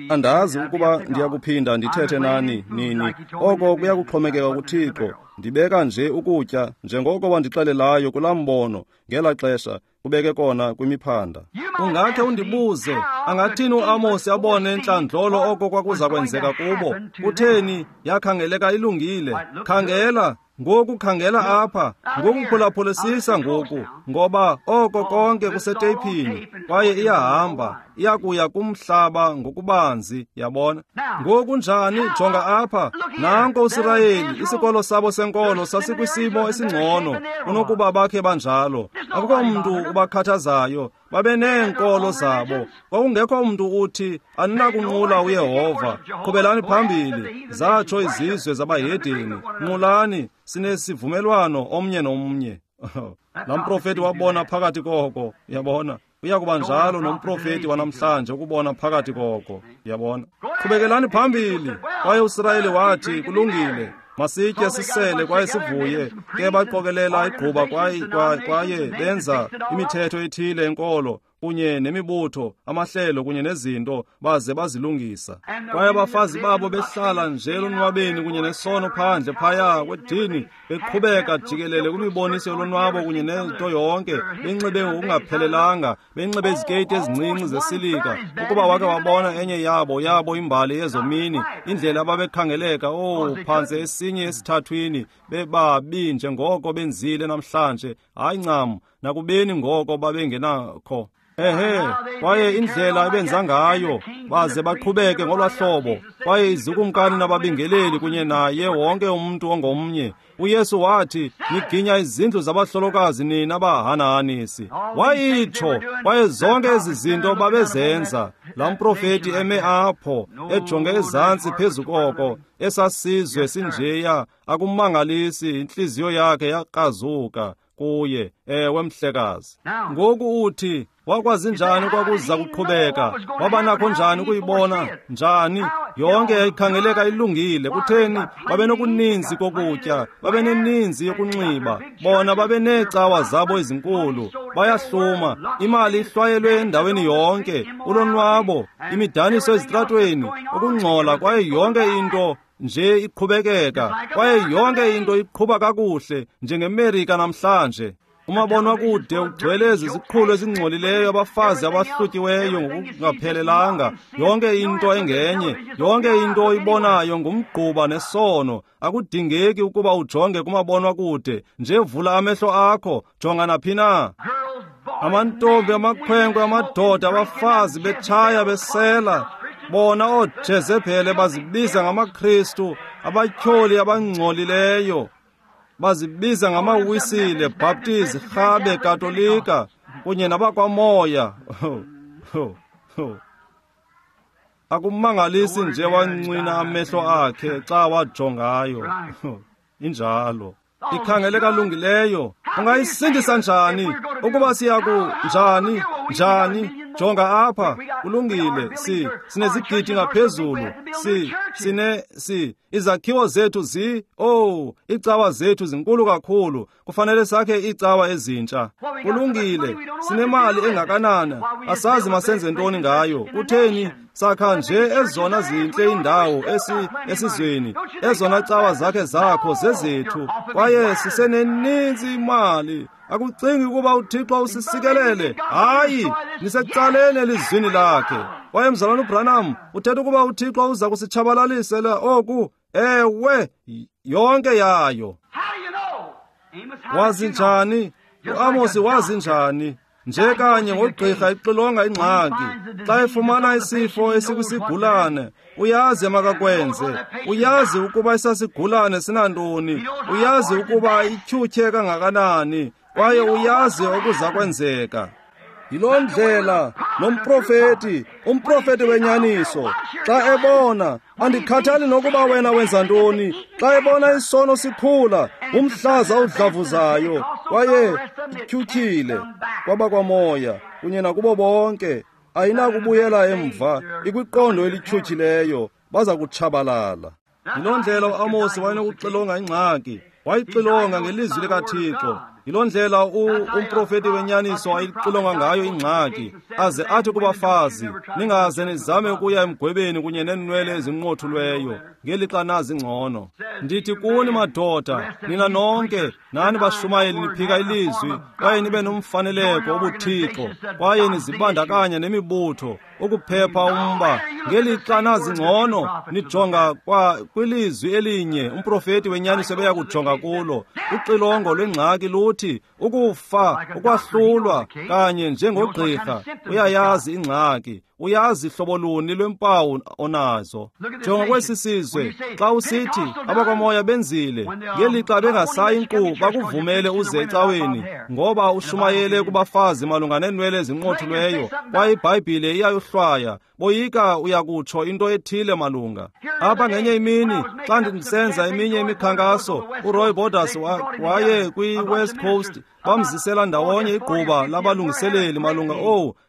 Andazi ukuba ndiyakuphinda ndithethe nani nini. Oko kuyakuxhomekeka kuThixo. Ndibeka nje ukutya njengoko wandixelelayo kulaa mbono ngela xesha, kubeke kona kwimiphanda. Ungakhe undibuze, angathini uAmosi abone entlandlolo oko kwakuza kwenzeka kubo? Kutheni yakhangeleka ilungile? Khangela ngoku, khangela apha ngoku, phulaphulisisa ngoku, ngoba oko konke kuseteyiphini kwaye iyahamba, iyakuya kumhlaba ngokubanzi, yabona. Ngoku njani? Jonga apha, nanko uSirayeli, isikolo sabo senkolo sasikwisimo esingcono kunokuba bakhe banjalo. Akukho mntu ubakhathazayo, babeneenkolo zabo. Kwakungekho mntu uthi aninakunqula uYehova, qhubelani phambili, zatsho izizwe zabahedeni, nqulani, sinesivumelwano omnye nomnye. Laa mprofeti wabona phakathi koko, yabona. Uyakuba njalo nomprofeti wanamhlanje ukubona phakathi koko, yabona. Qhubekelani phambili. Kwaye uSirayeli wathi, kulungile, masitye sisele kwaye sivuye. Ke baqokelela igquba kwaye benza imithetho ethile enkolo kunye nemibutho, amahlelo kunye nezinto, baze bazilungisa. Kwaye abafazi babo behlala nje elonwabeni kunye nesono phandle phaya kwedini, beqhubeka jikelele kwimiboniso yolonwabo kunye nento yonke, benxibe ngokungaphelelanga, benxibe izikeyiti ezincinci zesilika. Ukuba wake wabona enye yabo imbali yezomini, indlela ababekhangeleka, phantse esinye esithathwini, bebabi njengoko benzile namhlanje. Hayi ncam, nakubeni ngoko babengenakho. Ehe, kwaye indlela ebenza ngayo, baze baqhubeke ngolwahlobo. Kwaye izikumkani nababingeleli kunye naye wonke umntu ongomnye. uYesu wathi, niginya izindlu zabahlolokazi nina bahanahanisi. Wayitsho, kwaye zonke ezi zinto babezenza. Laa mprofeti eme apho, ejonge ezantsi phezu koko, esasizwe sinjeya, akumangalisi, intliziyo yakhe yakrazuka kuye. Ewe, mhlekazi. Ngoku uthi, wakwazi njani kwakuza kuqhubeka? Wabanakho njani ukuyibona? Njani? Yonke yayikhangeleka ilungile. Kutheni? Babenokuninzi kokutya, babeneninzi yokunxiba, bona babeneecawa zabo ezinkulu, bayahluma, imali ihlwayelwe endaweni yonke, ulonwabo, imidaniso ezitratweni, ukungcola, kwaye yonke into nje iqhubekeka, kwaye yonke into iqhuba kakuhle njengeMerika namhlanje. Umabonwakude ugcwele ezi ziqhulo ezingcolileyo, abafazi abahlutyiweyo ngokungaphelelanga, yonke into engenye, yonke into oyibonayo ngumgquba nesono. Akudingeki ukuba ujonge kumabonwakude, nje vula amehlo akho, jonga naphi na. Amantombi, amakhwenkwe, amadoda, abafazi betshaya besela, bona ooJezebhele bazibiza ngamaKristu, abatyholi abangcolileyo, bazibiza ngamaWisile, Baptist, Rhabe, Katolika. kunye nabakwamoya. Akumangalisi nje wancwina amehlo akhe xa wajongayo. Injalo. Ikhangeleka lungileyo. Ungayisindisa njani? Ukuba siyaku njani? Njani? Jonga apha, kulungile. Sinezigidi ngaphezulu. Izakhiwo zethu iicawa zethu zinkulu kakhulu. Kufanele sakhe iicawa ezintsha. Kulungile. Sinemali engakanana. Asazi masenze ntoni ngayo. Kutheni? Sakha nje ezona zintle indawo esizweni. Ezona cawa zakhe zakho zezethu. Kwaye siseneninzi imali. Akucingi ukuba uThixo usisikelele. Hayi, nisecaleni elizwini lakhe. Kwaye mzalwana uBranham uthetha ukuba uThixo uza kusitshabalalisela oku. Ewe, yonke yayo. Wazi njani? uAmosi wazi njani? Nje kanye ngogqirha ixilonga ingxaki. Xa efumana isifo esikwisigulane, uyazi makakwenze. Uyazi ukuba isasigulane sinantoni. Uyazi ukuba ityhutyhe kangakanani. Kwaye uyazi okuza kwenzeka. Yiloo ndlela nomprofeti, umprofeti wenyaniso, xa ebona, andikhathali nokuba wena wenza ntoni, xa ebona isono sikhula, umhlaza udlavuzayo, kwaye ityhutyhile kwabakwamoya kunye nakubo bonke, ayinakubuyela emva, ikwiqondo elityhutyhileyo, baza kutshabalala. Yiloo ndlela uAmosi wayenokuxilonga ingxaki, wayixilonga ngelizwi likaThixo. Yiloo ndlela umprofeti wenyaniso ayixilonga ngayo ingxaki, aze athi kubafazi, ningaze nizame ukuya emgwebeni kunye neenwele ezinqothulweyo, ngelixa nazi ngcono. Ndithi kuni madoda, nina nonke, nani bashumayeli niphika ilizwi, kwaye nibe nomfaneleko obuthixo, kwaye nizibandakanya nemibutho, ukuphepha umba, ngelixa nazi ngcono, nijonga kwilizwi elinye, umprofeti wenyaniso beya kujonga kulo. Uxilongo lwengxaki luthi ukufa, ukwahlulwa, kanye njengogqirha uyayazi ingxaki, uyazi hlobo luni lwempawu onazo. Jonga kwesi sizwe, xa usithi abakwamoya benzile, ngelixa bengasayi nkqu bakuvumele uze ecaweni, ngoba ushumayele kubafazi malunga neenwele ezinqothulweyo, kwaye iBhayibhile iyayohlwaya. Boyika uyakutsho into ethile malunga. Apha ngenye imini, xa ndisenza eminye imikhankaso, uRoy Borders waye kwi-West Coast, bamzisela ndawonye igquba labalungiseleli malunga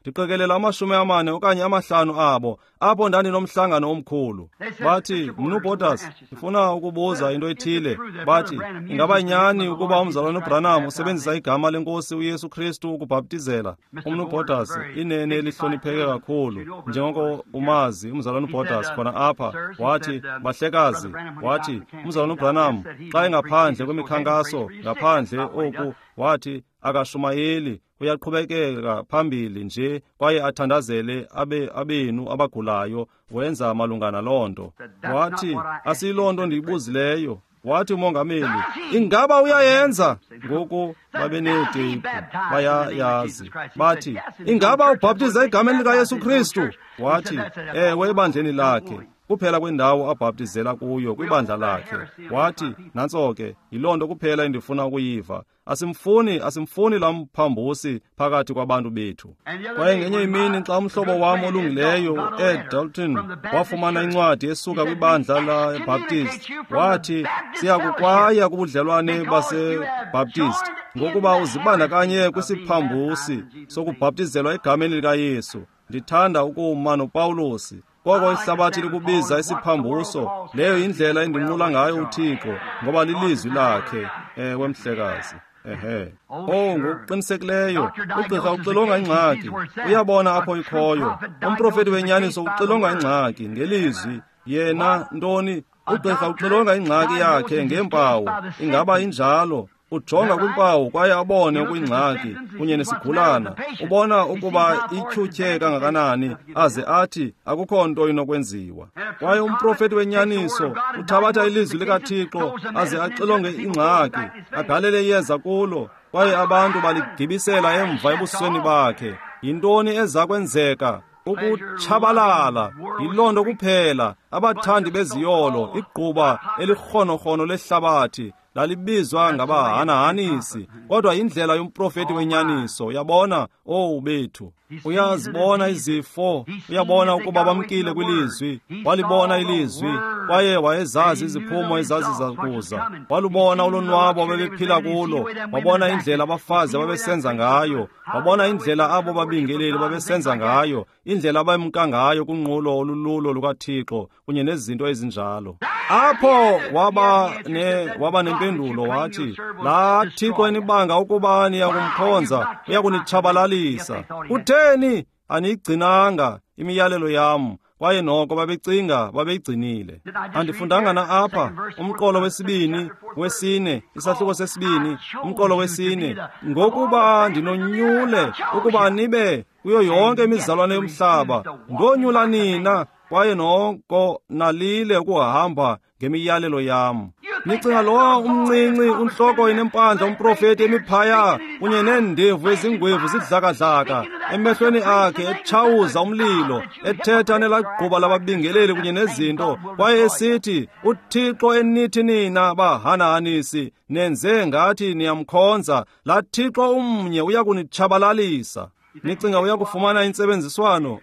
ndiqikelela 40 okanye 50 abo, apho ndandinomhlangano omkhulu. Bathi, Mnu Borders, ndifuna ukubuza into ethile. Bathi, ingaba nyani ukuba umzalwana uBranham usebenzisa igama lenkosi uYesu Kristu ukubhaptizela? Umnu Borders, inene elihlonipheke kakhulu, njengoko umazi umzalwana uBorders khona apha, wathi, bahlekazi, wathi, umzalwana uBranham xa engaphandle kwemikhankaso, ngaphandle oku, wathi akashumayeli, uyaqhubekeka phambili nje kwaye athandazele abenu abagulayo, wenza malunga naloo nto. Wathi, asiyiloo nto ndiyibuzileyo. Wathi umongameli, ingaba uyayenza? Ngoku babeneeteyipu, bayayazi. Bathi, ingaba ubhaptiza egameni likaYesu Kristu? Wathi, ewe, ebandleni lakhe. Kuphela kwendawo abhaptizela kuyo, kwibandla lakhe. Wathi, nantso ke, yiloo nto kuphela endifuna ukuyiva. Asimfuni lamphambusi phakathi kwabantu bethu. Kwaye ngenye imini xa umhlobo wam olungileyo uEd Dalton wafumana incwadi esuka kwibandla laBaptist, wathi, siyakukwaya kubudlelwane baseBaptist ngokuba uzibandakanye kwisiphambusi sokubhaptizelwa egameni likaYesu. Ndithanda ukuma noPawulosi. Koko ihlabathi likubiza isiphambuso, leyo indlela endinqula ngayo uThixo, ngoba lilizwi lakhe. Ewe, mhlekazi. Ehe. Ngokuqinisekileyo, ugqirha uxilonga ingxaki, uyabona apho ikhoyo. Umprofeti wenyaniso uxilonga ingxaki ngelizwi. Yena ntoni? Ugqirha uxilonga ingxaki yakhe ngeempawu. Ingaba injalo? Ujonga kwimpawu kwaye abone okuyingxaki kunye nesigulana. Ubona ukuba ityhutyhe kangakanani, aze athi akukho nto inokwenziwa. Kwaye umprofeti wenyaniso uthabatha ilizwi likaThixo aze axilonge ingxaki, agalele iyeza kulo, kwaye abantu baligibisela emva ebusweni bakhe. Yintoni eza kwenzeka? Ukutshabalala. Yiloo nto kuphela. Abathandi beziyolo, igquba elirhonorhono lehlabathi, Lalibizwa ngabahanahanisi, kodwa indlela yomprofeti wenyaniso. Uyabona, owu bethu, uyazibona izifo, uyabona ukuba bamkile kwilizwi. Walibona ilizwi, kwaye wayezazi iziphumo ezaziza kuza. Walubona ulonwabo ababephila kulo, wabona indlela abafazi ababesenza ngayo, wabona indlela abo babingeleli babesenza ngayo, indlela abemka ngayo kunqulo olululo lukaThixo kunye nezinto ezinjalo. Apho waba nempendulo, wathi, laa Thixo enibanga ukuba niyakumkhonza uyakunitshabalalisa. Kutheni aniyigcinanga imiyalelo yam? Kwaye noko babecinga babeyigcinile. Andifundanga na apha umqolo wesibini, wesine, isahluko sesibini, umqolo wesine, ngokuba ndinonyule ukuba nibe kuyo yonke imizalwane yomhlaba, ndonyula nina, kwaye noko nalile ukuhamba ngemiyalelo yam. Nicinga lowa umncinci untloko inempandla umprofeti emiphaya kunye neendevu ezingwevu zidlakadlaka emehlweni akhe, etshawuza umlilo, ethetha nelagquba lababingeleli kunye nezinto, kwaye esithi, uThixo enithi nina bahanahanisi nenze ngathi niyamkhonza, laa Thixo umnye uyakunitshabalalisa. Nicinga uyakufumana intsebenziswano?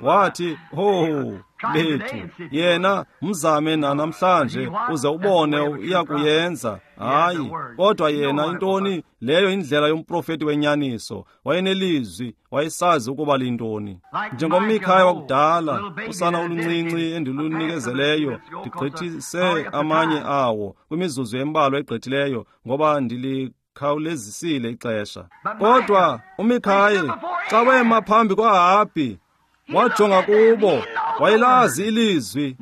Wathi, ho bethu, yena mzame namhlanje uze ubone uyakuyenza. Hayi, kodwa yena intoni leyo? Indlela yomprofeti wenyaniso. Wayenelizwi, wayesazi ukuba lintoni. NjengoMikhaya wakudala, usana oluncinci endilunikezeleyo, ndigqithise amanye awo kwimizuzu embalwa egqithileyo, ngoba ndilikhawulezisile ixesha. Kodwa uMikhaye xa wema phambi kwaAhabhi, wajonga kubo, wayelazi ilizwi.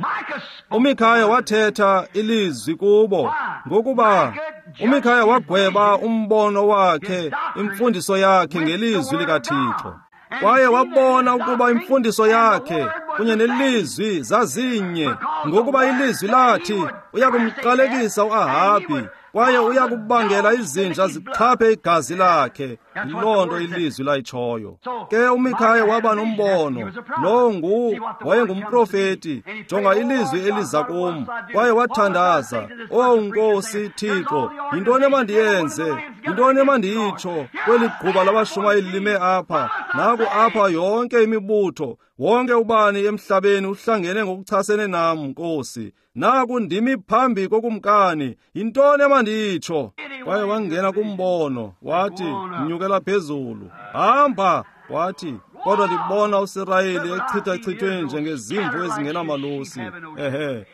uMikhaya wathetha ilizwi kubo, ngokuba uMikhaya wagweba umbono wakhe, imfundiso yakhe ngelizwi likaThixo. Kwaye wabona ukuba imfundiso yakhe kunye nelizwi zazinye, ngokuba ilizwi lathi uyakumqalekisa uAhabhi, kwaye uyakubangela izinja zixhaphe igazi lakhe. Yiloo nto ilizwi layitshoyo. Ke uMikhaya waba nombono. Lowo wayengumprofeti. Jonga ilizwi eliza kum. Kwaye wathandaza, "Owu Nkosi Thixo, yintoni emandiyenze? Yintoni emandiyitsho kweli gquba labashumayeli lime apha? Naku apha yonke imibutho, wonke ubani emhlabeni uhlangene ngokuchasene nam, Nkosi. Naku ndimi phambi kokumkani, yintoni emandiyitsho?" Kwaye wangena kumbono, wathi, nyukela phezulu, hamba. Wathi, kodwa ndibona uSirayeli echithachithwe njengezimvu ezingenamalusi. Ehe,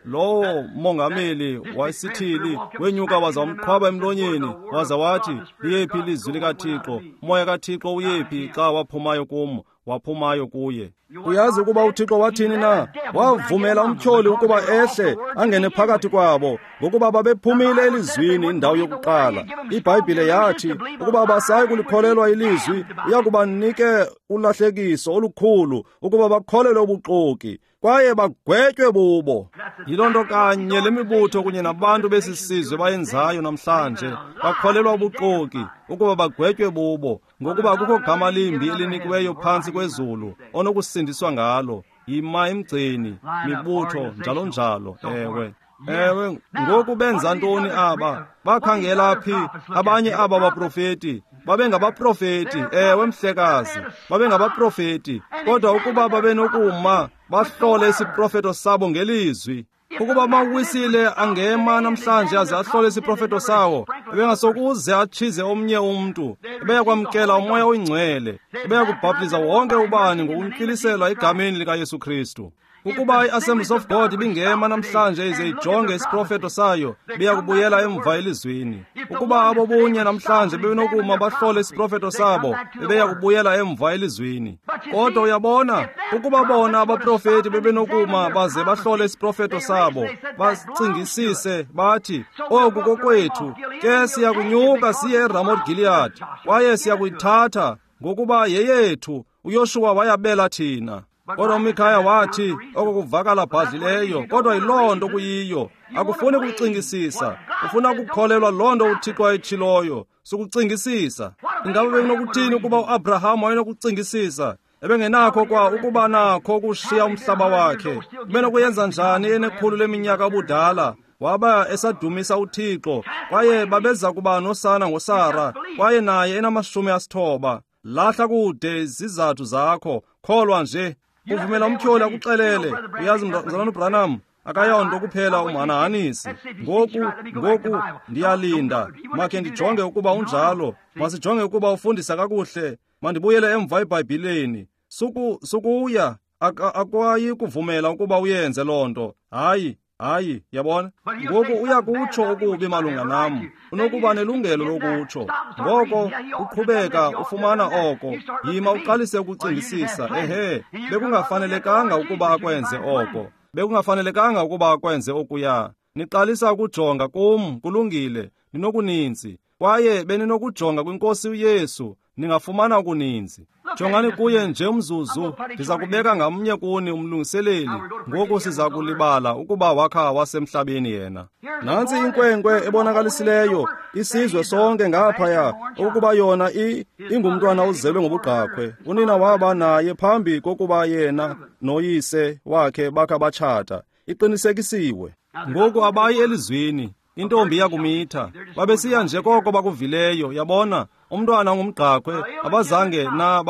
lowo mongameli wayisithili wenyuka waza wamqhwaba emlonyeni, waza wathi, liyephi ilizwi likaThixo? Umoya kaThixo uyephi xa waphumayo kum, waphumayo kuye? Uyazi ukuba uThixo wathini na? Wavumela umtyholi ukuba ehle angene phakathi kwabo, ngokuba babephumile elizwini indawo yokuqala. IBhayibhile yathi ukuba abasayi kulikholelwa ilizwi, uyakubanike ulahlekiso olukhulu ukuba bakholelwe ubuxoki, kwaye bagwetywe bubo. Yiloo nto kanye le mibutho kunye nabantu besi sizwe bayenzayo namhlanje. Bakholelwa ubuxoki ukuba bagwetywe bubo, ngokuba kukho gama limbi elinikiweyo phantsi kwezulu onokusindiswa ngalo. Yima emgceni, mibutho, njalo njalo. Ewe, ewe. Ngoku benza ntoni aba? Bakhangela phi abanye aba baprofeti? Babengabaprofeti, ewe mhlekazi, babengabaprofeti. Kodwa ukuba babenokuma bahlole isiprofeto sabo ngelizwi, ukuba amawisile angema namhlanje aze ahlole isiprofeto sawo, ebengasokuze atshize omnye umntu, ebeyakwamkela uMoya oyiNgcwele, ebeyakubhaptiza wonke ubani ngokuntywiliselwa egameni likaYesu Kristu. Ukuba i-Assemblies of God ibingema namhlanje ize ijonge isiprofeto sayo, beyakubuyela emva elizwini. Ukuba abo bunye namhlanje bebenokuma bahlole isiprofeto sabo, bebeyakubuyela emva elizwini. Kodwa uyabona, ukuba bona abaprofeti bebenokuma baze bahlole isiprofeto sabo, bacingisise bathi, oku kokwethu, ke siyakunyuka siye eRamot Gilead, kwaye siyakuyithatha ngokuba yeyethu. uYoshuwa wayabela thina. Kodwa uMikhaya wathi, oko kuvakala bhadlileyo, kodwa yiloo nto kuyiyo. Akufuni kucingisisa, ufuna ukukholelwa loo nto uThixo ayitshiloyo. Sukucingisisa. Ingaba bekunokuthini ukuba uAbraham wayenokucingisisa? Ebengenakho kwa ukuba nakho ukushiya umhlaba wakhe. Ubenokuyenza njani enekhulu leminyaka ubudala? Waba esadumisa uThixo, kwaye babeza kuba nosana ngoSara, kwaye naye ena-90. Lahla kude izizathu zakho, kholwa nje. Uvumela umtyholi akuxelele, uyazi mzalwana uBranham, akayonto kuphela umhanahanisi. Ngoku ndiyalinda, makhe ndijonge ukuba unjalo, masijonge ukuba ufundisa kakuhle, mandibuyele emva eBhayibhileni. Sukuya, akwayi kuvumela ukuba uyenze loo nto. Hayi, hayi, yabona? Ngoku uya kutsho okubi malunga nam, unokuba nelungelo lokutsho. Ngoko uqhubeka ufumana oko, yima uqalise ukucingisisa. Ehe, bekungafanelekanga ukuba akwenze oko, bekungafanelekanga ukuba akwenze okuya. Niqalisa ukujonga kum, kulungile, ninokuninzi, kwaye beninokujonga kwiNkosi uYesu, ningafumana okuninzi. Jongani kuye nje umzuzu, ndiza kubeka ngamnye kuni umlungiseleli. Ngoku siza kulibala ukuba wakha wasemhlabeni yena. Nantsi inkwenkwe ebonakalisileyo isizwe sonke ngaphaya ukuba yona ingumntwana ozelwe ngobugqakhwe. Unina waba naye phambi kokuba yena noyise wakhe bakha batshata. Iqinisekisiwe. Ngoku abayi elizwini, intombi yakumitha. Babesiya nje koko bakuvileyo, yabona, umntwana ongumgqakhwe, abazange na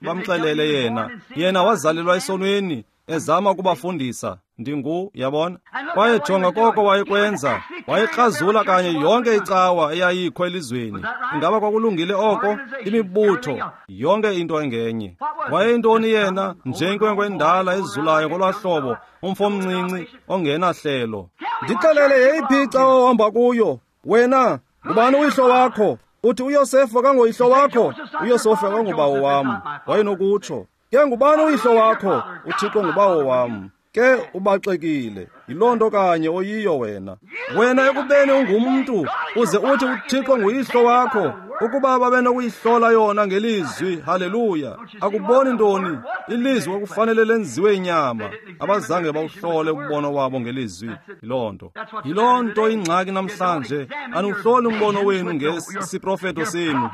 bamxelele yena. Yena wazalelwa esonweni, ezama ukubafundisa. Ndingu, yabona? Kwaye jonga koko wayekwenza. Wayekrazula kanye yonke icawa eyayikho elizweni. Ingaba kwakulungile oko? Imibutho, yonke into engenye. Wayeyintoni yena? Nje inkwenkwe endala ezulayo ngolwaa hlobo, umfo omncinci ongenahlelo. Ndixelele yeyiphi icawa ohamba kuyo? Wena, ngubani uyihlo wakho? Uthi uYosefu akangoyihlo wakho? uYosefu akangubawo wam. Wayenokutsho, ke ngubani uyihlo wakho? UThixo ngubawo wam. Ke ubaxekile, yiloo nto kanye oyiyo wena. Wena ekubeni ungumntu, uze uthi uThixo nguyihlo wakho. Ukuba babenokuyihlola yona ngelizwi, haleluya. Akuboni ntoni? Ilizwi kwakufanele lenziwe inyama. Abazange bawuhlole umbono wabo ngelizwi. Yiloo nto. Yiloo nto ingxaki namhlanje. Aniwuhloli umbono wenu ngesiprofeto senu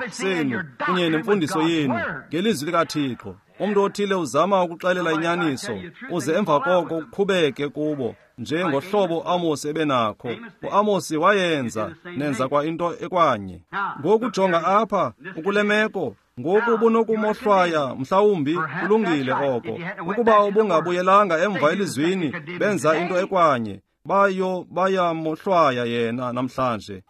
kunye nemfundiso yenu ngelizwi likaThixo. Umntu othile uzama ukuxelela inyaniso, uze emva koko uqhubeke kubo, nje ngohlobo uAmosi ebenakho. UAmosi wayenza, nenza kwa into ekwanye. Ngoku jonga apha, ukule meko, ngoku ubunokumohlwaya, mhlawumbi kulungile oko. Ukuba ubungabuyelanga emva elizwini, benza into ekwanye, bayamohlwaya yena namhlanje.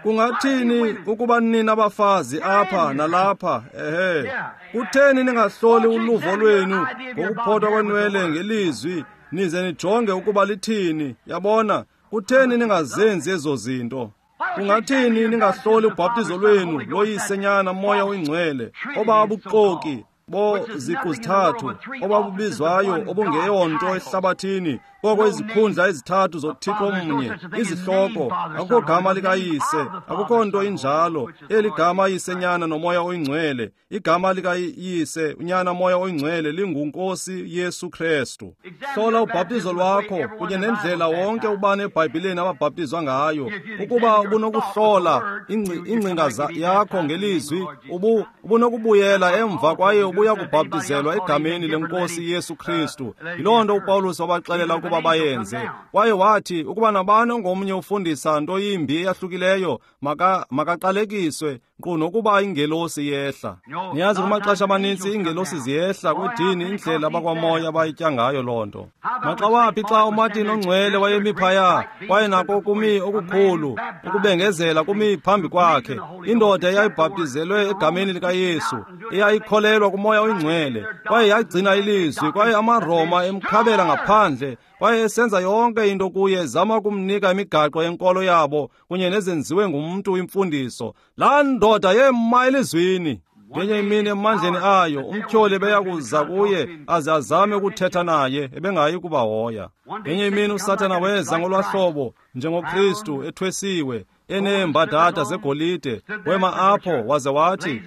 Kungathini ukuba nina abafazi apha nalapha? Ehe, kutheni ningahloli uluvo lwenu ngokuphothwa kwenwele ngelizwi, nize nijonge ukuba lithini? Yabona, kutheni ningazenzi ezo zinto? Kungathini ningahloli ubhaptizo lwenu loyise, Nyana, Moya oyiNgcwele, obabuxoki bo ziqu zithathu, obabubizwayo obungeyonto ehlabathini, koko izikhundla ezithathu zoThixo omnye, izihloko, akukho gama likayise, akukho nto injalo. Eli gama Yise, Nyana noMoya oyiNgcwele, igama likayise, uNyana, Moya oyiNgcwele linguNkosi Yesu Kristu. Hlola ubhaptizo lwakho kunye nendlela wonke ubani eBhayibhileni ababhaptizwa ngayo. Ukuba ubunokuhlola ingcinga yakho ngelizwi, ubunokubuyela emva kwaye ubuya kubhaptizelwa egameni leNkosi Yesu Kristu. Yiloo nto uPawulos wabaxelela ukuba bayenze. Kwaye wathi ukuba nabani ongomnye ufundisa nto yimbi eyahlukileyo, makaqalekiswe, nkqu nokuba ingelosi yehla. Niyazi, kumaxesha amanintsi iingelosi ziyehla kwidini, indlela abakwamoya abayitya ngayo loo nto. Maxa waphi xa uMartin ongcwele wayemi phaya, kwaye nako kumi okukhulu ukubengezela kumi phambi kwakhe, indoda eyayibhaptizelwe egameni likaYesu, eyayikholelwa kuMoya oyiNgcwele, kwaye yagcina ilizwi, kwaye amaRoma emkhabela ngaphandle, kwaye esenza yonke into kuye, ezama ukumnika imigaqo yenkolo yabo kunye nezenziwe ngumntu imfundiso. Laa ndoda yema elizwini. Ngenye imini emandleni ayo, umtyholi ebeya kuza kuye aze azame ukuthetha naye, ebengayi kubahoya. Ngenye imini uSathana weza ngolwaa hlobo njengoKristu ethwesiwe, eneembadada zegolide, wema apho waze wathi,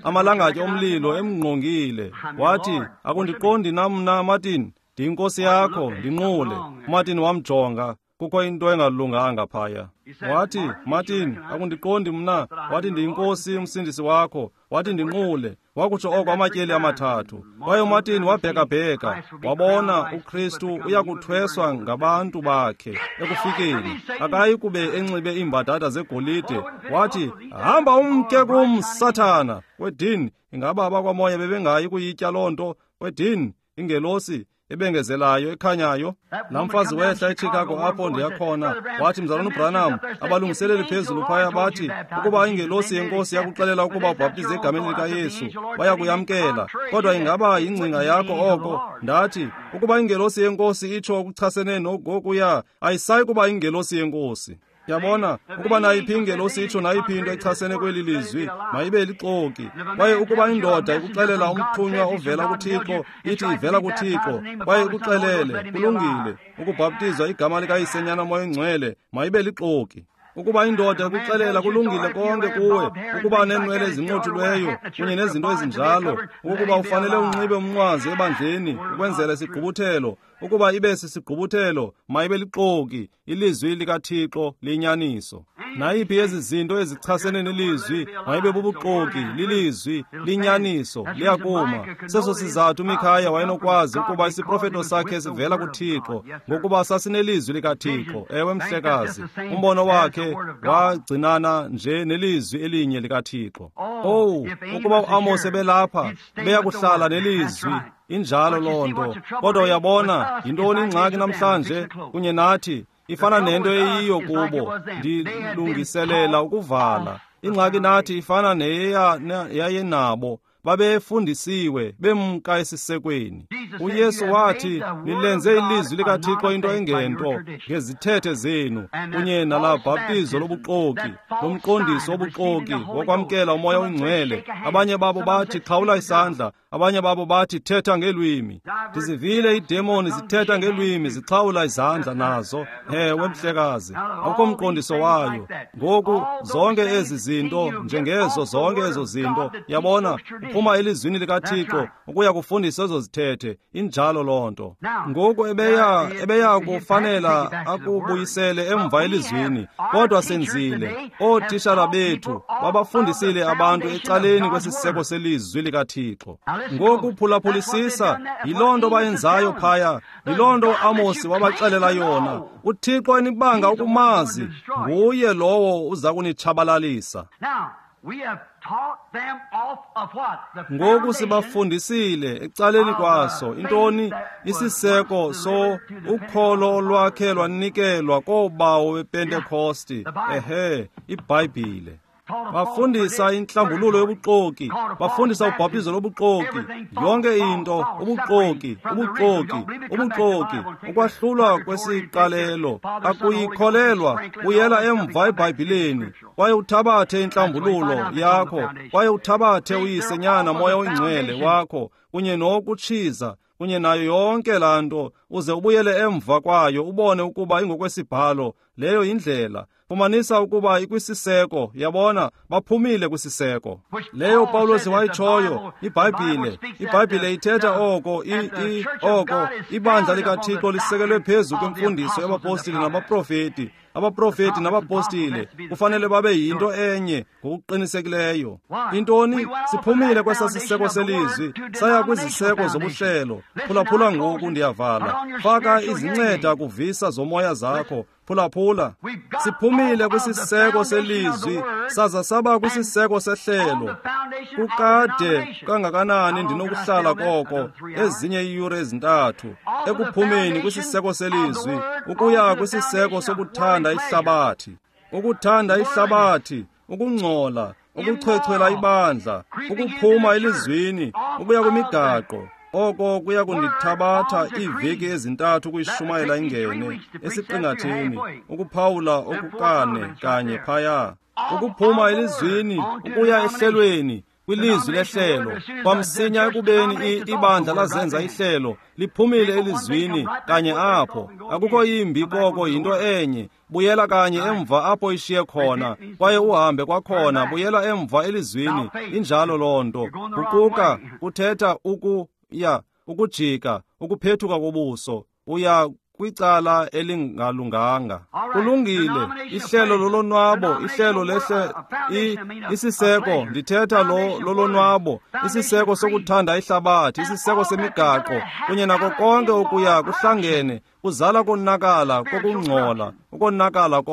amalangatye omlilo emngqongile. Wathi, akundiqondi na mna, Martin? Ndiyinkosi yakho, ndinqule. UMartin wamjonga, Kukho into engalunganga phaya. Wathi, Martin, akundiqondi mna. Wathi, ndiyinkosi umsindisi wakho. Wathi, ndinqule. Wakutsho oko amatyeli amathathu. Kwaye uMartin wabhekabheka, wabona uKristu uyakuthweswa ngabantu bakhe ekufikeni. Akayi kube enxibe iimbadada zegolide. Wathi, hamba umke kum, Sathana. Kwedini, ingaba abakwamoya bebengayi kuyitya loo nto? Kwedini, ingelosi ebengezelayo ekhanyayo. Laa mfazi wehla eChicago apho ndiyakhona. Wathi, Mzalwana uBranham, abalungiseleli phezulu phaya bathi ukuba ingelosi yenkosi yakuxelela ukuba ubhaptize egameni likaYesu, bayakuyamkela. Kodwa ingaba yingcinga yakho oko? Ndathi, ukuba ingelosi yenkosi itsho okuchasene nokuya, ayisayi kuba ingelosi yenkosi. Yabona, ukuba nayiphi ingelosi itsho nayiphi into echasene kweli lizwi, mayibe lixoki. Kwaye ukuba indoda ikuxelela umthunywa ovela kuThixo, ithi ivela kuThixo, kwaye ikuxelele, kulungile, ukubhaptizwa igama likaYise, Nyana, Moya Oyingcwele, mayibe lixoki. Ukuba indoda ikuxelela kulungile konke kuwe, ukuba neenwele ezinqothuliweyo kunye nezinto ezinjalo, ukuba ufanele unxibe umnqwazi ebandleni ukwenzela isigqubuthelo, ukuba ibe sisigqubuthelo, mayibe lixoki. Ilizwi likaThixo liyinyaniso. Nayiphi ezi zinto ezichasene nelizwi mayibe bubuxoki. Lilizwi liyinyaniso, liyakuma. Seso sizathu uMikhaya wayenokwazi ukuba isiprofeto sakhe sivela kuThixo, ngokuba sasinelizwi likaThixo. Ewe, mhlekazi, umbono wakhe wagcinana nje nelizwi elinye likaThixo. Owu, ukuba uAmos ebelapha, beyakuhlala nelizwi. Injalo loo nto. Kodwa uyabona, yintoni ingxaki namhlanje kunye nathi? Ifana nento eyiyo kubo. Ndilungiselela ukuvala. Ingxaki nathi ifana neyayenabo. Babefundisiwe bemka esisekweni. uYesu wathi, nilenze ilizwi likaThixo into engento ngezithethe zenu, kunye nalaa bhaptizo lobuxoki, lomqondiso wobuxoki wokwamkela uMoya Oyingcwele. Abanye babo bathi xhawula isandla, abanye babo bathi thetha ngeelwimi. Ndizivile iidemoni zithetha ngeelwimi, zixhawula izandla nazo. Ewe, mhlekazi, akukho mqondiso wayo. Ngoku zonke ezi zinto, njengezo zonke ezo zinto, yabona, uphuma elizwini likaThixo ukuya kufundisa ezo zithethe. Injalo loo nto. Ngoku ebeya kufanela akubuyisele emva elizwini, kodwa senzile. Ootishala bethu babafundisile abantu ecaleni kwesiseko selizwi likaThixo. Ngoku phulaphulisisa, yiloo nto bayenzayo phaya, yiloo nto uAmosi wabaxelela yona. uThixo enibanga ukumazi, nguye lowo uza kunitshabalalisa. Ngoku sibafundisile ecaleni kwaso intoni? Isiseko so ukholo olwakhe lwanikelwa koobawo bePentekosti. Ehe, iBhayibhile. Bafundisa inhlambululo yobuxoki, bafundisa ubhaptizo lobuxoki, yonke into ubuxoki, ubuxoki, ubuxoki, ukwahlulwa kwesiqalelo. Akuyikholelwa, buyela emva eBhayibhileni, kwaye uthabathe inhlambululo yakho, kwaye uthabathe uYise, Nyana, Moya Oyingcwele wakho, kunye nokutshiza kunye nayo yonke laa nto, uze ubuyele emva kwayo ubone ukuba ingokwesibhalo. Leyo yindlela. Fumanisa ukuba ikwisiseko. Yabona, baphumile kwisiseko. Leyo Pawulos wayitshoyo, iBhayibhile. iBhayibhile ithetha oko, oko ibandla likaThixo lisekelwe phezu kwemfundiso yabapostile nabaprofeti. Abaprofeti nabapostile kufanele babe yinto enye ngokuqinisekileyo. Intoni? Siphumile kwesa siseko selizwi, saya kwiziseko zobuhlelo. Phulaphula ngoku, ndiyavala. Faka izinceda kuvisa zomoya zakho. Phulaphula. Siphumile kwisiseko selizwi, saza saba kwisiseko sehlelo. Kukade kangakanani ndinokuhlala koko ezinye iiyure ezintathu, ekuphumeni kwisiseko selizwi ukuya kwisiseko sokuthanda ihlabathi. Ukuthanda ihlabathi, ukungcola, ukuchwechwela ibandla, ukuphuma elizwini, ukuya kwimigaqo. Oko kuya kundithabatha iiveki ezintathu ukuyishumayela ingene esiqingatheni, ukuphawula okukane kanye phaya. Ukuphuma elizwini ukuya ehlelweni, kwilizwi lehlelo. Kwamsinya ekubeni ibandla lazenza ihlelo, liphumile elizwini kanye apho. Akukho yimbi koko, yinto enye. Buyela kanye emva apho ishiye khona, kwaye uhambe kwakhona, buyela emva elizwini. Injalo loo nto. Kuquka kuthetha ukuya, ukujika, ukuphethuka kobuso. Uya kwicala elingalunganga. Kulungile, ihlelo lolonwabo, ihlelo isiseko, ndithetha lolonwabo, isiseko sokuthanda ihlabathi, isiseko semigaqo, kunye nako konke okuya kuhlangene, kuzala konakala kokungcola, ukonakala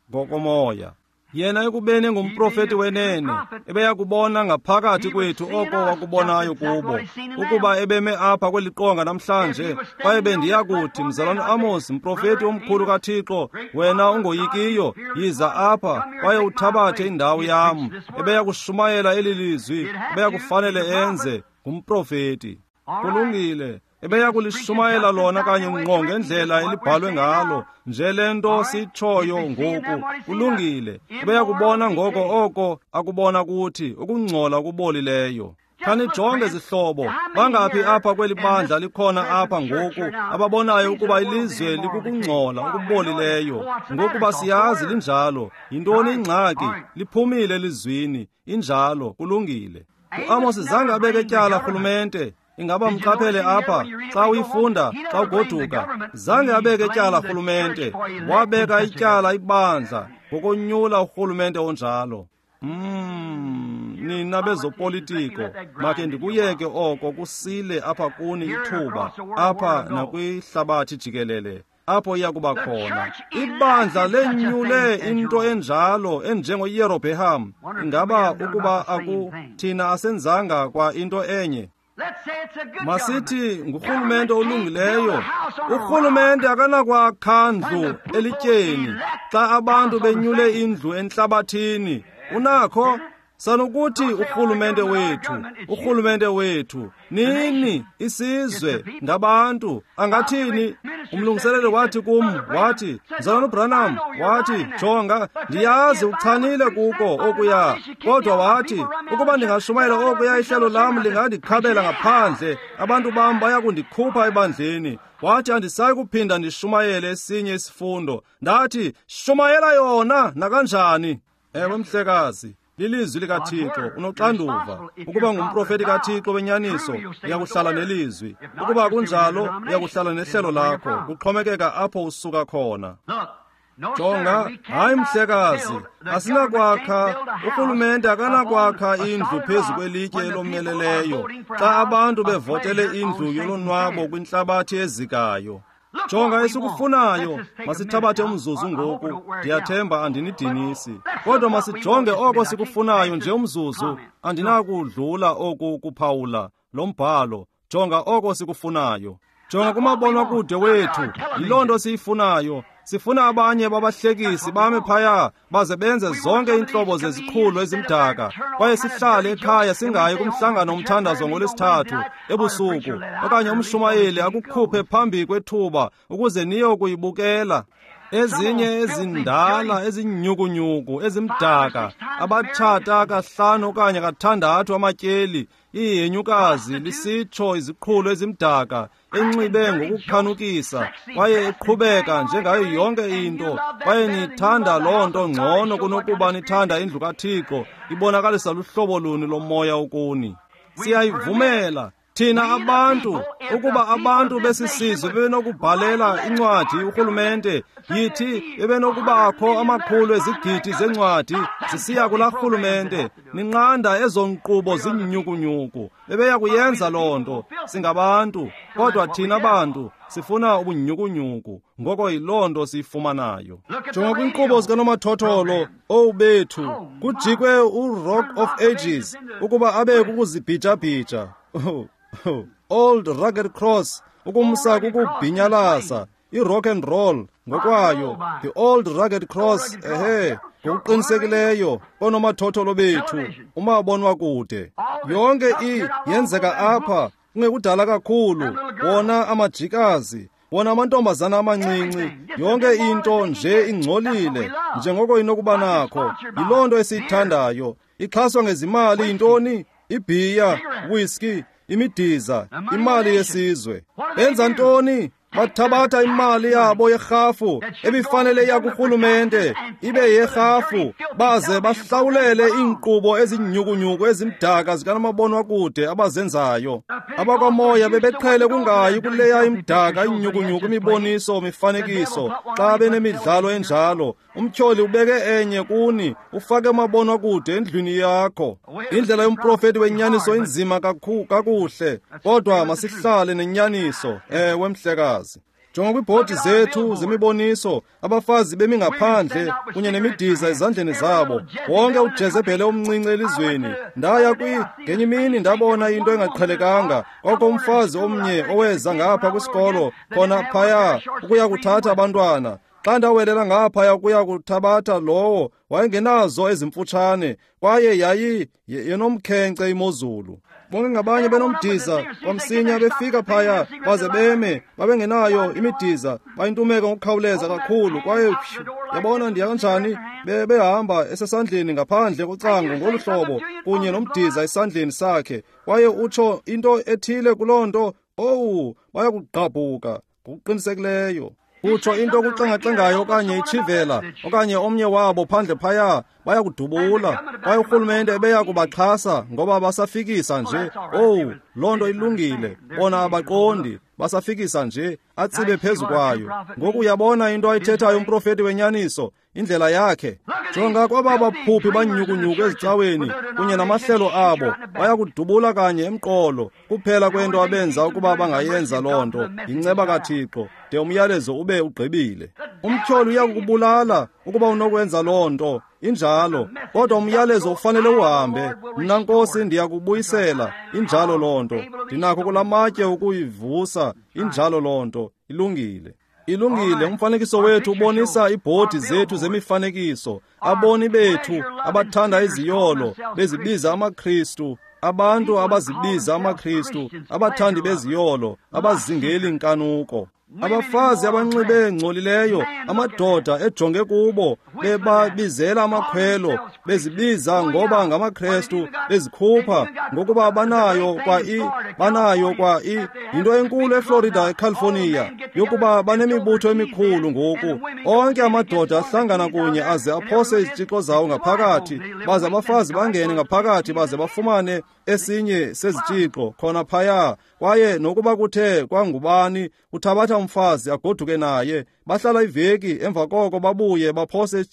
ngokomoya. Yena ekubeni ngumprofeti wenene, ebeya kubona ngaphakathi kwethu oko wakubonayo kubo. Ukuba ebeme apha kweli qonga namhlanje, kwaye bendiya kuthi, Mzalwana Amos, mprofeti omkhulu kaThixo, wena ungoyikiyo, yiza apha kwaye uthabathe indawo yam. Ebeya kushumayela eli lizwi, ebeya kufanele enze, ngumprofeti. Kulungile. Ebeya kulishumayela lona kanye ngqo ngendlela elibhalwe ngalo, nje le nto sitshoyo ngoku. Kulungile. Ebeya kubona ngoko oko akubona kuthi, ukungcola okubolileyo. Khanijonge zihlobo, bangaphi apha kweli bandla likhona apha ngoku ababonayo ukuba ilizwe likukungcola okubolileyo? Ngokuba siyazi linjalo. Yintoni ingxaki? Liphumile elizwini. Injalo, kulungile. UAmos zange abeke tyala rhulumente. Ingaba mqaphele apha xa uyifunda, xa ugoduka. Zange abeke tyala rhulumente, wabeka ityala ibandla ngokonyula urhulumente onjalo. Nina bezopolitiko, makhe ndikuyeke oko kusile apha kuni ithuba, apha nakwihlabathi jikelele, apho iya kuba khona. Ibandla lenyule into enjalo enjengoYerobeham. Ingaba ukuba thina asenzanga kwa into enye? Masithi ngurhulumente olungileyo. Urhulumente akanakwakha ndlu elityeni xa abantu benyule indlu entlabathini. Unakho? Sanokuthi urhulumente wethu, urhulumente wethu, nini, isizwe, ngabantu, angathini? Umlungiseleli wathi kum, wathi, Mzalwana uBranham, wathi, jonga, ndiyazi uchanile kuko okuya, kodwa wathi, ukuba ndingashumayela okuya, ihlelo lam lingandikhabela ngaphandle, abantu bam baya kundikhupha ebandleni. Wathi, andisayi kuphinda ndishumayele esinye isifundo. Ndathi, shumayela yona nakanjani. Ewe, mhlekazi. Lilizwi likaThixo, unoxanduva. Ukuba ngumprofeti kaThixo wenyaniso, uyakuhlala nelizwi. Ukuba kunjalo, uyakuhlala nehlelo lakho. Kuxhomekeka apho usuka khona. Jonga, hayi mhlekazi, asinakwakha, urhulumente akanakwakha indlu phezu kwelitye elomeleleyo xa abantu bevotele indlu yolonwabo kwintlabathi ezikayo. Jonga esikufunayo, masithabathe umzuzu ngoku, ndiyathemba andinidinisi. Kodwa masijonge oko sikufunayo nje umzuzu, andinakudlula oku kuphawula lo mbhalo. Jonga oko sikufunayo. Jonga kumabonwakude wethu, yiloo nto siyifunayo. Sifuna abanye babahlekisi bame phaya baze benze zonke iintlobo zeziqhulo ezimdaka, kwaye sihlale ekhaya singayi kumhlangano omthandazo ngoLwesithathu ebusuku, okanye umshumayeli akukhuphe phambi kwethuba ukuze niye kuyibukela. Ezinye ezindala ezinyukunyuku ezimdaka, abatshata 5 okanye 6 amatyeli, ihenyukazi lisitsho iziqhulo ezimdaka, enxibe ngokukhanukisa kwaye eqhubeka njengayo yonke into, kwaye nithanda loo nto ngcono kunokuba nithanda indlu kaThixo. Ibonakalisa luhlobo luni lomoya okuni. Siyayivumela thina abantu, ukuba abantu besisizwe bebenokubhalela incwadi urhulumente, yithi bebenokubakho amakhulu ezigidi zencwadi zisiya kulaa rhulumente, ninqanda ezo nkqubo zinyukunyuku. Bebeya kuyenza loo nto. Singabantu, kodwa thina bantu sifuna ubunyukunyuku, ngoko yiloo nto siyifumanayo. Jonga kwinkqubo zikanomathotholo, owu bethu, kujikwe uRock of Ages ukuba abe kukuzibhijabhija. Old Rugged Cross ukumsa kukubhinyalasa, i-rock and roll ngokwayo, the Old Rugged Cross, ehe, ngokuqinisekileyo oonomathotholo bethu, umabonwakude. Yonke yenzeka apha kungekudala kakhulu, wona amajikazi, wona amantombazana amancinci, yonke into nje ingcolile njengoko inokuba nakho. Yiloo nto esiyithandayo. Ixhaswa ngezimali yintoni? Ibhiya, whisky, imidiza, imali yesizwe. Benza ntoni? Bathabatha imali yabo yerhafu ebifanele iya kurhulumente ibe yerhafu, baze bahlawulele iinkqubo ezinyhukunyhuku ezimdaka zikamabonwakude abazenzayo. Abakwamoya bebeqhele kungayi kuleya imdaka inyhukunyhuku imiboniso mifanekiso xa benemidlalo enjalo. Umtyholi ubeke enye kuni, ufake umabonwakude endlwini yakho. Indlela yomprofeti wenyaniso inzima kakuhle, kodwa masihlale nenyaniso. Ewe, mhlekazi. Jonga kwiibhodi zethu zemiboniso, abafazi bemi ngaphandle kunye nemidiza ezandleni zabo, wonke uJezebhele omncinci elizweni. Ndaya ngenye imini ndabona into engaqhelekanga. Kwakho umfazi omnye oweza ngapha kwisikolo khona phaya ukuya kuthatha abantwana. Xa ndawelela ngaphaya ukuya kuthabatha lowo, wayengenazo ezimfutshane, kwaye yayi yenomkhenkce imozulu. Bonke ngabanye benomdiza, kwamsinya befika phaya baze beme, babengenayo imidiza, bayintumeka ngokukhawuleza kakhulu. Kwaye yabona ndiya kanjani, behamba esesandleni ngaphandle kocango ngolu hlobo kunye nomdiza esandleni sakhe, kwaye utsho into ethile kuloo nto, owu, bayakugqabhuka ngokuqinisekileyo. Utsho into okuxengaxengayo okanye itshivela okanye omnye wabo phandle phaya, bayakudubula. Kwaye urhulumente ebeya kubaxhasa ngoba basafikisa nje. Owu, loo nto ilungile, bona abaqondi, basafikisa nje, atsibe phezu kwayo. Ngoku uyabona into ayithethayo umprofeti wenyaniso, indlela yakhe. Jonga kwaba baphuphi banyhukunyhuku ezicaweni kunye namahlelo abo, bayakudubula kanye emqolo. Kuphela kwento abenza ukuba bangayenza loo nto yinceba kaThixo, de umyalezo ube ugqibile. Umtyholi uyakukubulala ukuba unokwenza loo nto, injalo, kodwa umyalezo ufanele uhambe. Mna Nkosi ndiyakubuyisela, injalo loo nto. Ndinakho kulamatye ukuyivusa, injalo loo nto. Ilungile. Ilungile. Umfanekiso wethu ubonisa iibhodi zethu zemifanekiso, aboni bethu abathanda iziyolo bezibiza amaKristu, abantu abazibiza amaKristu, abathandi beziyolo, abazingeli nkanuko, abafazi abanxibe ngcolileyo, amadoda ejonge kubo, bebabizela amakhwelo, bezibiza ngoba ngamaKristu, bezikhupha ngokuba banayo kwa yinto enkulu eFlorida, eCalifornia, yokuba banemibutho emikhulu ngoku. Onke amadoda ahlangana kunye aze aphose izitshixo zawo ngaphakathi, baze abafazi bangene ngaphakathi baze bafumane esinye sezitshixo khona phaya. Kwaye nokuba kuthe kwangubani uthabatha umfazi agoduke naye, bahlala iveki, emva koko babuye baphose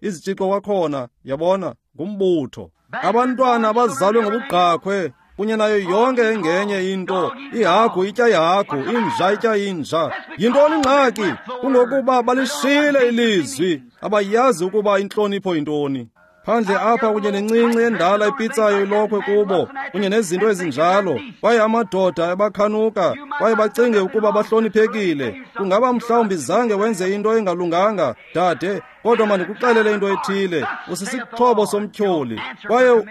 izitshixo kwakhona. Yabona, ngumbutho. Abantwana abazalwe ngobugqakhwe kunye nayo yonke engenye into, ihagu itya ihagu, inja itya inja. Yintoni ingxaki? Kungokuba balishile ilizwi, abayazi ukuba intlonipho yintoni. Phandle apha kunye nencinci endala ipitsayo ilokhwe kubo kunye nezinto ezinjalo, kwaye amadoda ebakhanuka kwaye bacinge ukuba bahloniphekile. Kungaba mhlawumbi zange wenze into engalunganga, dade, kodwa mandikuxelele into ethile, usisixhobo somtyholi. Kwaye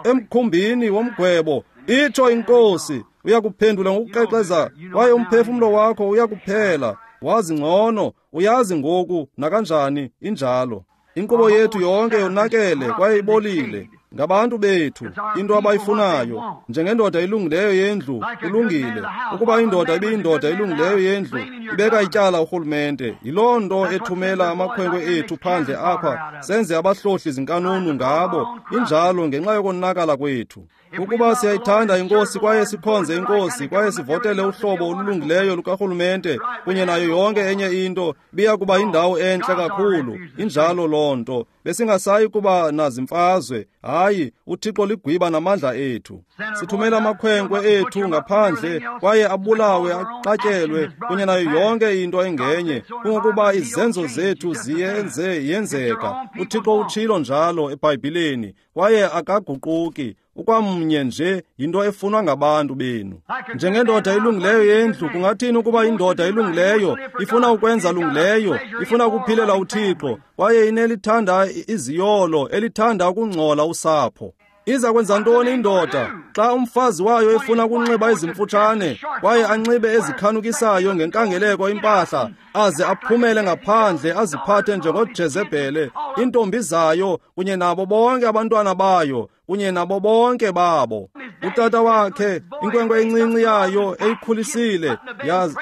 emkhumbini womgwebo, itsho iNkosi, uyakuphendula ngokukrexeza, kwaye umphefumlo wakho uyakuphela. Wazi ngcono, uyazi ngoku nakanjani, injalo. Inkqubo yethu yonke yonakele kwaye ibolile. Ngabantu bethu, into abayifunayo. Njengendoda ilungileyo yendlu, ulungile. Ukuba indoda ibiyindoda ilungileyo yendlu, ibeka ityala urhulumente. Yiloo nto ethumela amakhwenkwe ethu phandle apha, senze abahlohli zinkanunu ngabo. Injalo ngenxa yokonakala kwethu. Ukuba siyayithanda iNkosi kwaye sikhonze iNkosi kwaye sivotele uhlobo olulungileyo lukarhulumente kunye nayo yonke enye into, biya kuba yindawo entle kakhulu. Injalo loo nto. Besingasayi kuba nazimfazwe. Hayi, uThixo ligwiba namandla ethu. Sithumela amakhwenkwe ethu ngaphandle kwaye abulawe, axatyelwe kunye nayo yonke into engenye, kungokuba izenzo zethu ziyenze yenzeka. uThixo utshilo njalo eBhayibhileni, kwaye akaguquki. Ukwamnye nje yinto efunwa ngabantu benu. Njengendoda ilungileyo yendlu, kungathini ukuba indoda ilungileyo ifuna ukwenza lungileyo, ifuna ukuphilela uThixo, kwaye inelithanda iziyolo, elithanda ukungcola usapho. Iza kwenza ntoni indoda xa umfazi wayo efuna ukunxiba ezimfutshane kwaye anxibe ezikhanukisayo ngenkangeleko impahla, aze aphumele ngaphandle aziphathe njengoJezebhele, iintombi zayo kunye nabo bonke abantwana bayo kunye nabo bonke babo? Utata wakhe, inkwenkwe encinci yayo eyikhulisile,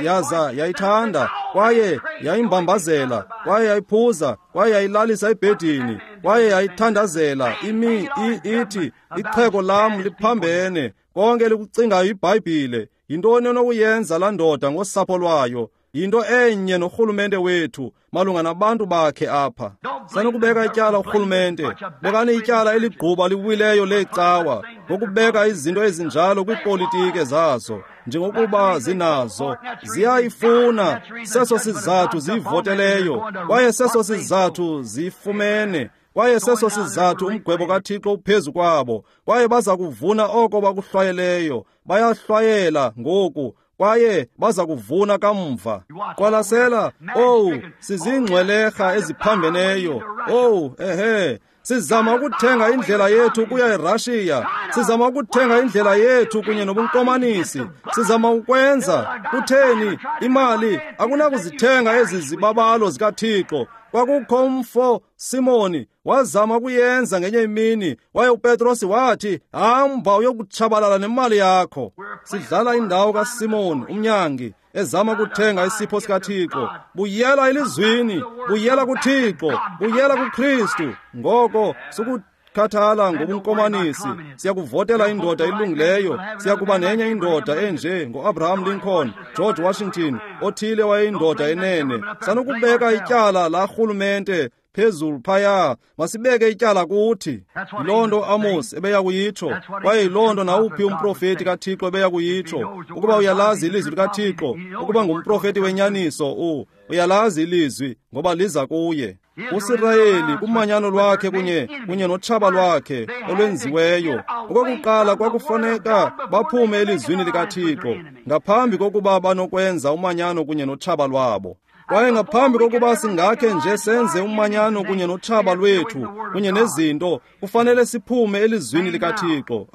yaza yayithanda, kwaye yayimbambazela, kwaye yayiphuza, kwaye yayilalisa ebhedini, kwaye yayithandazela imi ithi, ixhego lam liphambene, konke likucingayo iBhayibhile. Yintoni onokuyenza laa ndoda ngosapho lwayo? Yinto enye norhulumente wethu malunga nabantu bakhe apha. Sanukubeka ityala urhulumente, bekani ityala eligquba liwileyo leecawa ngokubeka izinto ezinjalo kwiipolitike zazo njengokuba zinazo. Ziyayifuna, seso sizathu ziyivoteleyo, kwaye seso sizathu ziyifumene, kwaye seso sizathu umgwebo kaThixo uphezu kwabo, kwaye baza kuvuna oko bakuhlwayeleyo. Bayahlwayela ngoku kwaye baza kuvuna kamva. Qwalasela, owu, sizingcwelerha eziphambeneyo. Owu, ehe, sizama ukuthenga indlela yethu ukuya eRussia, sizama ukuthenga indlela yethu kunye nobunkomanisi, sizama ukwenza. Kutheni? Imali akunakuzithenga ezi zibabalo zikaThixo. Kwakukho umfo Simoni wazama ukuyenza ngenye imini, waye uPetrosi wathi, hamba uyokutshabalala nemali yakho. Sidlala indawo kaSimoni umnyangi ezama ukuthenga isipho sikaThixo. Buyela elizwini, buyela kuThixo, buyela kuKristu. Ngoko sukukhathala ngobunkomanisi. Siyakuvotela indoda elungileyo, siyakuba nenye indoda enje ngo-Abraham Lincoln, George Washington, othile wayeyindoda enene. Sanukubeka ityala la rhulumente phezulu phaya, masibeke ityala kuthi. Yiloo nto Amos ebeya kuyitsho, kwaye yiloo nto nawuphi umprofeti kaThixo ebeya kuyitsho. Ukuba uyalazi ilizwi likaThixo, ukuba ngumprofeti wenyaniso, uyalazi ilizwi ngoba liza kuye. uSirayeli kumanyano lwakhe kunye notshaba lwakhe olwenziweyo, okokuqala kwakufuneka baphume elizwini likaThixo ngaphambi kokuba banokwenza umanyano kunye notshaba lwabo. Kwaye ngaphambi kokuba singakhe nje senze umanyano kunye notshaba lwethu kunye nezinto, kufanele siphume elizwini likaThixo.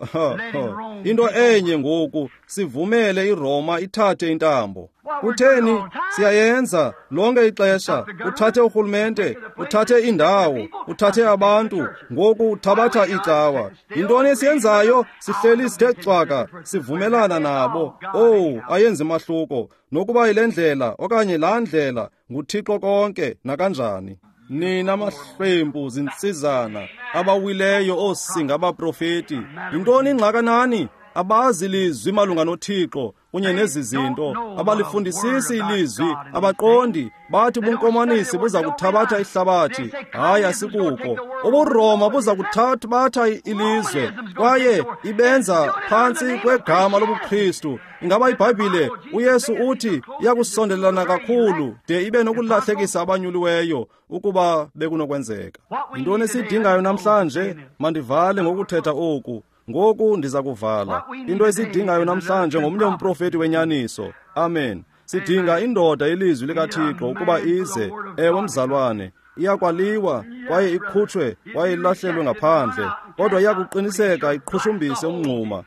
Into enye ngoku, sivumele iRoma ithathe intambo. Kutheni? Siyayenza lonke ixesha. Uthathe urhulumente, uthathe indawo, uthathe abantu, ngoku uthabatha icawa. Yintoni esiyenzayo? Sihleli sithe cwaka, sivumelana nabo. Owu, ayenzi mahluko nokuba yile ndlela okanye laa ndlela, nguThixo konke nakanjani. Nina mahlwempu zintsizana abawileyo oosinga abaprofeti, yintoni ingxakanani? Abazi lizwi malunga noThixo kunye nezi zinto, abalifundisisi ilizwi, abaqondi. Bathi ubunkomanisi buza kuthabatha ihlabathi. Hayi, asikuko. UbuRoma buza kuthabatha ilizwe, kwaye ibenza phantsi kwegama lobuKristu. Ingaba iBhayibhile, uYesu uthi iyakusondelana kakhulu de ibe nokulahlekisa abanyuliweyo ukuba bekunokwenzeka. Yintoni esiyidingayo namhlanje? Mandivale ngokuthetha oku. Ngoku ndiza kuvala. Into esiyidingayo namhlanje ngomnye umprofeti wenyaniso. Amen. Sidinga indoda ilizwi likaThixo ukuba ize. Ewe mzalwane, iyakwaliwa kwaye ikhutshwe kwaye ilahlelwe ngaphandle, kodwa iyakuqiniseka iqhushumbise umngxuma.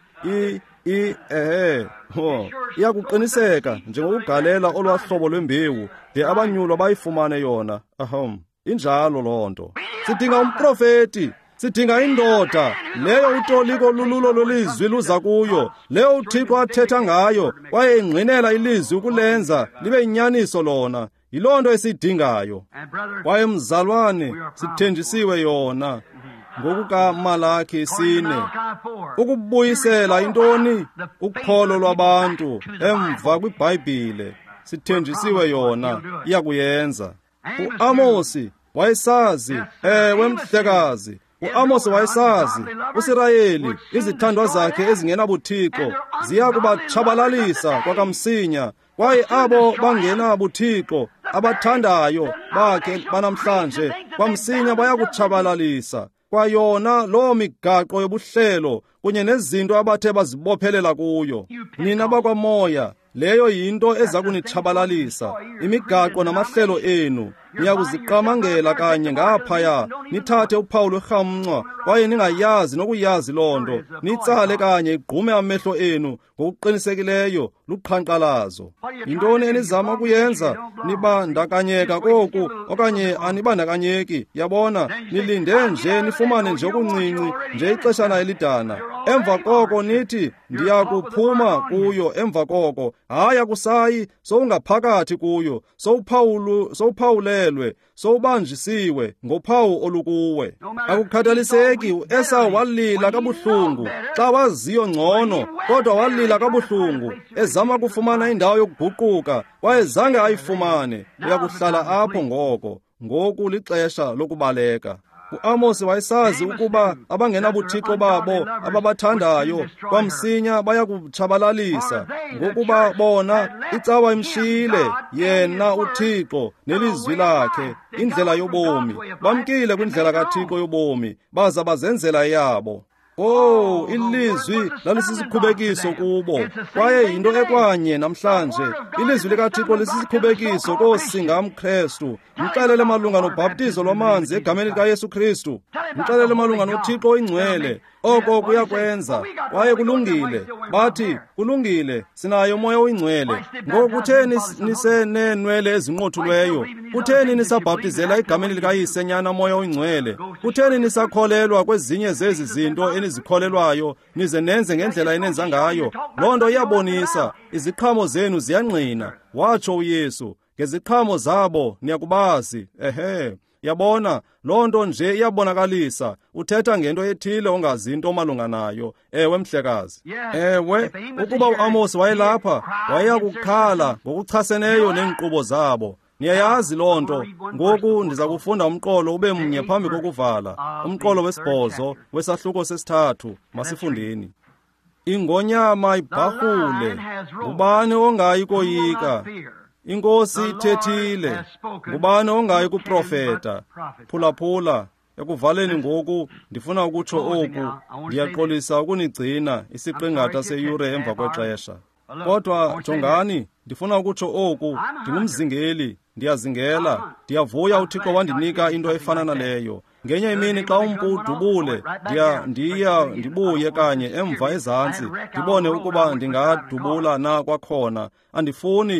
Iyakuqiniseka njengokugalela olwaa hlobo lwembewu de abanyulwa bayifumane yona. Ahom, injalo loo nto. Sidinga umprofeti. Sidinga indoda leyo utoliko lululo lwelizwi luza kuyo, leyo uThixo athetha ngayo kwaye ingqinela ilizwi ukulenza libe yinyaniso lona. Yiloo nto esiyidingayo. Kwaye mzalwane, sithenjisiwe yona ngokukaMalaki 4, ukubuyisela intoni? Ukholo lwabantu emva kwiBhayibhile. Sithenjisiwe yona, iyakuyenza. uAmosi wayesazi, ewe mhlekazi, uAmosi wayesazi uSirayeli, izithandwa zakhe ezingenabuthixo ziya kubatshabalalisa kwakamsinya, kwaye abo bangenabuthixo abathandayo bakhe banamhlanje kwamsinya bayakutshabalalisa kwayona loo migaqo yobuhlelo kunye nezinto abathe bazibophelela kuyo. Nina bakwamoya, leyo yinto eza kunitshabalalisa, imigaqo namahlelo enu. Niyakuziqamangela kanye ngaphaya, nithathe uphawu lwerhamncwa, kwaye ningayazi nokuyazi loo nto. Nitsale kanye igqume amehlo enu ngokuqinisekileyo luqhankqalazo. Yintoni enizama ukuyenza? Nibandakanyeka koku okanye anibandakanyeki. Yabona, nilinde nje nifumane nje okuncinci, nje ixeshana elidana. Emva koko nithi, ndiyakuphuma kuyo. Emva koko, hayi, akusayi, sowungaphakathi kuyo, sowuphawulelwe, sowubanjisiwe ngophawu olukuwe. Akukhathaliseki, uEsau walila kabuhlungu xa waziyo ngcono, kodwa walila kabuhlungu ezama kufumana indawo yokuguquka, kwaye zange ayifumane. Uyakuhlala apho ngoko. Ngoku lixesha lokubaleka. UAmosi wayesazi ukuba abangenabuthixo babo ababathandayo kwamsinya bayakutshabalalisa, ngokuba bona icawa imshiyile yena uThixo nelizwi lakhe, indlela yobomi. Bamkile kwindlela kaThixo yobomi, baza bazenzela yabo. Oh, ilizwi lalisikhubekiso kubo, kwaye yinto ekwanye namhlanje. Ilizwi likaThixo lisisikhubekiso koosingamKrestu. Mxelele malunga nobhaptizo lwamanzi egameni likaYesu Kristu. Mxelele malunga noThixo oyingcwele. Oko kuyakwenza, kwaye kulungile. Bathi, kulungile, sinayo uMoya oyingcwele. Ngoku kutheni niseneenwele ezinqothulweyo? Kutheni nisabhaptizela egameni likaYise, Nyana, Moya oyingcwele? Kutheni nisakholelwa kwezinye zezi zinto enizikholelwayo, nize nenze ngendlela enenza ngayo? Loo nto iyabonisa, iziqhamo zenu ziyangqina, watsho uYesu. Ngeziqhamo zabo niyakubazi. Ehe. Yabona, loo nto nje iyabonakalisa. Uthetha ngento ethile ongazi into malunga nayo. Ewe, mhlekazi. Ewe, ukuba uAmosi wayelapha, wayeyakukhala ngokuchaseneyo neenkqubo zabo. Niyayazi loo nto. Ngoku ndiza kufunda umqolo ube mnye phambi kokuvala. Umqolo wesibhozo wesahluko sesithathu. Masifundeni. Ingonyama ibharhule, ngubani ongayi koyika? INkosi ithethile, ngubani ongayi kuprofeta? Phulaphula, ekuvaleni ngoku ndifuna ukutsho oku. Ndiyaxolisa ukunigcina isiqingatha seyure emva kwexesha. Kodwa jongani, ndifuna ukutsho oku. Ndingumzingeli, ndiyazingela. Ndiyavuya uThixo wandinika into efana naleyo. Ngenye imini xa umpu udubule, ndiya ndibuye kanye emva ezantsi, ndibone ukuba ndingadubula na kwakhona. Andifuni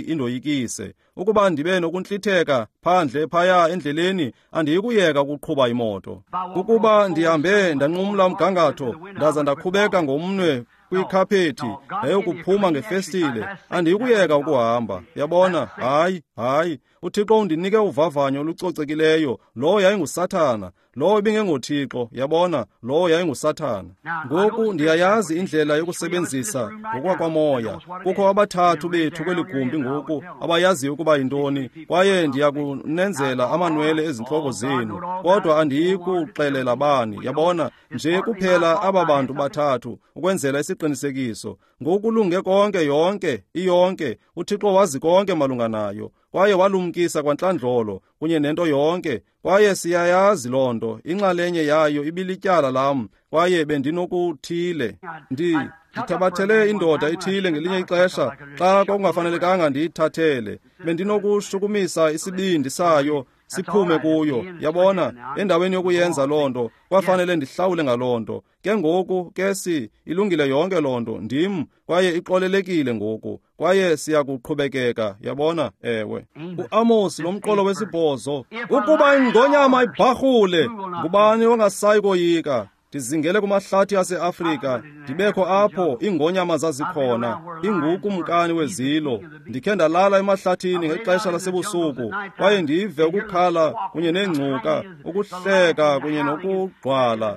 indoyikise. Ukuba ndibe nokuntlitheka phandle phaya endleleni, andiyikuyeka ukuqhuba imoto. Ukuba ndihambe ndanqumla umgangatho, ndaza ndakhubeka ngomnwe kwikhaphethi ndayokuphuma ngefestile, andiyikuyeka ukuhamba. Yabona? Hayi, hayi. uThixo undinike uvavanyo olucocekileyo. Lowo yayinguSathana, lowo ibingengoThixo. Yabona, lowo yayinguSathana. Ngoku ndiyayazi indlela yokusebenzisa ngokwakwamoya. Kukho abathathu bethu kweli gumbi ngoku abayaziyo ukuba yintoni, kwaye ndiyakunenzela amanwele ezintloko zenu, kodwa andiyikuxelela bani. Yabona, nje kuphela aba bantu bathathu ukwenzela isiqinisekiso. Ngoku kulunge konke, yonke iyonke. uThixo wazi konke malunga nayo, kwaye walumkisa kwantlandlolo kunye nento yonke, kwaye siyayazi loo nto. Inxalenye yayo ibilityala lam, kwaye bendinokuthile. Ndithabathele indoda ethile ngelinye ixesha xa kwakungafanelekanga ndiyithathele. Bendinokushukumisa isibindi sayo siphume kuyo. Yabona, endaweni yokuyenza loo nto, kwafanele ndihlawule ngaloo nto. Ke ngoku ke ilungile yonke loo nto, ndim, kwaye ixolelekile ngoku, kwaye siyakuqhubekeka. Yabona? Ewe. UAmosi, lo mqolo wesibhozo, ukuba ingonyama ibharhule, ngubani ongasayi koyika? Ndizingele kumahlathi aseAfrika, ndibekho apho iingonyama zazikhona, ingukumkani wezilo. Ndikhe ndalala emahlathini ngexesha lasebusuku, kwaye ndive ukukhala kunye neengcuka, ukuhleka kunye nokugqwala,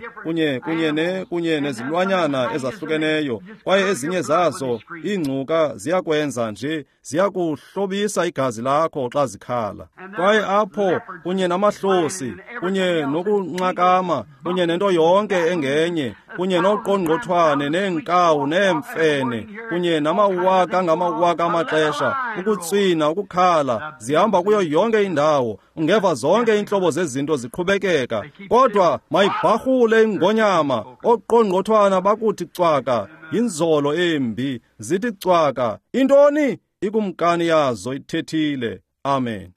kunye nezilwanyana ezahlukeneyo. Kwaye ezinye zazo iingcuka ziyakwenza nje, ziyakuhlobisa igazi lakho xa zikhala. Kwaye apho kunye namahlosi, kunye nokunxakama, kunye nento yonke engenye, kunye noqongqothwane neenkawu neemfene, kunye namawaka ngamawaka amaxesha, ukutswina, ukukhala, zihamba kuyo yonke indawo. Ungeva zonke iintlobo zezinto ziqhubekeka. Kodwa mayibharhule ingonyama, oqongqothwana bakuthi cwaka, yinzolo embi, zithi cwaka. Intoni? Ikumkani yazo ithethile. Amen.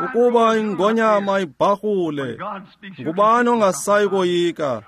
Ukuba ingonyama ibharhule, ngubani ongasayi koyika?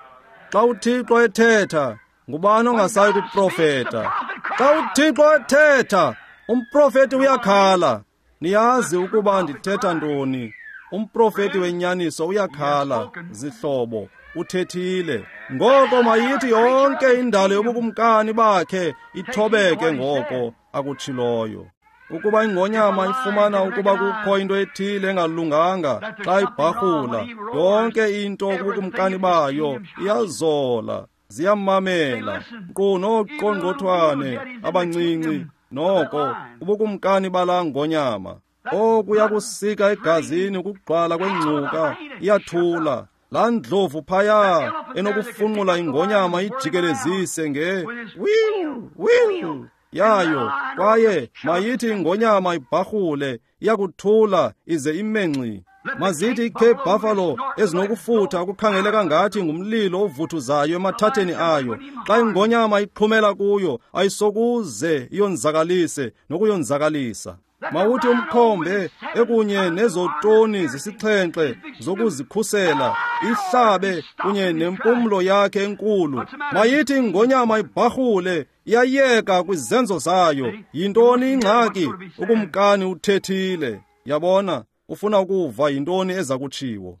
Xa uThixo ethetha, ngubani ongasayi kuprofeta? Xa uThixo ethetha, umprofeti uyakhala. Niyazi ukuba ndithetha ntoni. Umprofeti wenyaniso uyakhala, zihlobo, uthethile. Ngoko mayithi yonke indalo yobukumkani bakhe ithobeke ngoko akutshiloyo. Ukuba ingonyama ifumana ukuba kukho into ethile engalunganga xa ibharhula, yonke into kubukumkani bayo iyazola, ziyamamela, nkqu nooqongqothwane abancinci noko ubukumkani balaa ngonyama. Okuya kusika egazini ukugqwala kwengcuka, iyathula. Laa ndlovu phaya enokufunqula ingonyama ijikelezise nge wiu wiu yayo, kwaye mayithi ingonyama ibharhule, iyakuthula ize ime ngxi. Mazithi iCape Buffalo ezinokufutha okukhangeleka ngathi ngumlilo ovuthuzayo emathatheni ayo, xa ingonyama iqhumela kuyo ayisokuze iyonzakalise nokuyonzakalisa. Mawuthi umkhombe ekunye nezotoni zisixhenxe zokuzikhusela ihlabe kunye nempumlo yakhe enkulu. Mayithi ingonyama ibharhule, iyayeka kwizenzo zayo. Yintoni ingxaki? Ukumkani uthethile. Yabona, ufuna ukuva yintoni eza kutshiwo.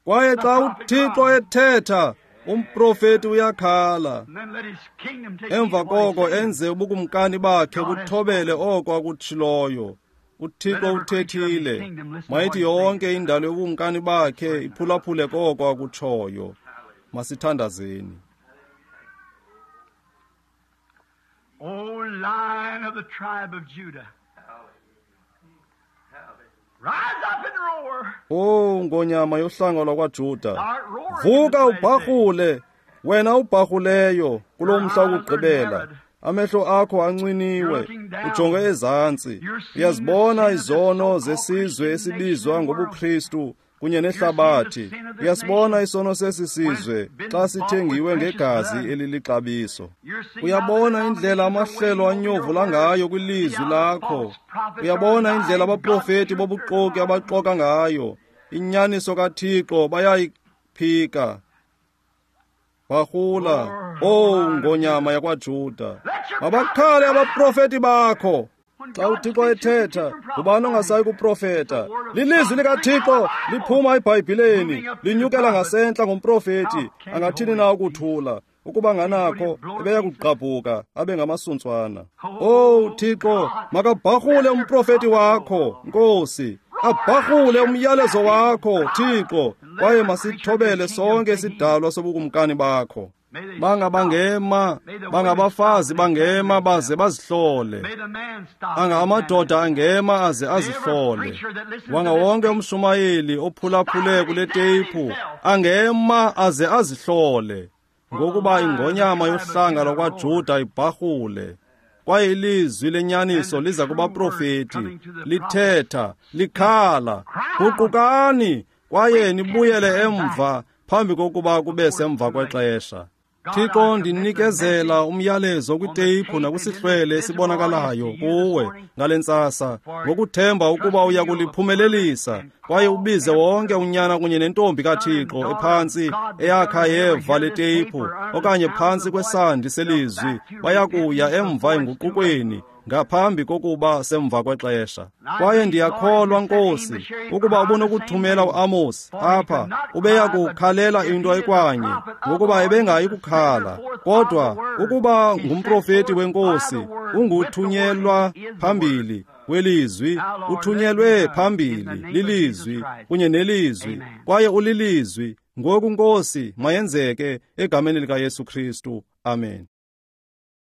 Kwaye xa uThixo ethetha, umprofeti uyakhala. Emva koko enze ubukumkani bakhe buthobele oko akutshiloyo. uThixo uthethile. Mayithi yonke indalo yobukumkani bakhe iphulaphule koko akutshoyo. Masithandazeni. O Lion of the tribe of Judah, rise up and roar. O ngonyama yohlanga lwakwaJuda, vuka ubharhule, wena ubharhuleyo kulo mhla wokugqibela. Amehlo akho ancwiniwe, ujonge ezantsi. Uyazibona izono zesizwe esibizwa ngobuKristu kunye nehlabathi. Uyasibona isono sesi sizwe xa sithengiwe ngegazi elilixabiso. Uyabona indlela amahlelo anyovula ngayo kwilizwi lakho. Uyabona indlela abaprofeti bobuxoki abaxoka ngayo. Inyaniso kaThixo bayayiphika. Barhula, O ngonyama yakwaJuda, mabakhale abaprofeti bakho. Xa uThixo ethetha, ngubani ongasayi kuprofeta? Lilizwi likaThixo liphuma eBhayibhileni, linyukela ngasentla ngomprofeti. Angathini na ukuthula? Ukuba nganakho, ebeya kugqabhuka abe ngamasuntswana. O Thixo, makabharhule umprofeti wakho, Nkosi. Abharhule umyalezo wakho, Thixo, kwaye masithobele sonke isidalwa sobukumkani bakho. Bangabangema, bangabafazi bangema baze bazihlole. Anga amadoda angema aze azihlole. Wanga wonke umshumayeli ophulaphule kule teyiphu angema aze azihlole. Ngokuba ingonyama yohlanga lwakwaJuda ibharhule, kwaye ilizwi lenyaniso liza kubaprofeti, lithetha, likhala, guqukani kwaye nibuyele emva phambi kokuba kube semva kwexesha. Thixo, ndinikezela umyalezo kwiteyiphu nakwisihlwele esibonakalayo kuwe ngale ntsasa, ngokuthemba ukuba uya kuliphumelelisa kwaye ubize wonke unyana kunye nentombi kaThixo ephantsi eyakha yeva le teyiphu okanye phantsi kwesandi selizwi, baya kuya emva enguqukweni ngaphambi kokuba semva kwexesha. Kwaye ndiyakholwa, Nkosi, ukuba ubunokuthumela uAmos apha, ubeya kukhalela into ekwanye, ngokuba ebengayi kukhala. Kodwa ukuba ngumprofeti weNkosi, unguthunyelwa phambili welizwi, uthunyelwe phambili lilizwi kunye nelizwi, kwaye ulilizwi. Ngoku, Nkosi, mayenzeke egameni likaYesu Kristu. Amen.